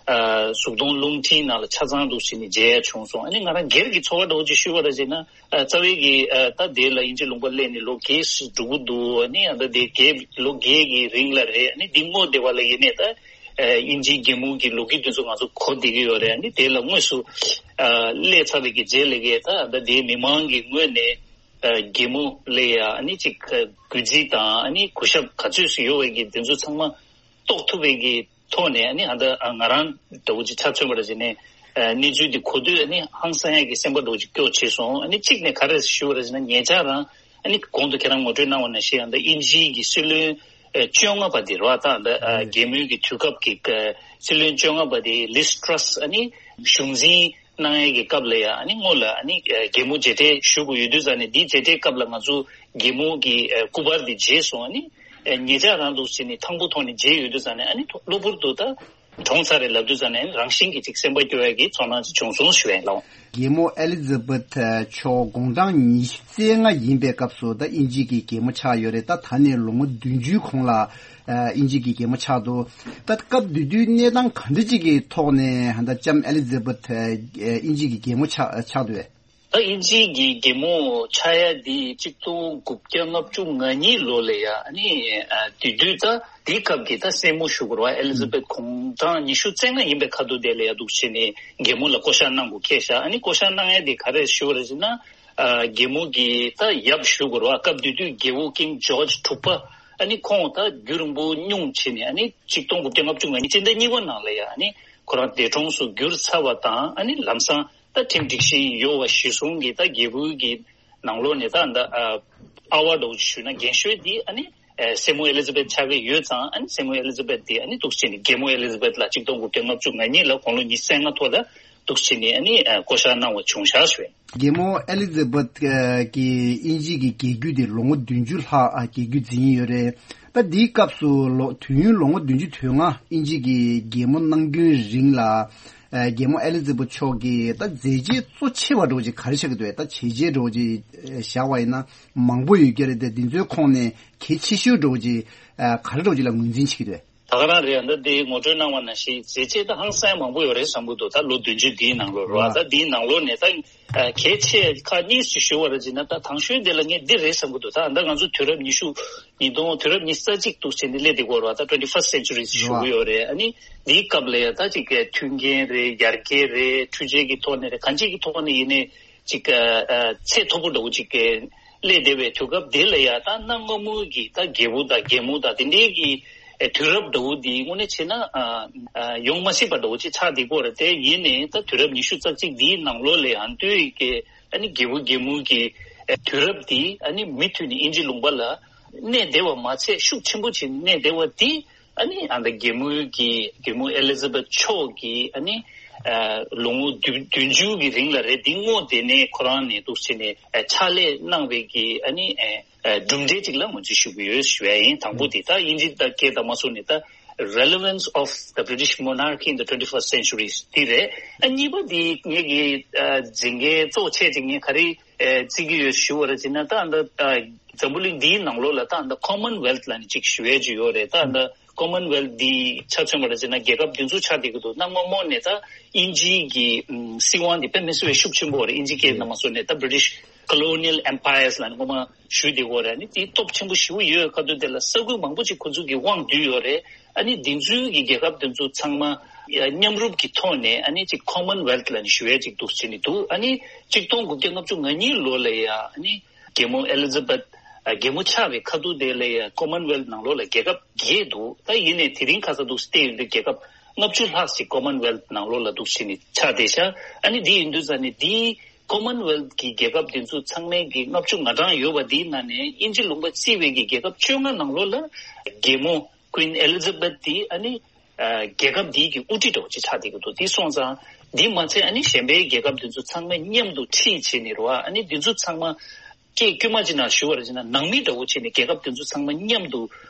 ཨ་གཟུགས་མཐོང་རླུང་འཕྲིན་ནང་ལ་ཆ་ཚང་འདུག་སེ་ནས་མཇལ་ཡ་བྱུང་སོང་། ཨ་ནི་ང་རང་སྒེར་གྱི་ཚོར་བ་འདྲ་བོ་ཅིག་ཞུས་པ་ར་བྱས་ན། ཨ་རྩ་བའི་གི་ཨ་ད་དེ་ལ་དབྱིན་ཇི་ལུང་པ་སླེབས་ནས་ལོ་བརྒྱད་ཙམ་འགྲོ་གི་འདུག་ཨ་ནི་ཨ་ད་དེ་བརྒྱད་ལོ་བརྒྱད་ཀྱི་རིང་ལ་རེད། ཨ་ནི་འདི་སྔོན་དེ་བ་ལ་ཡིན་ནའི་ད་ཨ་དབྱིན་ཇིའི་རྒྱལ་མོ་གི་ལོ་རྒྱུས་དེ་ཚོ་ང་ཚོ་གོ་བསྡད་ཀྱི་ཡོད་རེད། ཨ་ནི་དེ་ལ་དངོས་སུ་ཨ་སླེབས་ཚར་བའི་གི་རྗེས་ལ་གི་ད་ཨ་ད་དེ་མི་མང་གི་ངོས་ནས་ཨ་རྒྱལ་མོ་ལ་ཡ་ཨ་ནི་ཅིག་གུས་བརྩི་དང་། ཨ་ནི་གུས་ཞབས་ག་ཚོད་སུ་ཡོད་པའི་གི་དེ་ཚོ་ཚང་མ་རྟོགས་ཐུབ་པའི་གི་ཐོག་ནས། ཨ་ནི་ཨ་ད་ང་རང་འདྲ་བོ་ཅིག་ཆ་མཚོན་པ་ར་བྱས་ནས་ཨ་གནས་ཚུལ་འདི་གོ་དུས་ཨ་ནི་ཧང་སང་ཡ་གི་སེམས་པ་འདྲ་བོ་ཅིག་སྐྱོ་བྱས་སོང་། ཨ་ནི་གཅིག་ནས་ག་རེ་ཞུ་བ་ར་བྱས་ན་ཉེ་ཆར་རང་ ཨ་ནི་གོང་དུ་ཁྱེད་རང་ངོ་སྤྲོད་གནང་བ་ནང་བཞིན་ཡང་ད་དབྱིན་ཇིའི་གི་སྲིད་བློན་ཨ་བཅོ་ལྔ་པ་དེ་རེད་བ། ད་ད་ཨ་རྒྱལ་མོའི་གི་དུས་སྐབས་ཀྱི་ཨ་སྲིད་བློན་བཅོ་ལྔ་པ་དེ་ལིས་ཊྲས། ཨ་ནི་གཞུང་འཛིན་གནང་ཡས་ཀྱི་སྐབས་ལ་ཡ་ཨ་ནི་སྔོན་ལ་ཨ་ནི་ཨ་རྒྱལ་མོ་མཇལ་འཕྲད་ཞུ་དགོས་ཡོད་དུས་ཙང་ནས། འདིའི་མཇལ་འཕྲད་སྐབས་ལ་ང་ཚོ་རྒྱལ་མོ་གི་ཨ་སྐུ་པར་དེ་མཇལ་སོང་། ཨ་ནི་ཨ་ཉེ་ཆར་རང་འདུག་བྱས་ནས་དང་པོ་ཐོག་ནས་མཇལ་ཡོད་དུས་ཙང་ནས། ཨ་ནི་གློ་བུར་དུ་ད་གྲོངས་ཚར་རེད་ལབ་དུས་ཙང་ནས་རང་བཞིན་གྱིས་ཅིག་སེམས་པ་སྐྱོ་ཡ་གི་ཚོར་སྣང་ཅིག་བྱུང་སོང་ཞུ་ཡ་ཡིན་ལགས། རྒྱལ་མོ་ཨེ་ལི་ཛ་བེཐ་མཆོག་དགུང་གྲངས་ཉི་ཤུ་རྩ་ལྔ་ཡིན་པའི་སྐབས་སུ་ད་དབྱིན་ཇི་གི་རྒྱལ་མོ་ཆགས་ཡོད་རེད། ད་ད་ནས་ལོ་ངོ་བདུན་ཅུའི་གོང་ལ་ཨ་དབྱིན་ཇི་གི་རྒྱལ་མོ་ཆགས་འདུག་ད་སྐབས་དེ་དུས་གནས་སྟངས་ག་འདྲ་ཅིག་གི་ཐོག་ནས་ད་ལྕམ་ཨེ་ལི་ཛ་བེཐ་ཨ་དབྱིན་ཇི་གི་རྒྱལ་མོ་ཆགས་ཆགས་འདུག་བས། ད་དབྱིན་ཇིའི་གི་རྒྱལ་མོ་ཆགས་ཡ་འདི་གཅིག་སྟོང་དགུ་བརྒྱ་ལྔ་བཅུ་ང་གཉིས་ལོ་ལ་ཡ། ཨ་ནི་ཨ་དེ་དུས་ད་དེའི་སྐབས་ཀྱི་ད་སྲས་མོ་ཞུ་དགོས་རེད་བ། ཨེ་ལི་ཛ་བེཐ་དགུང་གྲངས་ཉི་ཤུ་རྩ་ལྔ་ཡིན་པའི་ཁ་ཐུག་དེ་ལ་ཡ་འདུག་བྱས་ནས་རྒྱལ་མོ་ལ་བསྐོ་བཞག་གནང་དགོས་ཁེལ་ཤག་ཨ་ནི་བསྐོ་བཞག་གནང་ཡ་དེ་ག་རེ་ཞུ་བ་རེད་ཟེར་ན། ཨ་རྒྱལ་མོ་གི་ད་ཡབ་ཞུ་དགོས་རེད་བ། སྐབས་དེ་དུས་རྒྱལ་པོ་ཀིང་ཇོརྗ་དྲུག་པ། ཨ་ནི་ཁོང་ད་རྒྱུན་རིང་པོ་སྙུང་བྱས་ནས། ཨ་ནི་གཅིག་སྟོང་དགུ་བརྒྱ་ལྔ་བཅུ་ང་གཉིས་སྤྱི་ཟླ་གཉིས་པ་ནང་ལ་ཡ་ཨ་ནི་ཁོ་རང་འདས་གྲོངས་སུ་གྱུར་ཚར་བ་དང་། ཨ་ནི་ལམ་སང་ད་ཁྲིམས་སྒྲིག་བཞིན་ཡོད་པ་གཞིར་བཟུང་གིས་ད་རྒྱལ་པོའི་གི་ནང་ལོགས་ནས་ད་ད་ཨ་ཨ་བ་འདྲ་བོ་ཞུས་ན་རྒན་ཤོས་འདི་ཨ་ནི་ཨ་སྲས་མོ་ཨེ་ལི་ཛ་བེཐ་ཆགས་ཀྱི་ཡོད་ཙང་། ཨ་ནི་སྲས་མོ་ཨེ་ལི་ཛ་བེཐ་འདི་ཨ་ནི་འདུག་བྱས་ནས་རྒྱལ་མོ་ཨེ་ལི་ཛ་བེཐ་ལ་གཅིག་སྟོང་དགུ་བརྒྱ་ལྔ་བཅུ་ང་གཉིས་ལ་དགུང་ལོ་ཉི་ཤུ་རྩ་ལྔ་ཐོག་ལ་འདུག་བྱས་ནས་ཨ་ནི་ཨ་བསྐོ་བཞག་གནང་བ་བྱུང་བཞག་ཞུ། རྒྱལ་མོ་ཨེ་ལི་ཛ་བེཐ་ཨ་གིས་དབྱིན་ཇི་གི་རྒྱལ་རྒྱུད་དེ་ལོ་ངོ་བདུན་ཅུ་ལྷག་ཨ་རྒྱལ་རྒྱུད་འཛིན་ཡོད་རེད། ད་འདིའི་སྐབས་སུ་ལོ་དུས་ཡུན་ལོ་ངོ་བདུན་ཅུ་དོན་ལྔ་དབྱིན་ཇི་གི་རྒྱལ་མོ་གནང་རྒྱུན་རིང་ལ། ཨ་རྒྱལ་མོ་ཨེ་ལི་ཛ་བེཐ་མཆོག་གི་ད་མཛད་རྗེས་གཙོ་ཆེ་བ་འདྲ་བོ་ཅིག་ག་རེ་ཆགས་ཀྱི་འདུག་ད་བྱས་རྗེས་འདྲ་བོ་ཅིག་བཞག་པ་ཡིན་ན་མང་པོ་ཡོད་ཀྱི་རེད་དེ། འདི་ཚོའི་ཁོངས་ནས་གལ་ཆེ་ཤོས་འདྲ་བོ་ཅིག་ཨ་ག་རེ་འདྲ་བོ་ཅིག་ལ་ངོས་འཛིན་བྱེད་ཀྱི་འདུག་ད་ག་རང་རེད། ད་འདི་ངོ་སྤྲོད་གནང་བ་ནང་བཞིན་མཛད་རྗེས་ད་ཧང་སང་མང་པོ་ཡོད་རེད་བསམ་གྱི་འདུག་ད་ལོ་བདུན་ཅུ་འདིའི་ནང་ལོགས་རེད་བ། ད་འདིའི་ནང་ལོགས་ནས་ད་ཨ་གལ་ཆེ་ཁག་གཉིས་ཤིག་ཞུ་བ་རེད་ཅེ་ན། ད་དང་ཤོས་དེ་ལ་ངས་འདི་རེད་བསམ་གྱི་འདུག་ད་ད་ང་ཚོ་དུས་རབས་ཉི་ཤུ། ཉིས་སྟོང་། དུས་རབས་ཉི་ཤུ་རྩ་གཅིག་འདུག་བྱས་ནས་སླེབས་བསྡད་ཀྱི་ཡོད་རེད་བ། ད་ཊུ་ཝེན་ཊི་ཕར་སི་ཊི་སེན་ཅུ་རི་ཞུ་གི་ཡོད་རེད། ཨ་ནི་འདིའི་སྐབས་ལ་ཡ་ད་ཅིག་གི་མཐུན་རྐྱེན་རེད། ཡར་རྒྱས་རེད། འཕྲུལ་ཆས་ཀྱི་ཐོག་ནས་རེད། གང་ཅིའི་ཐོག་ནས་ཡིན་ནའི་ཅིག་ཨ་ཨ་ཚད་མཐོ་པོ་འདྲ་བོ་ཅིག་གི་སླེབས་བསྡད་པའི་དུས་སྐབས་དེ་ལ་ཡ། ད་གནའ་སྔ་མོའི་གི་ད་རྒྱལ་པོ་དང་རྒྱལ་མོ་དང་དེ་འདྲའི་གི་ཨ་དུས་རབས་འདྲ་བོ་འདི་དངོས་གནས་བྱས་ན་ཨ་ཨ་ཡོང་མ་སྲིད་པ་འདྲ་བོ་ཅིག་ཆགས་བསྡད་ཀྱི་ཡོད་རེད། དེ་ཡིན་ནའི་ད་དུས་རབས་ཉི་ཤུ་རྩ་གཅིག་འདིའི་ནང་ལོགས་ལ་ཡང་དུས་ཀྱི་ཨ་ནི་རྒྱལ་པོ་རྒྱལ་མོ་གི་ཨ་དུས་རབས་འདི་ཨ་ནི་མུ་མཐུད་ནས་དབྱིན་ཇི་ལུང་པ་ལ་གནས་བསྡད་པ་མ་ཚད་ཤུགས་ཆེན་པོ་བྱས་ནས་གནས་བསྡད་པ་འདི། ཨ་ནི་ཨ་ད་རྒྱལ་མོའི་གི་རྒྱལ་མོ་ཨེ་ལི་ཛ་བེཐ་མཆོག་གིས་ཨ་ནི་ཨ་ལོ་ངོ་བདུན་བདུན་ཅུ་གི་རིང་ལ་རེད། འདི་སྔོན་དེ་ནས་ཁོ་རང་ནས་འདུག་བྱས་ནས་ཨ་ཕྱག་ལས་གནང་བའི་གི་ཨ་ནི་ཨ་ཨ་གྲུབ་འབྲས་ཅིག་ལ་ངོས་འཛིན་ཞུ་གི་ཡོད་ཞུ་ཡ་ཡིན། དང་པོ་དེ་ད་དབྱིན་ཇི་དང་སྐད་དང་མ་སོང་ནས་ད་relevance of the British monarchy in the twenty-first century དེ་རེད། ཨ་གཉིས་པ་དེ་ངེད་ཀྱི་ཨ་མཛད་འགན་གཙོ་ཆེ་ཅིག་ངས་ག་རེ་ཨ་བརྩི་གི་ཡོད་ཞུ་བ་རེད་ཅེ་ན། ད་ཨ་ད་ཨ་འཛམ་བུ་གླིང་འདིའི་ནང་ལོགས་ལ་ད་ཨ་ད་Commonwealth ལབ་ནས་ཅིག་ཞུ་ཡས་ཅིག་ཡོད་རེད། ད་ཨ་ད་Commonwealth འདི་ཆ་མཚོན་པ་རེད་ཅེ་ན་རྒྱལ་ཁབ་འདི་ཚོ་ཆགས་བསྡད་ཀྱི་འདུག་གནའ་སྔ་མོ་ནས་ད་དབྱིན་ཇིའི་གི་ཨམ་སྲིད་དབང་འདི་དཔེ་མི་སྲིད་པའི་ཤུགས་ཆེན་པོ་རེད། དབྱིན་ཇི་སྐད་ནང་མ་སོང་ནས་ད་British colonial empires ལབ་ནས་སྔོན་མ་ཞུས་བསྡད་ཀྱི་ཡོད་རེད། ཨ་ནི་དེའི་སྟོབས་ཆེན་པོ་ཞེ་པོ་ཡོད་ཁ་ཐུག་དེ་ལ་ས་ཁུལ་མང་པོ་ཅིག་ཁོ་ཚོ་གིས་དབང་བསྡུས་ཡོད་རེད། ཨ་ནི་འདི་ཚོའི་གི་རྒྱལ་ཁབ་དེ་ཚོ་ཚང་མ་མཉམ་རུབ་ཀྱི་ཐོག་ནས་ཨ་ནི་ཅིག་Commonwealth ལབ་ནས་ཞུ་ཡས་ཅིག་འདུག་ཟེར་ནས་འདུག་ཨ་ནི་གཅིག་སྟོང་དགུ་བརྒྱ་ལྔ་བཅུ་ང་གཉིས་ལོ་ལ་ཡ་ཨ་ནི་རྒྱལ་མོ་ཨེ་ལི་ཛ་བེཐ་ཨ་རྒྱལ་མོ་ཆགས་པའི་ཁ་ཐུག་དེ་ལ་ཡ་Commonwealth ནང་ལོགས་ལ་རྒྱལ་ཁབ་བརྒྱད་འདུག་ད་ཡིན་ནའི་དེ་རིང་ཁ་སང་འདུག་བལྟས་ཡོང་དུས་རྒྱལ་ཁབ་ལྔ་བཅུ་ལྷག་ཅིག་Commonwealth ནང་ལོགས་ལ་འདུག་ཟེར་ནས་ཆགས་བསྡད་ཤག་ཨ་ནི་འདི་ཡིན་དུས་ཙང་ནས་འདི་Commonwealth གི་རྒྱལ་ཁབ་དེ་ཚོ་ཚང་མའི་གི་ལྔ་བཅུ་ང་གྲངས་ཡོད་པ་འདིའི་ནང་ནས་དབྱིན་ཇི་ལུང་པ་བརྩིས་པའི་གི་རྒྱལ་ཁབ་བཅོ་ལྔ་ནང་ལོགས་ལ་རྒྱལ་མོ་Queen Elizabeth དེ་ཨ་ནི་ཨ་རྒྱལ་ཁབ་འདིའི་གི་དབུ་ཁྲིད་འདྲ་བོ་ཅིག་ཆགས་བསྡད་ཀྱི་འདུག་དེ་སོང་ཙང་འདི་མ་ཚད་ཨ་ནི་གཞན་པའི་རྒྱལ་ཁབ་དེ་ཚོ་ཚང་མ་མཉམ་དུ་ཁྲིད་བྱས་ནས་རེད་བ། ཨ་ནི་འདི་ཚོ་ཚང་མ་སྐད་དཀྱུས་མ་ཅིག་ནང་ཞུ་བ་རེད་ཅེ་ན་ནང་མི་འདྲ་བོ་བྱས་ནས་རྒྱལ་ཁབ་དེ་ཚོ་ཚང་མ་མཉམ་དུ་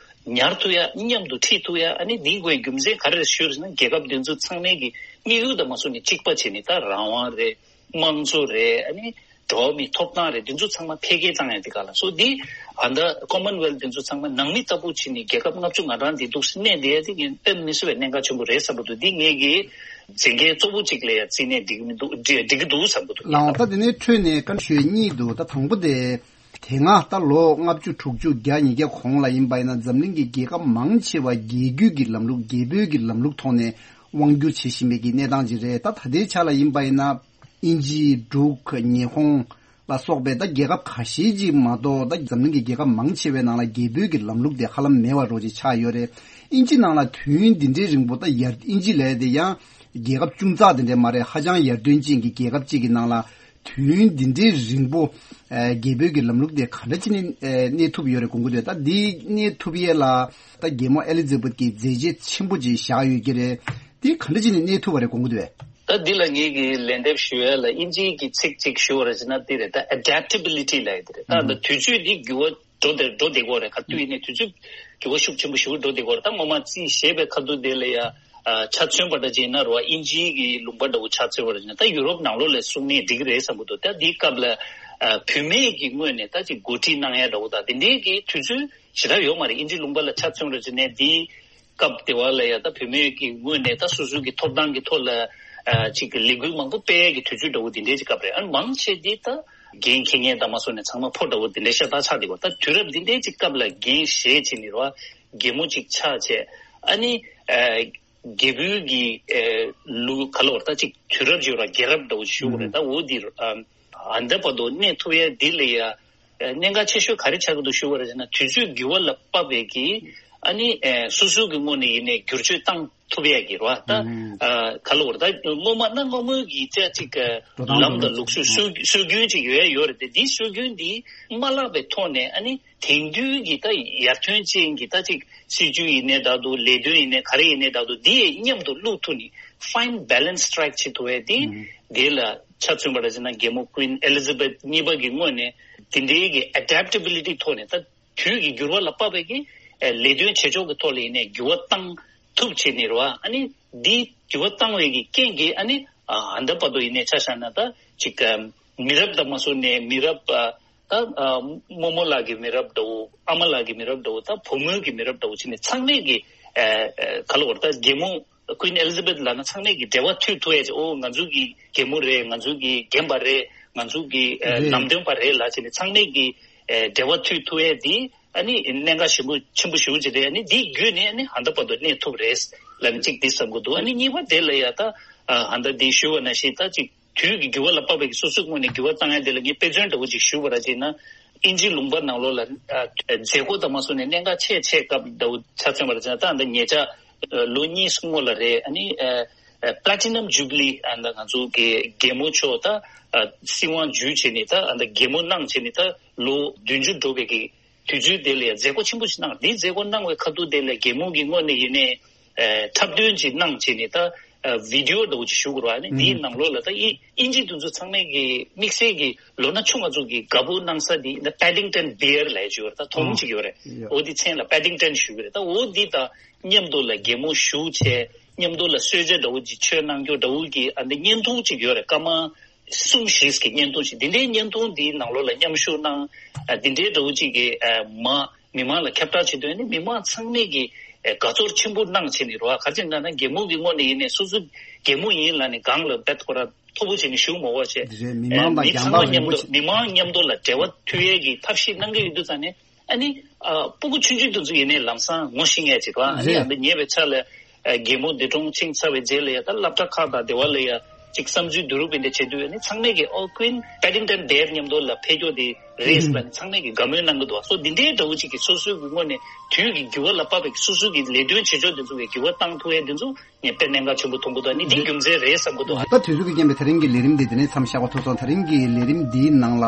ཉར་ཐུབ་ཡ། མཉམ་དུ་ཁྲིད་ཐུབ་ཡ། ཨ་ནི་འདིའི་དགོས་རྒྱུ་མཚན་ག་རེ་རེད་ཞུ་རེད་ཅེ་ན་རྒྱལ་ཁབ་དེ་ཚོ་ཚང་མའི་གི་དམིགས་ཡུལ་དང་མ་སོང་ནས་གཅིག་པ་བྱས་ནས་ད་རང་དབང་རེད། དམངས་གཙོ་རེད། ཨ་ནི་འགྲོ་བ་མིའི་ཐོབ་ཐང་རེད། འདི་ཚོ་ཚང་མ་འཕེལ་རྒྱས་བཏང་ཡ་འདི་ག་ལ་སོ་འདི་ཨ་ད་Commonwealth འདི་ཚོ་ཚང་མ་ནང་མི་ལྟ་བུ་བྱས་ནས་རྒྱལ་ཁབ་ལྔ་བཅུ་ང་གྲངས་འདི་འདུག་སེ་གནས་བསྡད་ཡ་འདི་ངས་དཔེ་མི་སྲིད་པའི་གནད་འགག་ཆེན་པོ་རེད་བསམ་པ་འདུག་འདི་ངེད་ཀྱི་མཛད་འགན་གཙོ་བོ་གཅིག་ལ་ཡ་བརྩིས་ནས་འགྲིག་གི་མི་འདུག་འགྲིག་འགྲིག་གི་འདུག་བསམ་པ་འདུག་ལའང་ད་དེ་ནས་འཕྲོས་ནས་བཀའ་འདྲི་ཞུ་ཡ་གཉིས་འདུག་ད་དང་པོ་དེ་དེ་སྔ་ད་ལོ་ལྔ་བཅུ་དྲུག་ཅུ་བརྒྱ་ཉིས་བརྒྱ་གོང་ལ་ཡིན་པ་ཡིན་ན་འཛམ་གླིང་གི་རྒྱལ་ཁབ་མང་ཆེ་བ་རྒྱལ་བརྒྱུད་ཀྱི་ལམ་ལུགས་རྒྱལ་པོའི་གི་ལམ་ལུགས་ཐོག་ནས་དབང་བསྒྱུར་བྱེད་བཞིན་པའི་གི་གནས་སྟངས་ཅིག་རེད། ད་ད་ལྟའི་ཆ་ལ་ཡིན་པ་ཡིན་ན། དབྱིན་ཇི། འབྲུག་ཉི་ཧོང་ལ་སོགས་པའི་ད་རྒྱལ་ཁབ་ཁ་ཤས་ཅིག་མ་གཏོགས་ད་འཛམ་གླིང་གི་རྒྱལ་ཁབ་མང་ཆེ་བའི་ནང་ལ་རྒྱལ་པོའི་གི་ལམ་ལུགས་དེ་ཧ་ལམ་མེད་པ་རོ་ཅིག་ཆགས་ཡོད་རེད། དབྱིན་ཇི་ནང་ལ་དུས་ཡུན་འདི་འདྲའི་རིང་པོ་ད་ཡར་དབྱིན་ཇི་ལས་དེ་ཡང་རྒྱལ་ཁབ་ཅུང་ཙག་དེ་འདྲ་མ་རེད། ཧ་ཅང་ཡར་ཐོན་ཅན་གྱི་རྒྱལ་ཁབ་ཅིག་གི་ནང་ལ་ དུས་ཡུན་འདི་འདྲའི་རིང་པོ་ཨ་རྒྱལ་པོའི་གི་ལམ་ལུགས་དེ་ག་འདྲ་བྱས་ནས་ཨ་གནས་ཐུབ་ཡོད་རེད་དགོངས་ཀྱི་འདུག་ད་འདི་གནས་ཐུབ་ཡས་ལ་ད་རྒྱལ་མོ་ཨེ་ལི་ཛེ་བྷད་ཀྱིས་མཛད་རྗེས་ཆེན་པོ་ཅིག་བཞག་ཡོད་ཀྱི་རེད། འདི་ག་འདྲ་བྱས་ནས་གནས་ཐུབ་པ་རེད་དགོངས་ཀྱི་འདུག་ད་འདི་ལ་ངེད་ཀྱིས་ལན་འདེབས་ཞུ་ཡས་ལ་དབྱིན་ཇིའི་གི་ཚིག་ཅིག་ཞུ་བ་རེད་ཟེར་ན་འདི་རེད། ད་ཨེ་ཌེབ་ཊེ་བི་ལི་ཊི་ལབ་ཡས་འདི་རེད། ད་ད་དུས་ཚོད་འདི་འགྱུར་བ་འགྲོ་བསྡད་འགྲོ་བསྡད་ཀྱི་ཡོད་རེད། ག་དུས་ཡིན་ནའི་དུས་ཚོད་འགྱུར་བ་ཤུགས་ཆེན་པོ་ཞེ་པོ་འགྲོ་བསྡད་ཀྱི་ཡོད་རེད། ད་ངོ་མ་རྩིས་ཞེས་པའི་ཁ་ཐུག་དེ་ལ་ཡ་ཨ་ཆ་མཚོན་པ་འདྲ་ཅིག་ཡིན་ན་རེད་བ། དབྱིན་ཇིའི་གི་ལུང་པ་འདྲ་བོ་ཆ་མཚོན་པ་འདྲ་ཅིག་ཡིན་ན་ད་ཡུ་རོབ་ནང་ལོགས་ལ་གསུང་ནའི་འགྲིག་གི་རེད་བསམ་གྱི་འདུག་ད་འདིའི་སྐབས་ལ་ཨ་བུད་མེད་ཀྱི་ངོས་ནས་ད་ཅིག་འགོ་ཁྲིད་གནང་ཡ་འདྲ་བོ་དང་དེ་འདྲའི་གི་དུས་ཚོད་ཞེ་དྲག་ཡོད་མ་རེད། དབྱིན་ཇི་ལུང་པ་ལ་ཆ་མཚོན་པ་འདྲ་ཅིག་ཡིན་ནའི་འདིའི་སྐབས་དེ་བ་ལ་ཡ་ད་བུད་མེད་ཀྱི་ངོས་ནས་ད་སོ་སོའི་གི་ཐོབ་ཐང་གི་ཐོག་ལ་ཨ་ཅིག་གི་ལས་འགུལ་མང་པོ་སྤེལ་ཡ་གི་དུས་ཚོད་འདྲ་བོ་འདི་འདྲའི་ཅིག་སྐབས་རེད། ཨ་ནི་མང་ཆེ་འདི་ད་འགན་འཁྱེར་མཁན་དང་མ་སོང་ནས་ཚང་མ་ཕོ་འདྲ་བོ་འདི་འདྲའི་ཤ་སྟག་ཆགས་བསྡད་ཀྱི་ཡོད། ད་དུས་རབས་འདི་འདྲའི་ཅིག་སྐབས་ལ་འགན་བཞེས་བྱས་ནས་རོ་རྒན་མོ་ཅིག་ཆགས་བྱས། ཨ་ནི་ཨ་རྒྱལ་པོའི་གི་ཨ་ལུགས་ག་ལ་བར་ད་ཅིག་དུས་རབས་ཅིག་ར་རྒྱལ་རབས་འདྲ་བོ་ཞུ་དགོས་རེད། ད་འོ་འདི་ཨ་ཨ་འདི་བར་དུ་གནས་ཐུབ་ཡ་འདི་ལ་ཡ་ཨ་གནད་འགག་ཆེ་ཤོས་ག་རེ་ཆགས་ཀྱི་འདུག་ཞུ་བ་རེད་ཟེར་ན་དུས་ཚོད་འགྱུར་བ་ལ་དཔག་པའི་གི་ཨ་ནི་ཨ་སོ་སོ་གི་ངོས་ནས་ཡིན་ནའི་བསྒྱུར་བཅོས་བཏང་ཐུབ་ཡ་གི་རོ། ད་ཨ་ག་ལ་བར་ད་སྔོན་མ་ན་སྔ་མོའི་གི་ཅག་ཅིག་འགྲོ་སྟངས་ལམ་དང་ལུགས་སྲོལ་སྲོལ་སྲོལ་རྒྱུན་ཅིག་ཡོད་ཡ་ཡོད་རེད་དེ། འདི་སྲོལ་རྒྱུན་འདི་མ་བརླག་པའི་ཐོག་ནས་ཨ་ནི་དེང་དུས་ཀྱི་ད་ཡར་ཐོན་ཅན་གྱི་ད་ཅིག་སྲིད་ཇུས་ཡིན་ནའི་ད་དུ་ལས་དོན་ཡིན་ནའི་ག་རེ་ཡིན་ནའི་ད་དུ་འདི་ཡི་མཉམ་དུ་བླུག་ཐུབ་ནི་fine balance strike བྱེད་ཐུབ་ཡ་དེ་དེ་ལ་ཆ་མཚོན་པ་རེད་ཟེར་ན་རྒྱལ་མོ་Queen Elizabeth་གཉིས་པ་གི་ངོས་ནས་དེ་འདྲའི་གི་adaptability་ཐོག་ནས་ད་དུས་ཀྱི་འགྱུར་བ་ལ་དཔག་པའི་གི་ཨ་ལས་དོན་བྱེད་ཕྱོགས་ཀྱི་ཐོག་ལ་ཡིན་ནའི་འགྱུར་བ་བཏང་ཐུབ་བྱས་ནས་རེད་བ། ཨ་ནི་འདི་འགྱུར་བ་བཏང་བའི་གི་རྐྱེན་གྱིས་ཨ་ནི་ཨ་ད་ལྟ་བར་དུ་ཡིན་ནའི་ཆ་བཞག་ན་ད་ཅིག་ཨ་མི་རབས་དང་མ་སོང་ནའི་མི་རབས་ཨ་ད་ཨ་རྨོ་མོ་ལགས་ཀྱི་མི་རབས་འདྲ་བོ་ཨ་མ་ལགས་ཀྱི་མི་རབས་འདྲ་བོ་ད་བུ་མོའི་གི་མི་རབས་འདྲ་བོ་བྱས་ནས་ཚང་མས་གི་ཨ་ཨ་ག་ལ་བར་ད་རྒྱལ་མོ་Queen Elizabeth་ལབ་ན་ཚང་མས་ཀྱི་འབྲེལ་བ་མཐུད་ཐུབ་ཡ་ཅིག་ཨོ་ང་ཚོ་གི་རྒྱལ་མོ་རེད། ང་ཚོ་གི་རྒན་པ་རེད། ང་ཚོ་གི་ཨ་རེད། ལམ་སྟོན་པ་རེད་ལབ་བྱས་ནས་ཚང་མས་ཀྱི་ཨ་འབྲེལ་བ་མཐུད་ཐུབ་ཡ་འདི་ཨ་ནི་གནད་འགག་ཞེ་པོ་ཆེན་པོ་ཞེ་པོ་ཅིག་རེད། ཨ་ནི་འདི་བརྒྱུད་ནས་ཨ་ནི་ཧ་ད་བར་དུ་གནས་ཐུབ་རེད་ལབ་ནས་ཅིག་འདི་བསམ་གྱི་འདུག་ཨ་ནི་གཉིས་པ་དེ་ལ་ཡ་ད་ཨ་ཧ་ད་འདི་ཞུ་བ་ནང་བཞིན་ད་ཅིག་དུས་ཀྱི་འགྱུར་བ་ལ་དཔག་པའི་སོ་སོའི་ངོས་ནས་འགྱུར་བ་བཏང་ཡ་དེ་ལ་ངས་དཔེ་མཚོན་འདྲ་བོ་ཅིག་ཞུ་བ་ར་བྱས་ན། དབྱིན་ཇིའི་ལུང་པ་ནང་ལོགས་ལ་ཨ་མཛད་སྒོ་དང་མ་སོང་ནས་གནད་འགག་ཆེ་ཆེ་སྐབས་འདྲ་བོ་ཆ་མཚོན་པ་ར་བྱས་ན་ད་ཨ་ད་ཉེ་ཆར་ཨ་ལོ་གཉིས་སྔོན་ལ་རེད། ཨ་ནི་ཨ་ཨ་Platinum Jubilee་ཨ་ད་ང་ཚོ་གི་རྒྱལ་མོ་མཆོག་ད་ཨ་སྲིད་དབང་བརྒྱུད་བྱས་ནས་ད་ཨ་ད་རྒྱལ་མོ་གནང་བྱས་ནས་ད་ལོ་བདུན་ཅུ་འགྲོ་བའི་གི་དུས་ཚོད་དེ་ལ་ཡང་མཛད་སྒོ་ཆེན་པོ་ཞིག་གནང་། འདིའི་མཛད་སྒོ་གནང་བའི་ཁ་ཐུག་དེ་ལ་རྒྱལ་མོ་གི་ངོས་ནས་ཡིན་ནའི་ཨ་འཁྲབ་སྟོན་ཅིག་གནང་བྱས་ནས་ད་ཨ་video་འདྲ་བོ་ཅིག་ཞུ་དགོས་རེད་བ། ཨ་ནི་འདིའི་ནང་ལོགས་ལ་ད་དབྱིན་ཨིན་ཇི་དེ་ཚོ་ཚང་མས་ཀྱི་དམིགས་བསལ་གྱི་ལོ་ན་ཆུང་བ་ཚོ་གི་དགའ་པོ་གནང་ས་འདི་ད་Paddington Bear་ལབ་ཡ་ཅིག་ཡོད་རེད། ད་དོམ་ཨ་ཅིག་ཡོད་རེད། ཡོད། འོ་འདི་མཚན་ལ་Paddington་ཞུ་གི་རེད། ད་འོ་འདི་དང་མཉམ་དུ་ལ་རྒྱལ་མོ་བཞུགས་བྱས་མཉམ་དུ་ལ་གསོལ་ཇ་འདྲ་བོ་ཅིག་མཆོད་གནང་རྒྱུ་འདྲ་བོ་གི་ཨ་འདི་བརྙན་ཐུང་ཅིག་ཡོད་རེད། སྐར་མ་གསུམ་བཞི་གི་བརྙན་ཐུང་ཞིག་འདི་འདྲའི་བརྙན་ཐུང་འདིའི་ནང་ལོགས་ལ་མཉམ་ཞུགས་གནང་། ཨ་འདི་འདྲའི་འདྲ་བོ་ཅིག་གི་ཨ་མ་མི་མང་ལ་ཁྱབ་བསྒྲགས་བྱེད་དུས་ནི་མི་མང་ཚང་མས་ཀྱི་ཨ་དགའ་ཚོར་ཆེན་པོ་གནང་བྱས་ནས་རོ། ག་རེ་ཟེར་ན་རྒྱལ་མོ་གི་ངོས་ནས་ཡིན་ནའི་སོ་སོ་རྒྱལ་མོ་ཡིན་ལབ་ནས་སྒང་ལ་རྦད་ཁོ་ར་མཐོ་པོ་བྱས་ནས་བཞུགས་མ་དགོས་བྱས། འདི་རེད། མི་ཨ་མང་དང་མི་ཚང་མ་རྒྱང་ཐག་རིང་མཉམ་པོ་དུ་ཅིག་མི་མང་མཉམ་དུ་ལ་འབྲེལ་བ་མཐུད་ཡས་ཀྱི་ཐབས་ཤེས་གནང་གི་ཡོད་དུས་ཙང་ནས། ཨ་ནི་ཨ་སྤུ་གུ་ཆུང་ཆུང་དེ་ཚོ་ཡིན་ནའི་ལམ་སང་ངོ་ཤེས་ཡས་ཅིག་རེད་བ། ཨ་ནི་རེད། ཨ་འདི་ཉེ་བའི་ཆར་ལ་ཨ་རྒྱལ་མོ་འདས་གྲོངས་ཕྱིན་ཚར་བའི་རྗེས་ལ་ཡ་ད་སློབ་གྲྭ་ཁག་དང་སྡེ་བ་ལ་ཡ་ཅིག་བསམ་ཚུལ་བསྡུ་རུབ་ཡིན་དེ་བྱེད་དུས་ཨ་ནི་ཚང་མས་ཀྱི་ཨོ་Queen Paddington Bear་མཉམ་དུ་ལ་ཕེབས་རྒྱུ་དེ་རེད་ཟེར་ལ་ཨ་ནི་ཚང་མས་ཀྱི་དགའ་མོས་གནང་གི་འདུག་སོ་འདི་འདྲའི་འདྲ་བོ་ཅིག་གི་སོ་སོའི་གི་ངོས་ནས་དུས་ཀྱི་འགྱུར་བ་ལ་དཔག་པའི་སོ་སོའི་གི་ལས་དོན་བྱེད་ཕྱོགས་དེ་ཚོ་གི་འགྱུར་བ་བཏང་ཐུབ་ཡས་དེ་ཚོ་ངས་དཔེ་གནད་འགག་ཆེན་པོ་མཐོང་གི་འདུག་ཨ་ནི་འདི་རྒྱུ་མཚན་རེད་བསམ་གི་འདུག་ད་དུས་ཚོད་ཀྱི་རྐྱེན་པས་ད་རིང་གི་ལས་རིམ་འདི་དེ་ནས་མཚམས་བཞག་པ་ཐུབ་སོང་། ད་རིང་གི་ལས་རིམ་འདིའི་ནང་ལ་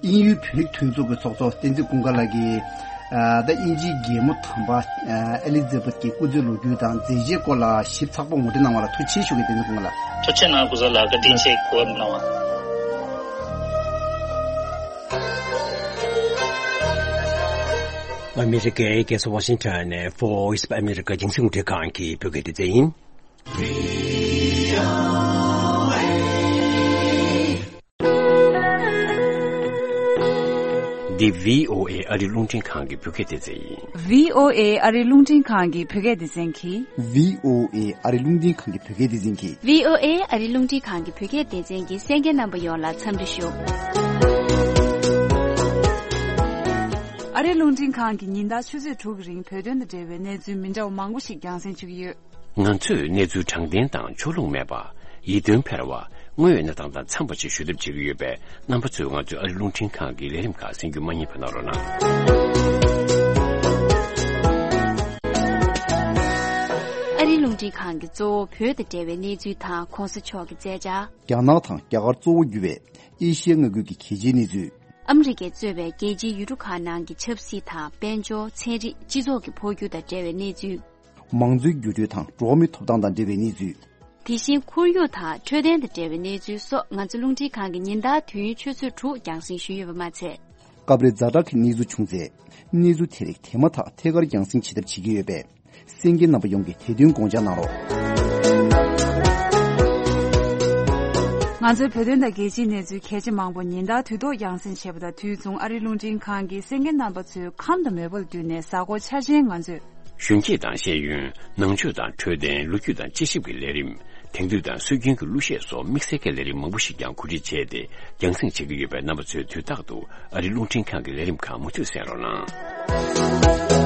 དབྱིན་ཡུལ་བོད་རིགས་མཐུན་ཚོགས་ཀྱི་ཚོགས་གཙོ་བསྟན་འཛིན་ཀུན་དགའ་ལགས་ཀྱིས་ཨ་ད་དབྱིན་ཇིའི་རྒྱལ་མོ་དམ་པ་ཨ་ཨེ་ལི་ཛེ་བྷད་ཀྱི་སྐུ་ཚེའི་ལོ་རྒྱུས་དང་མཛད་རྗེས་སྐོར་ལ་ཞིབ་ཚགས་པོ་ངོ་སྤྲོད་གནང་བ་ལ་ཐུགས་རྗེ་ཆེ་ཞུ་གི། བསྟན་འཛིན་ཀུན་དགའ་ལགས། ཐུགས་རྗེ་གནང་། སྐུ་གཟུགས་ལ་བཀའ་དྲིན་ཆེ། གོ་བ་གནང་བ། ཨ་མི་རི་ཀའི་རྒྱལ་ས་ཝ་ཤིང་ཊོན་ནས་Voice of America་རྒྱང་སྲིང་རླུང་འཕྲིན་ཁང་གི་བོད་སྐད་སྡེ་ཚན་ཡིན། འདི་བྷི་ཨོ་ཨེ་ཨ་རི་རླུང་འཕྲིན་ཁང་གི་བོད་སྐད་སྡེ་ཚན་ཡིན། བྷི་ཨོ་ཨེ་ཨ་རི་རླུང་འཕྲིན་ཁང་གི་བོད་སྐད་སྡེ་ཚན་གྱིས། བྷི་ཨོ་ཨེ་ཨ་རི་རླུང་འཕྲིན་ཁང་གི་བོད་སྐད་སྡེ་ཚན་གྱིས། བྷི་ཨོ་ཨེ་ཨ་རི་རླུང་འཕྲིན་ཁང་གི་བོད་སྐད་སྡེ་ཚན་གྱི་གསན་མཁན་རྣམ་པ་ཡོངས་ལ་འཚམས་འདྲི་ཞུ། ཨ་རི་རླུང་འཕྲིན་ཁང་གིས་ཉིན་ལྟར་ཆུ་ཚོད་དྲུག་གི་རིང་བོད་དོན་དང་འབྲེལ་བའི་གནས་ཚུལ་མི་འདྲ་བ་མང་པོ་ཞིག་རྒྱང་སྲིང་ཞུ་གི་ཡོད། ང་ཚོས་གནས་ཚུལ་དྲང་བདེན་དང་ཕྱོགས་ལྷུང་མེད་པ། ཡིད་རྟོན་འཕེར་བ། དངོས་ཡོད་གནས་སྟངས་དང་འཚམས་པ་ཞིག་ཞུ་ཐབས་བྱེད་ཀྱི་ཡོད་པས། རྣམ་པ་ཚོས་ང་ཚོའི་ཨ་རི་རླུང་འཕྲིན་ཁང་གི་ལས་རིམ་ཁག་གསན་རྒྱུ་མ་བསྙེལ་བ་གནང་རོགས་གནང་། ཨ་རིའི་རླུང་ འཕྲིན་ཁང་གིས་གཙོ་བོ་བོད་དང་འབྲེལ་བའི་གནས་ཚུལ་དང་གོང་ས་མཆོག་གི་མཛད་འཆར། རྒྱ་ནག་དང་རྒྱ་གར་གཙོ་བོ་གྱུར་བའི་ཨེ་ཤི་ཡའི་མངའ་ཁུལ་གྱི་གལ་ཆེའི་གནས་ཚུལ། ཨ་མི་རི་ཀས་གཙོས་པའི་རྒྱལ་སྤྱིའི་ཡུལ་གྲུ་ཁག་ནང་གི་ཆབ་སྲིད་དང་། དཔལ་འབྱོར། ཚན་རིག་སྤྱི་ཚོགས་ཀྱི་འཕོ་འགྱུར་དང་འབྲེལ་བའི་གནས་ཚུལ། མང་གཙོའི་འགྱུར་འགྲོས་དང་འགྲོ་བ་མིའི་ཐོབ་ཐང་དང་འབྲེལ་བའི་གནས་ཚུལ། དེ་བཞིན་ཁོར་ཡུག་དང་འཕྲོད་བསྟེན་དང་འབྲེལ་བའི་གནས་ཚུལ་སོགས། ང་ཚོ་རླུང་འཕྲིན་ཁང་གི་ཉིན་ལྟར་དུས་ཡུན་ཆུ་ཚོད་དྲུག་རྒྱང་སྲིང་ཞུས་ཡོད་པ་མ་ཚད། སྐབས་རེ་ཛ་དྲག་གི་གནས་ཚུལ་བྱུང་ཚེ། གནས་ཚུལ་དེ་རིགས་དེ་མ་ཐག་ཐད་ཀར་རྒྱང་སྲིང་བྱེད་ཐབས་བྱེད་ཀྱི་ཡོད་པས། གསན་མཁན་རྣམ་པ་ཡོངས་ཀྱིས་དེ་དོན་དགོངས་འཇགས་གནང་རོགས། ང་ཚོའི་བོད་དོན་དང་རྒྱལ་སྤྱིའི་གནས་ཚུལ་གལ་ཆེ་མང་པོ་ཉིན་ལྟར་དུས་ཐོག་རྒྱང་སྲིང་བྱེད་པ་དང་། དུས་མཚུངས་ཨ་རིའི་རླུང་འཕྲིན་ཁང་གི་གསན་མཁན་རྣམ་པ་ཚོའི་ཁམས་དང་མོས་པ་ལ་བསྟུན་ནས། གཟའ་འཁོར་འཆར་ཅན་ང་ཚོས། གཞོན་སྐྱེས་དང་ཤེས་ཡོན། ནང་ཆོས་དང་འཕྲོད་བསྟེན། ལོ་རྒྱུས་དང་དཔྱད་ཞིབ་ཀྱི་ལས་རིམ། དེང་དུས་དང་སྲོལ་རྒྱུན་གྱི་གླུ་གཞས་སོགས་དམིགས་བསལ་གྱི་ལས་རིམ་མང་པོ་ཞིག་ཀྱང་གོ་སྒྲིག་བྱས་ཏེ། རྒྱང་སྲིང་བྱེད་ཀྱི་ཡོད་པས། རྣམ་པ་ཚོས་དུས་རྟག་ཏུ་ཨ་རིའི་རླུང་འཕྲིན་ཁང་གི་ལས་རིམ་ཁག་མུ་མཐུད་གསན་རོགས་གནང་།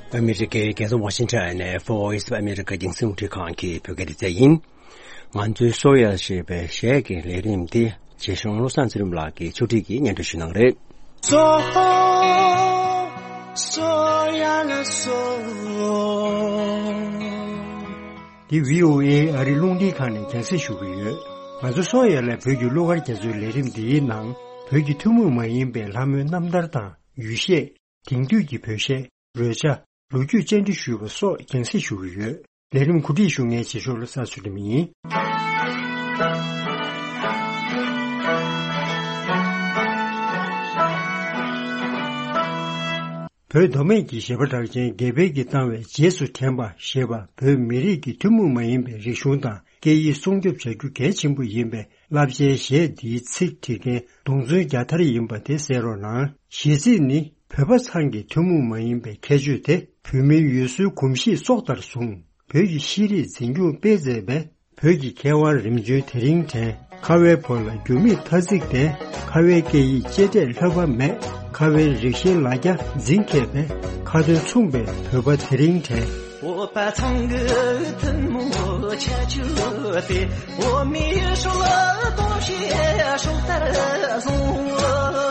ཨ་མི་རི་ཀའི་རྒྱལ་ས་ཝ་ཤིང་ཊོན་ནས་Voice of America་རྒྱང་སྲིང་རླུང་འཕྲིན་ཁང་གི་བོད་སྐད་སྡེ་ཚན་ཡིན། ང་ཚོའི་སོ་ཡ་ཞེས་པའི་གཞས་ཀྱི་ལས་རིམ་འདི་རྗེ་གཞུང་བློ་བཟང་ཚེ་རིང་ལགས་ཀྱིས་ཕྱོགས་སྒྲིག་གིས་སྙན་སྒྲོན་ཞུ་གནང་རེད། སོ། སོ་ཡ་ལ་སོ། འདི་བྷི་ཨོ་ཨེ་ཨ་རིའི་རླུང་འཕྲིན་ཁང་ནས་རྒྱང་སྲིང་ཞུ་གི་ཡོད། ང་ཚོ་སོ་ཡ་ལ་བོད་ཀྱི་གླུ་གར་རྒྱ་མཚོའི་ལས་རིམ་འདིའི་ནང་། བོད་ཀྱི་ཐུན་མོང་མ་ཡིན་པའི་ལྷ་མོའི་རྣམ་ཐར་དང་། ཡུལ་གཞས། དེང་དུས་ཀྱི་བོད་གཞས། རོལ་ཆ། ལོ་རྒྱུས་བཅར་འདྲི་ཞུས་པ་སོགས་རྒྱང་སྲིང་ཞུ་གི་ཡོད། ལས་རིམ་གོ་སྒྲིག་ཞུ་མཁན་རྗེ་ཤོག་བློ་བཟང་ཚུལ་ཁྲིམས་ཡིན། བོད་མདོ་སྨད་ཀྱི་གཞས་པ་གྲགས་ཅན་དགེ་འཕེལ་གྱིས་བཏང་བའི་རྗེས་སུ་དྲན་པ་ཞེས་པ། བོད་མི་རིགས་ཀྱི་ཐུན་མོང་མ་ཡིན་པའི་རིག་གཞུང་དང་སྐད་ཡིག་སྲུང་སྐྱོབ་བྱ་རྒྱུ་གལ་ཆེན་པོ་ཡིན་པའི་བསླབ་བྱའི་གཞས་འདིའི་ཚིག་བྲིས་མཁན་རྡོང་ཚོན་རྒྱ་ཐར་ཡིན་པ་དེ་གསན་རོགས་གནང་། གཞས་ཚིག་ནི། བོད་པ་ཚང་གི་ཐུན་མོང་མ་ཡིན་པའི་ཁྱད་ཆོས་དེ། བོད་མིའི་ཡུལ་སྲོལ་གོམས་གཤིས་སྲོག་ལྟར་བཟུང་། བོད་ཀྱི་ཤེས་རིག་འཛིན་སྐྱོང་སྤེལ་མཛད་པའི། བོད་ཀྱི་མཁས་དབང་རིམ་བྱོན་དེ་རིང་དྲན། ཁ་བའི་ཕོ་ལ་འགྱུར་མེད་ཐ་ཚིག་ལྡན། ཁ་བའི་སྐད་ཡིག་གཅེས་སྤྲས་ལྷོད་པ་མེད། ཁ་བའི་རིགས་ཤེས་ལ་རྒྱ་འཛིན་མཁས་པའི། ཁ་ཏོན་མཚུངས་པའི་བོད་པ་དེ་རིང་དྲན། བོད་པ་ཚང་གི་ཐུན་མོང་ཁྱད་ཆོས་དེ། བོད་མིའི་སྲོལ་གོམས་གཤིས་སྲོག་ལྟར་བཟུང་།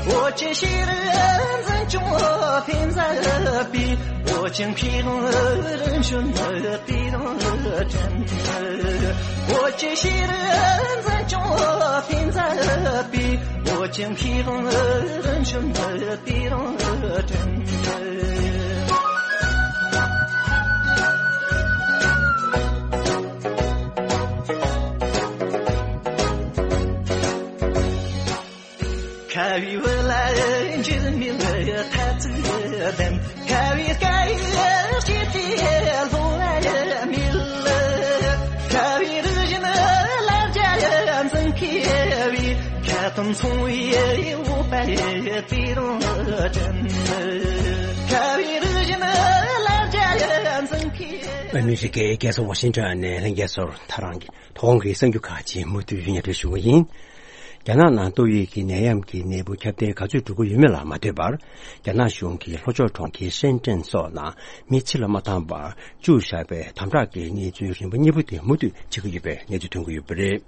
བོད་ཀྱི་ཤེས་རིག་འཛིན་སྐྱོང་སྤེལ་མཛད་པའི། བོད་ཀྱི་མཁས་དབང་རིམ་བྱོན་དེ་རིང་དྲན། བོད་ཀྱི་ཤེས་རིག་འཛིན་སྐྱོང་སྤེལ་མཛད་པའི། བོད་ཀྱི་མཁས་དབང་རིམ་བྱོན་དེ་རིང་དྲན། ཁ་བའི་བུ་ལ་འགྱུར་མེད་ཐ་ཚིག་ལྡན། ཁ་བའི་སྐད་ཡིག་གཅེས་སྤྲས་ལྷོད་པ་མེད། ཁ་བའི་རིག་གཞུང་ལ་རྒྱ་འཛིན་མཁས་པའི། ཁ་ཏོན་མཚུངས་པའི་བོད་པ་དེ་རིང་དྲན། ཁ་བའི་རིག་གཞུང་ལ་རྒྱ་འཛིན་མཁས། ཨ་མི་རི་ཀའི་རྒྱལ་ས་ཝ་ཤིང་ཊོན་ནས་ལྷན་རྒྱས་ཚོར་ཐག་རང་གི། ཐོག་ཁོངས་ཀྱི་གསར་འགྱུར་ཁག་ཅིག་མུ་མཐུད་སྙན་སྒྲོན་ཞུ་གི་ཡིན། རྒྱ་ནག་ནང་ཏོག་དབྱིབས་ཀྱི་ནད་ཡམས་ཀྱི་ནད་འབུ་ཁྱབ་གདལ་ག་ཚོད་འགྲོ་གི་ཡོད་མེད་ལ་མ་ལྟོས་པར། རྒྱ་ནག་གཞུང་གིས་ལྷོ་ཕྱོགས་གྲོང་ཁྱེར་ཧྲེན་ཀྲེན་སོགས་ནང་མི་ཕྱི་ལ་མ་བཏང་བར་བཅུག་བཞག་པའི་དམ་དྲག་གི་གནས་ཚུལ་རིམ་པ་གཉིས་པོ་དེ་མུ་མཐུད་བྱེད་ཀྱི་ཡོད་པའི་གནས་ཚུལ་ཐོན་གྱི་ཡོད་པ་རེད།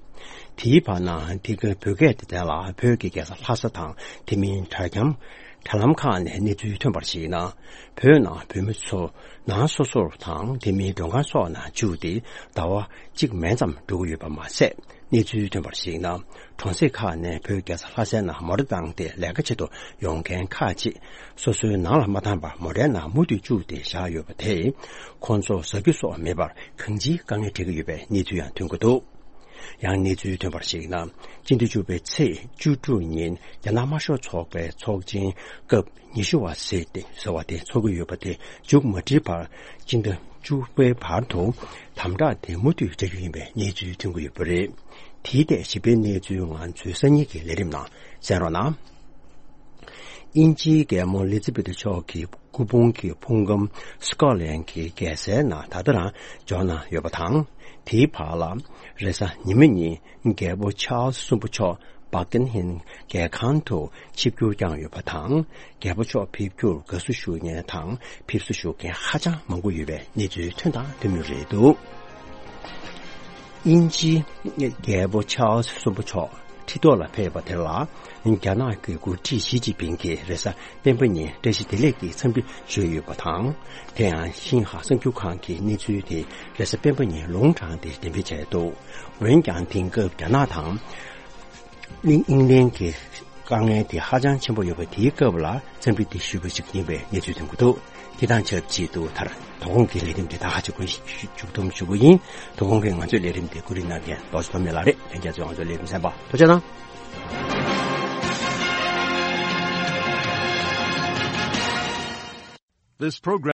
དེའི་བར་ན། དེ་གའི་བོད་སྐད་སྡེ་ཚན་ལ་བོད་ཀྱི་རྒྱལ་ས་ལྷ་ས་དང་དེ་མིན་དྲ་འཁྱམ། དྲ་ལམ་ཁག་ནས་གནས་ཚུལ་ཐོན་པར་གཞིགས་ན། བོད་ནང་བོད་མི་ཚོ་ནང་སོ་སོར་དང་དེ་མིན་མགྲོན་ཁང་སོགས་ནང་བཅུག་སྟེ་ཟླ་བ་གཅིག་མན་ཙམ་འགྲོ་གི་ཡོད་པ་མ་ཟད། གནས་ཚུལ་ཐོན་པར་གཞིགས་ན། གྲོང་གསེབ་ཁག་ནས་བོད་རྒྱལ་ས་ལྷ་སའི་ནང་མོ་ཊ་བཏང་སྟེ་ལས་ཀ་བྱེད་དུ་ཡོང་མཁན་ཁག་ཅིག་སོ་སོའི་ནང་ལ་མ་བཏང་བར་མོ་ཊའི་ནང་མུ་མཐུད་བཅུག་སྟེ་བཞག་ཡོད་པ་དེས། ཁོང་ཚོར་ཟ་རྒྱུ་སོགས་མེད་པར་གང་ཅིའི་དཀའ་ངལ་འཕྲད་ཀྱི་ཡོད་པའི་གནས་ཚུལ་ཡང་ཐོན་གྱི་འདུག་ཡང་གནས་ཚུལ་ཐོན་པར་གཞིགས་ན། སྤྱི་ཟླ་བཅུ་པའི་ཚེས་བཅུ་དྲུག་ཉིན་རྒྱ་ནག་དམར་ཤོག་ཚོགས་པའི་ཚོགས་ཆེན་སྐབས་ཉི་ཤུ་བ་ཟེར་ཏེ་ཟེར་བ་དེ་འཚོགས་ཀྱི་ཡོད་པ་དེ་མཇུག་མ་སྒྲིལ་བར། སྤྱི་ཟླ་བཅུ་པའི་བར་དུ་དམ་དྲག་དེ་མུ་མཐུད་བྱ་རྒྱུ་ཡིན་པའི་གནས་ཚུལ་ཐོན་གྱི་ཡོད་པ་རེད། དེའི་ཐད་ཞིབ་ཕྲའི་གནས་ཚུལ་ང་ཚོའི་སང་ཉིན་གྱི་ལས་རིམ་ནང་གསན་རོགས་གནང་། དབྱིན་ཇིའི་རྒྱལ་མོ་ལི་ཛི་བེ་ཐ་མཆོག་གི་སྐུ་ཕུང་གི་ཕུང་ཁམས་སི་ཀོ་ཊ་ལན་གྱི་རྒྱལ་སའི་ནང་ད་ལྟ་རང་འབྱོར་གནང་ཡོད་པ་དང་། དེའི་བར་ལ། རེས་གཟའ་ཉི་མ་ཉིན་རྒྱལ་པོ་ཆཱལ་སི་གསུམ་པ་མཆོག་བྷག་ཀིང་ཧམ་རྒྱལ་ཁང་དུ་ཆིབས་བསྒྱུར་བསྐྱངས་ཡོད་པ་དང་། རྒྱལ་པོ་མཆོག་ཕེབས་རྒྱུར་དགའ་བསུ་ཞུ་མཁན་དང་ཕེབས་བསུ་ཞུ་མཁན་ཧ་ཅང་མང་པོ་ཡོད་པའི་གནས་ཚུལ་ཐོན་དང་ཐོན་མུས་རེད་འདུག་དབྱིན་ཇིའི་རྒྱལ་པོ་ཆཱལ་སི་གསུམ་པ་མཆོག་ཁྲི་ཐོག་ལ་ཕེབས་པ་དེ་ལ། རྒྱ་ནག་གི་འགོ་ཁྲིད་ཞི་ཅིན་ཕིང་གིས་རེས་གཟའ་སྤེན་པ་ཉིན་བཀྲ་ཤིས་བདེ་ལེགས་ཀྱི་འཚམས་འདྲི་ཞུས་ཡོད་པ་དང་། དེ་ཡང་ཤིན་ཧྭ་གསར་འགྱུར་ཁང་གིས་གནས་ཚུལ་དེ་རེས་གཟའ་སྤེན་པ་ཉིན་ལུང་དྲངས་ཏེ་འགྲེམས་སྤེལ་བྱས་འདུག་འོན་ཀྱང་དེང་སྐབས་རྒྱ་ནག་དང་། དབྱིན་ལན་གྱི་དཀའ་ངལ་དེ་ཧ་ཅང་ཆེན་པོ་ཡོད་པ་དེའི་སྐབས་ལ་འཚམས་འདྲི་དེ་ཞུས་པ་ཞིག་ཡིན་པའི་གནས་ཚུལ་ཐོན་གྱི་འདུག་དེ་དང་ཆབས་ཅིག་ཏུ་མཐར་དོ་དགོང་གི་ལས་རིམ་དེ་ད་ག་ཅིག་གོ་མཇུག་སྡོམ་ཞུ་གི་ཡིན། དོ་དགོང་གི་ང་ཚོའི་ལས་རིམ་དེ་ཀུ་རི་ནང་གི་རྡོ་རྗེ་ཐོགས་མེད་ལགས་རེད། ལྷན་རྒྱས་ཚོས་ང་ཚོའི་ལས་རིམ་གསན་པ་ཐུགས་རྗེ་གནང་། This program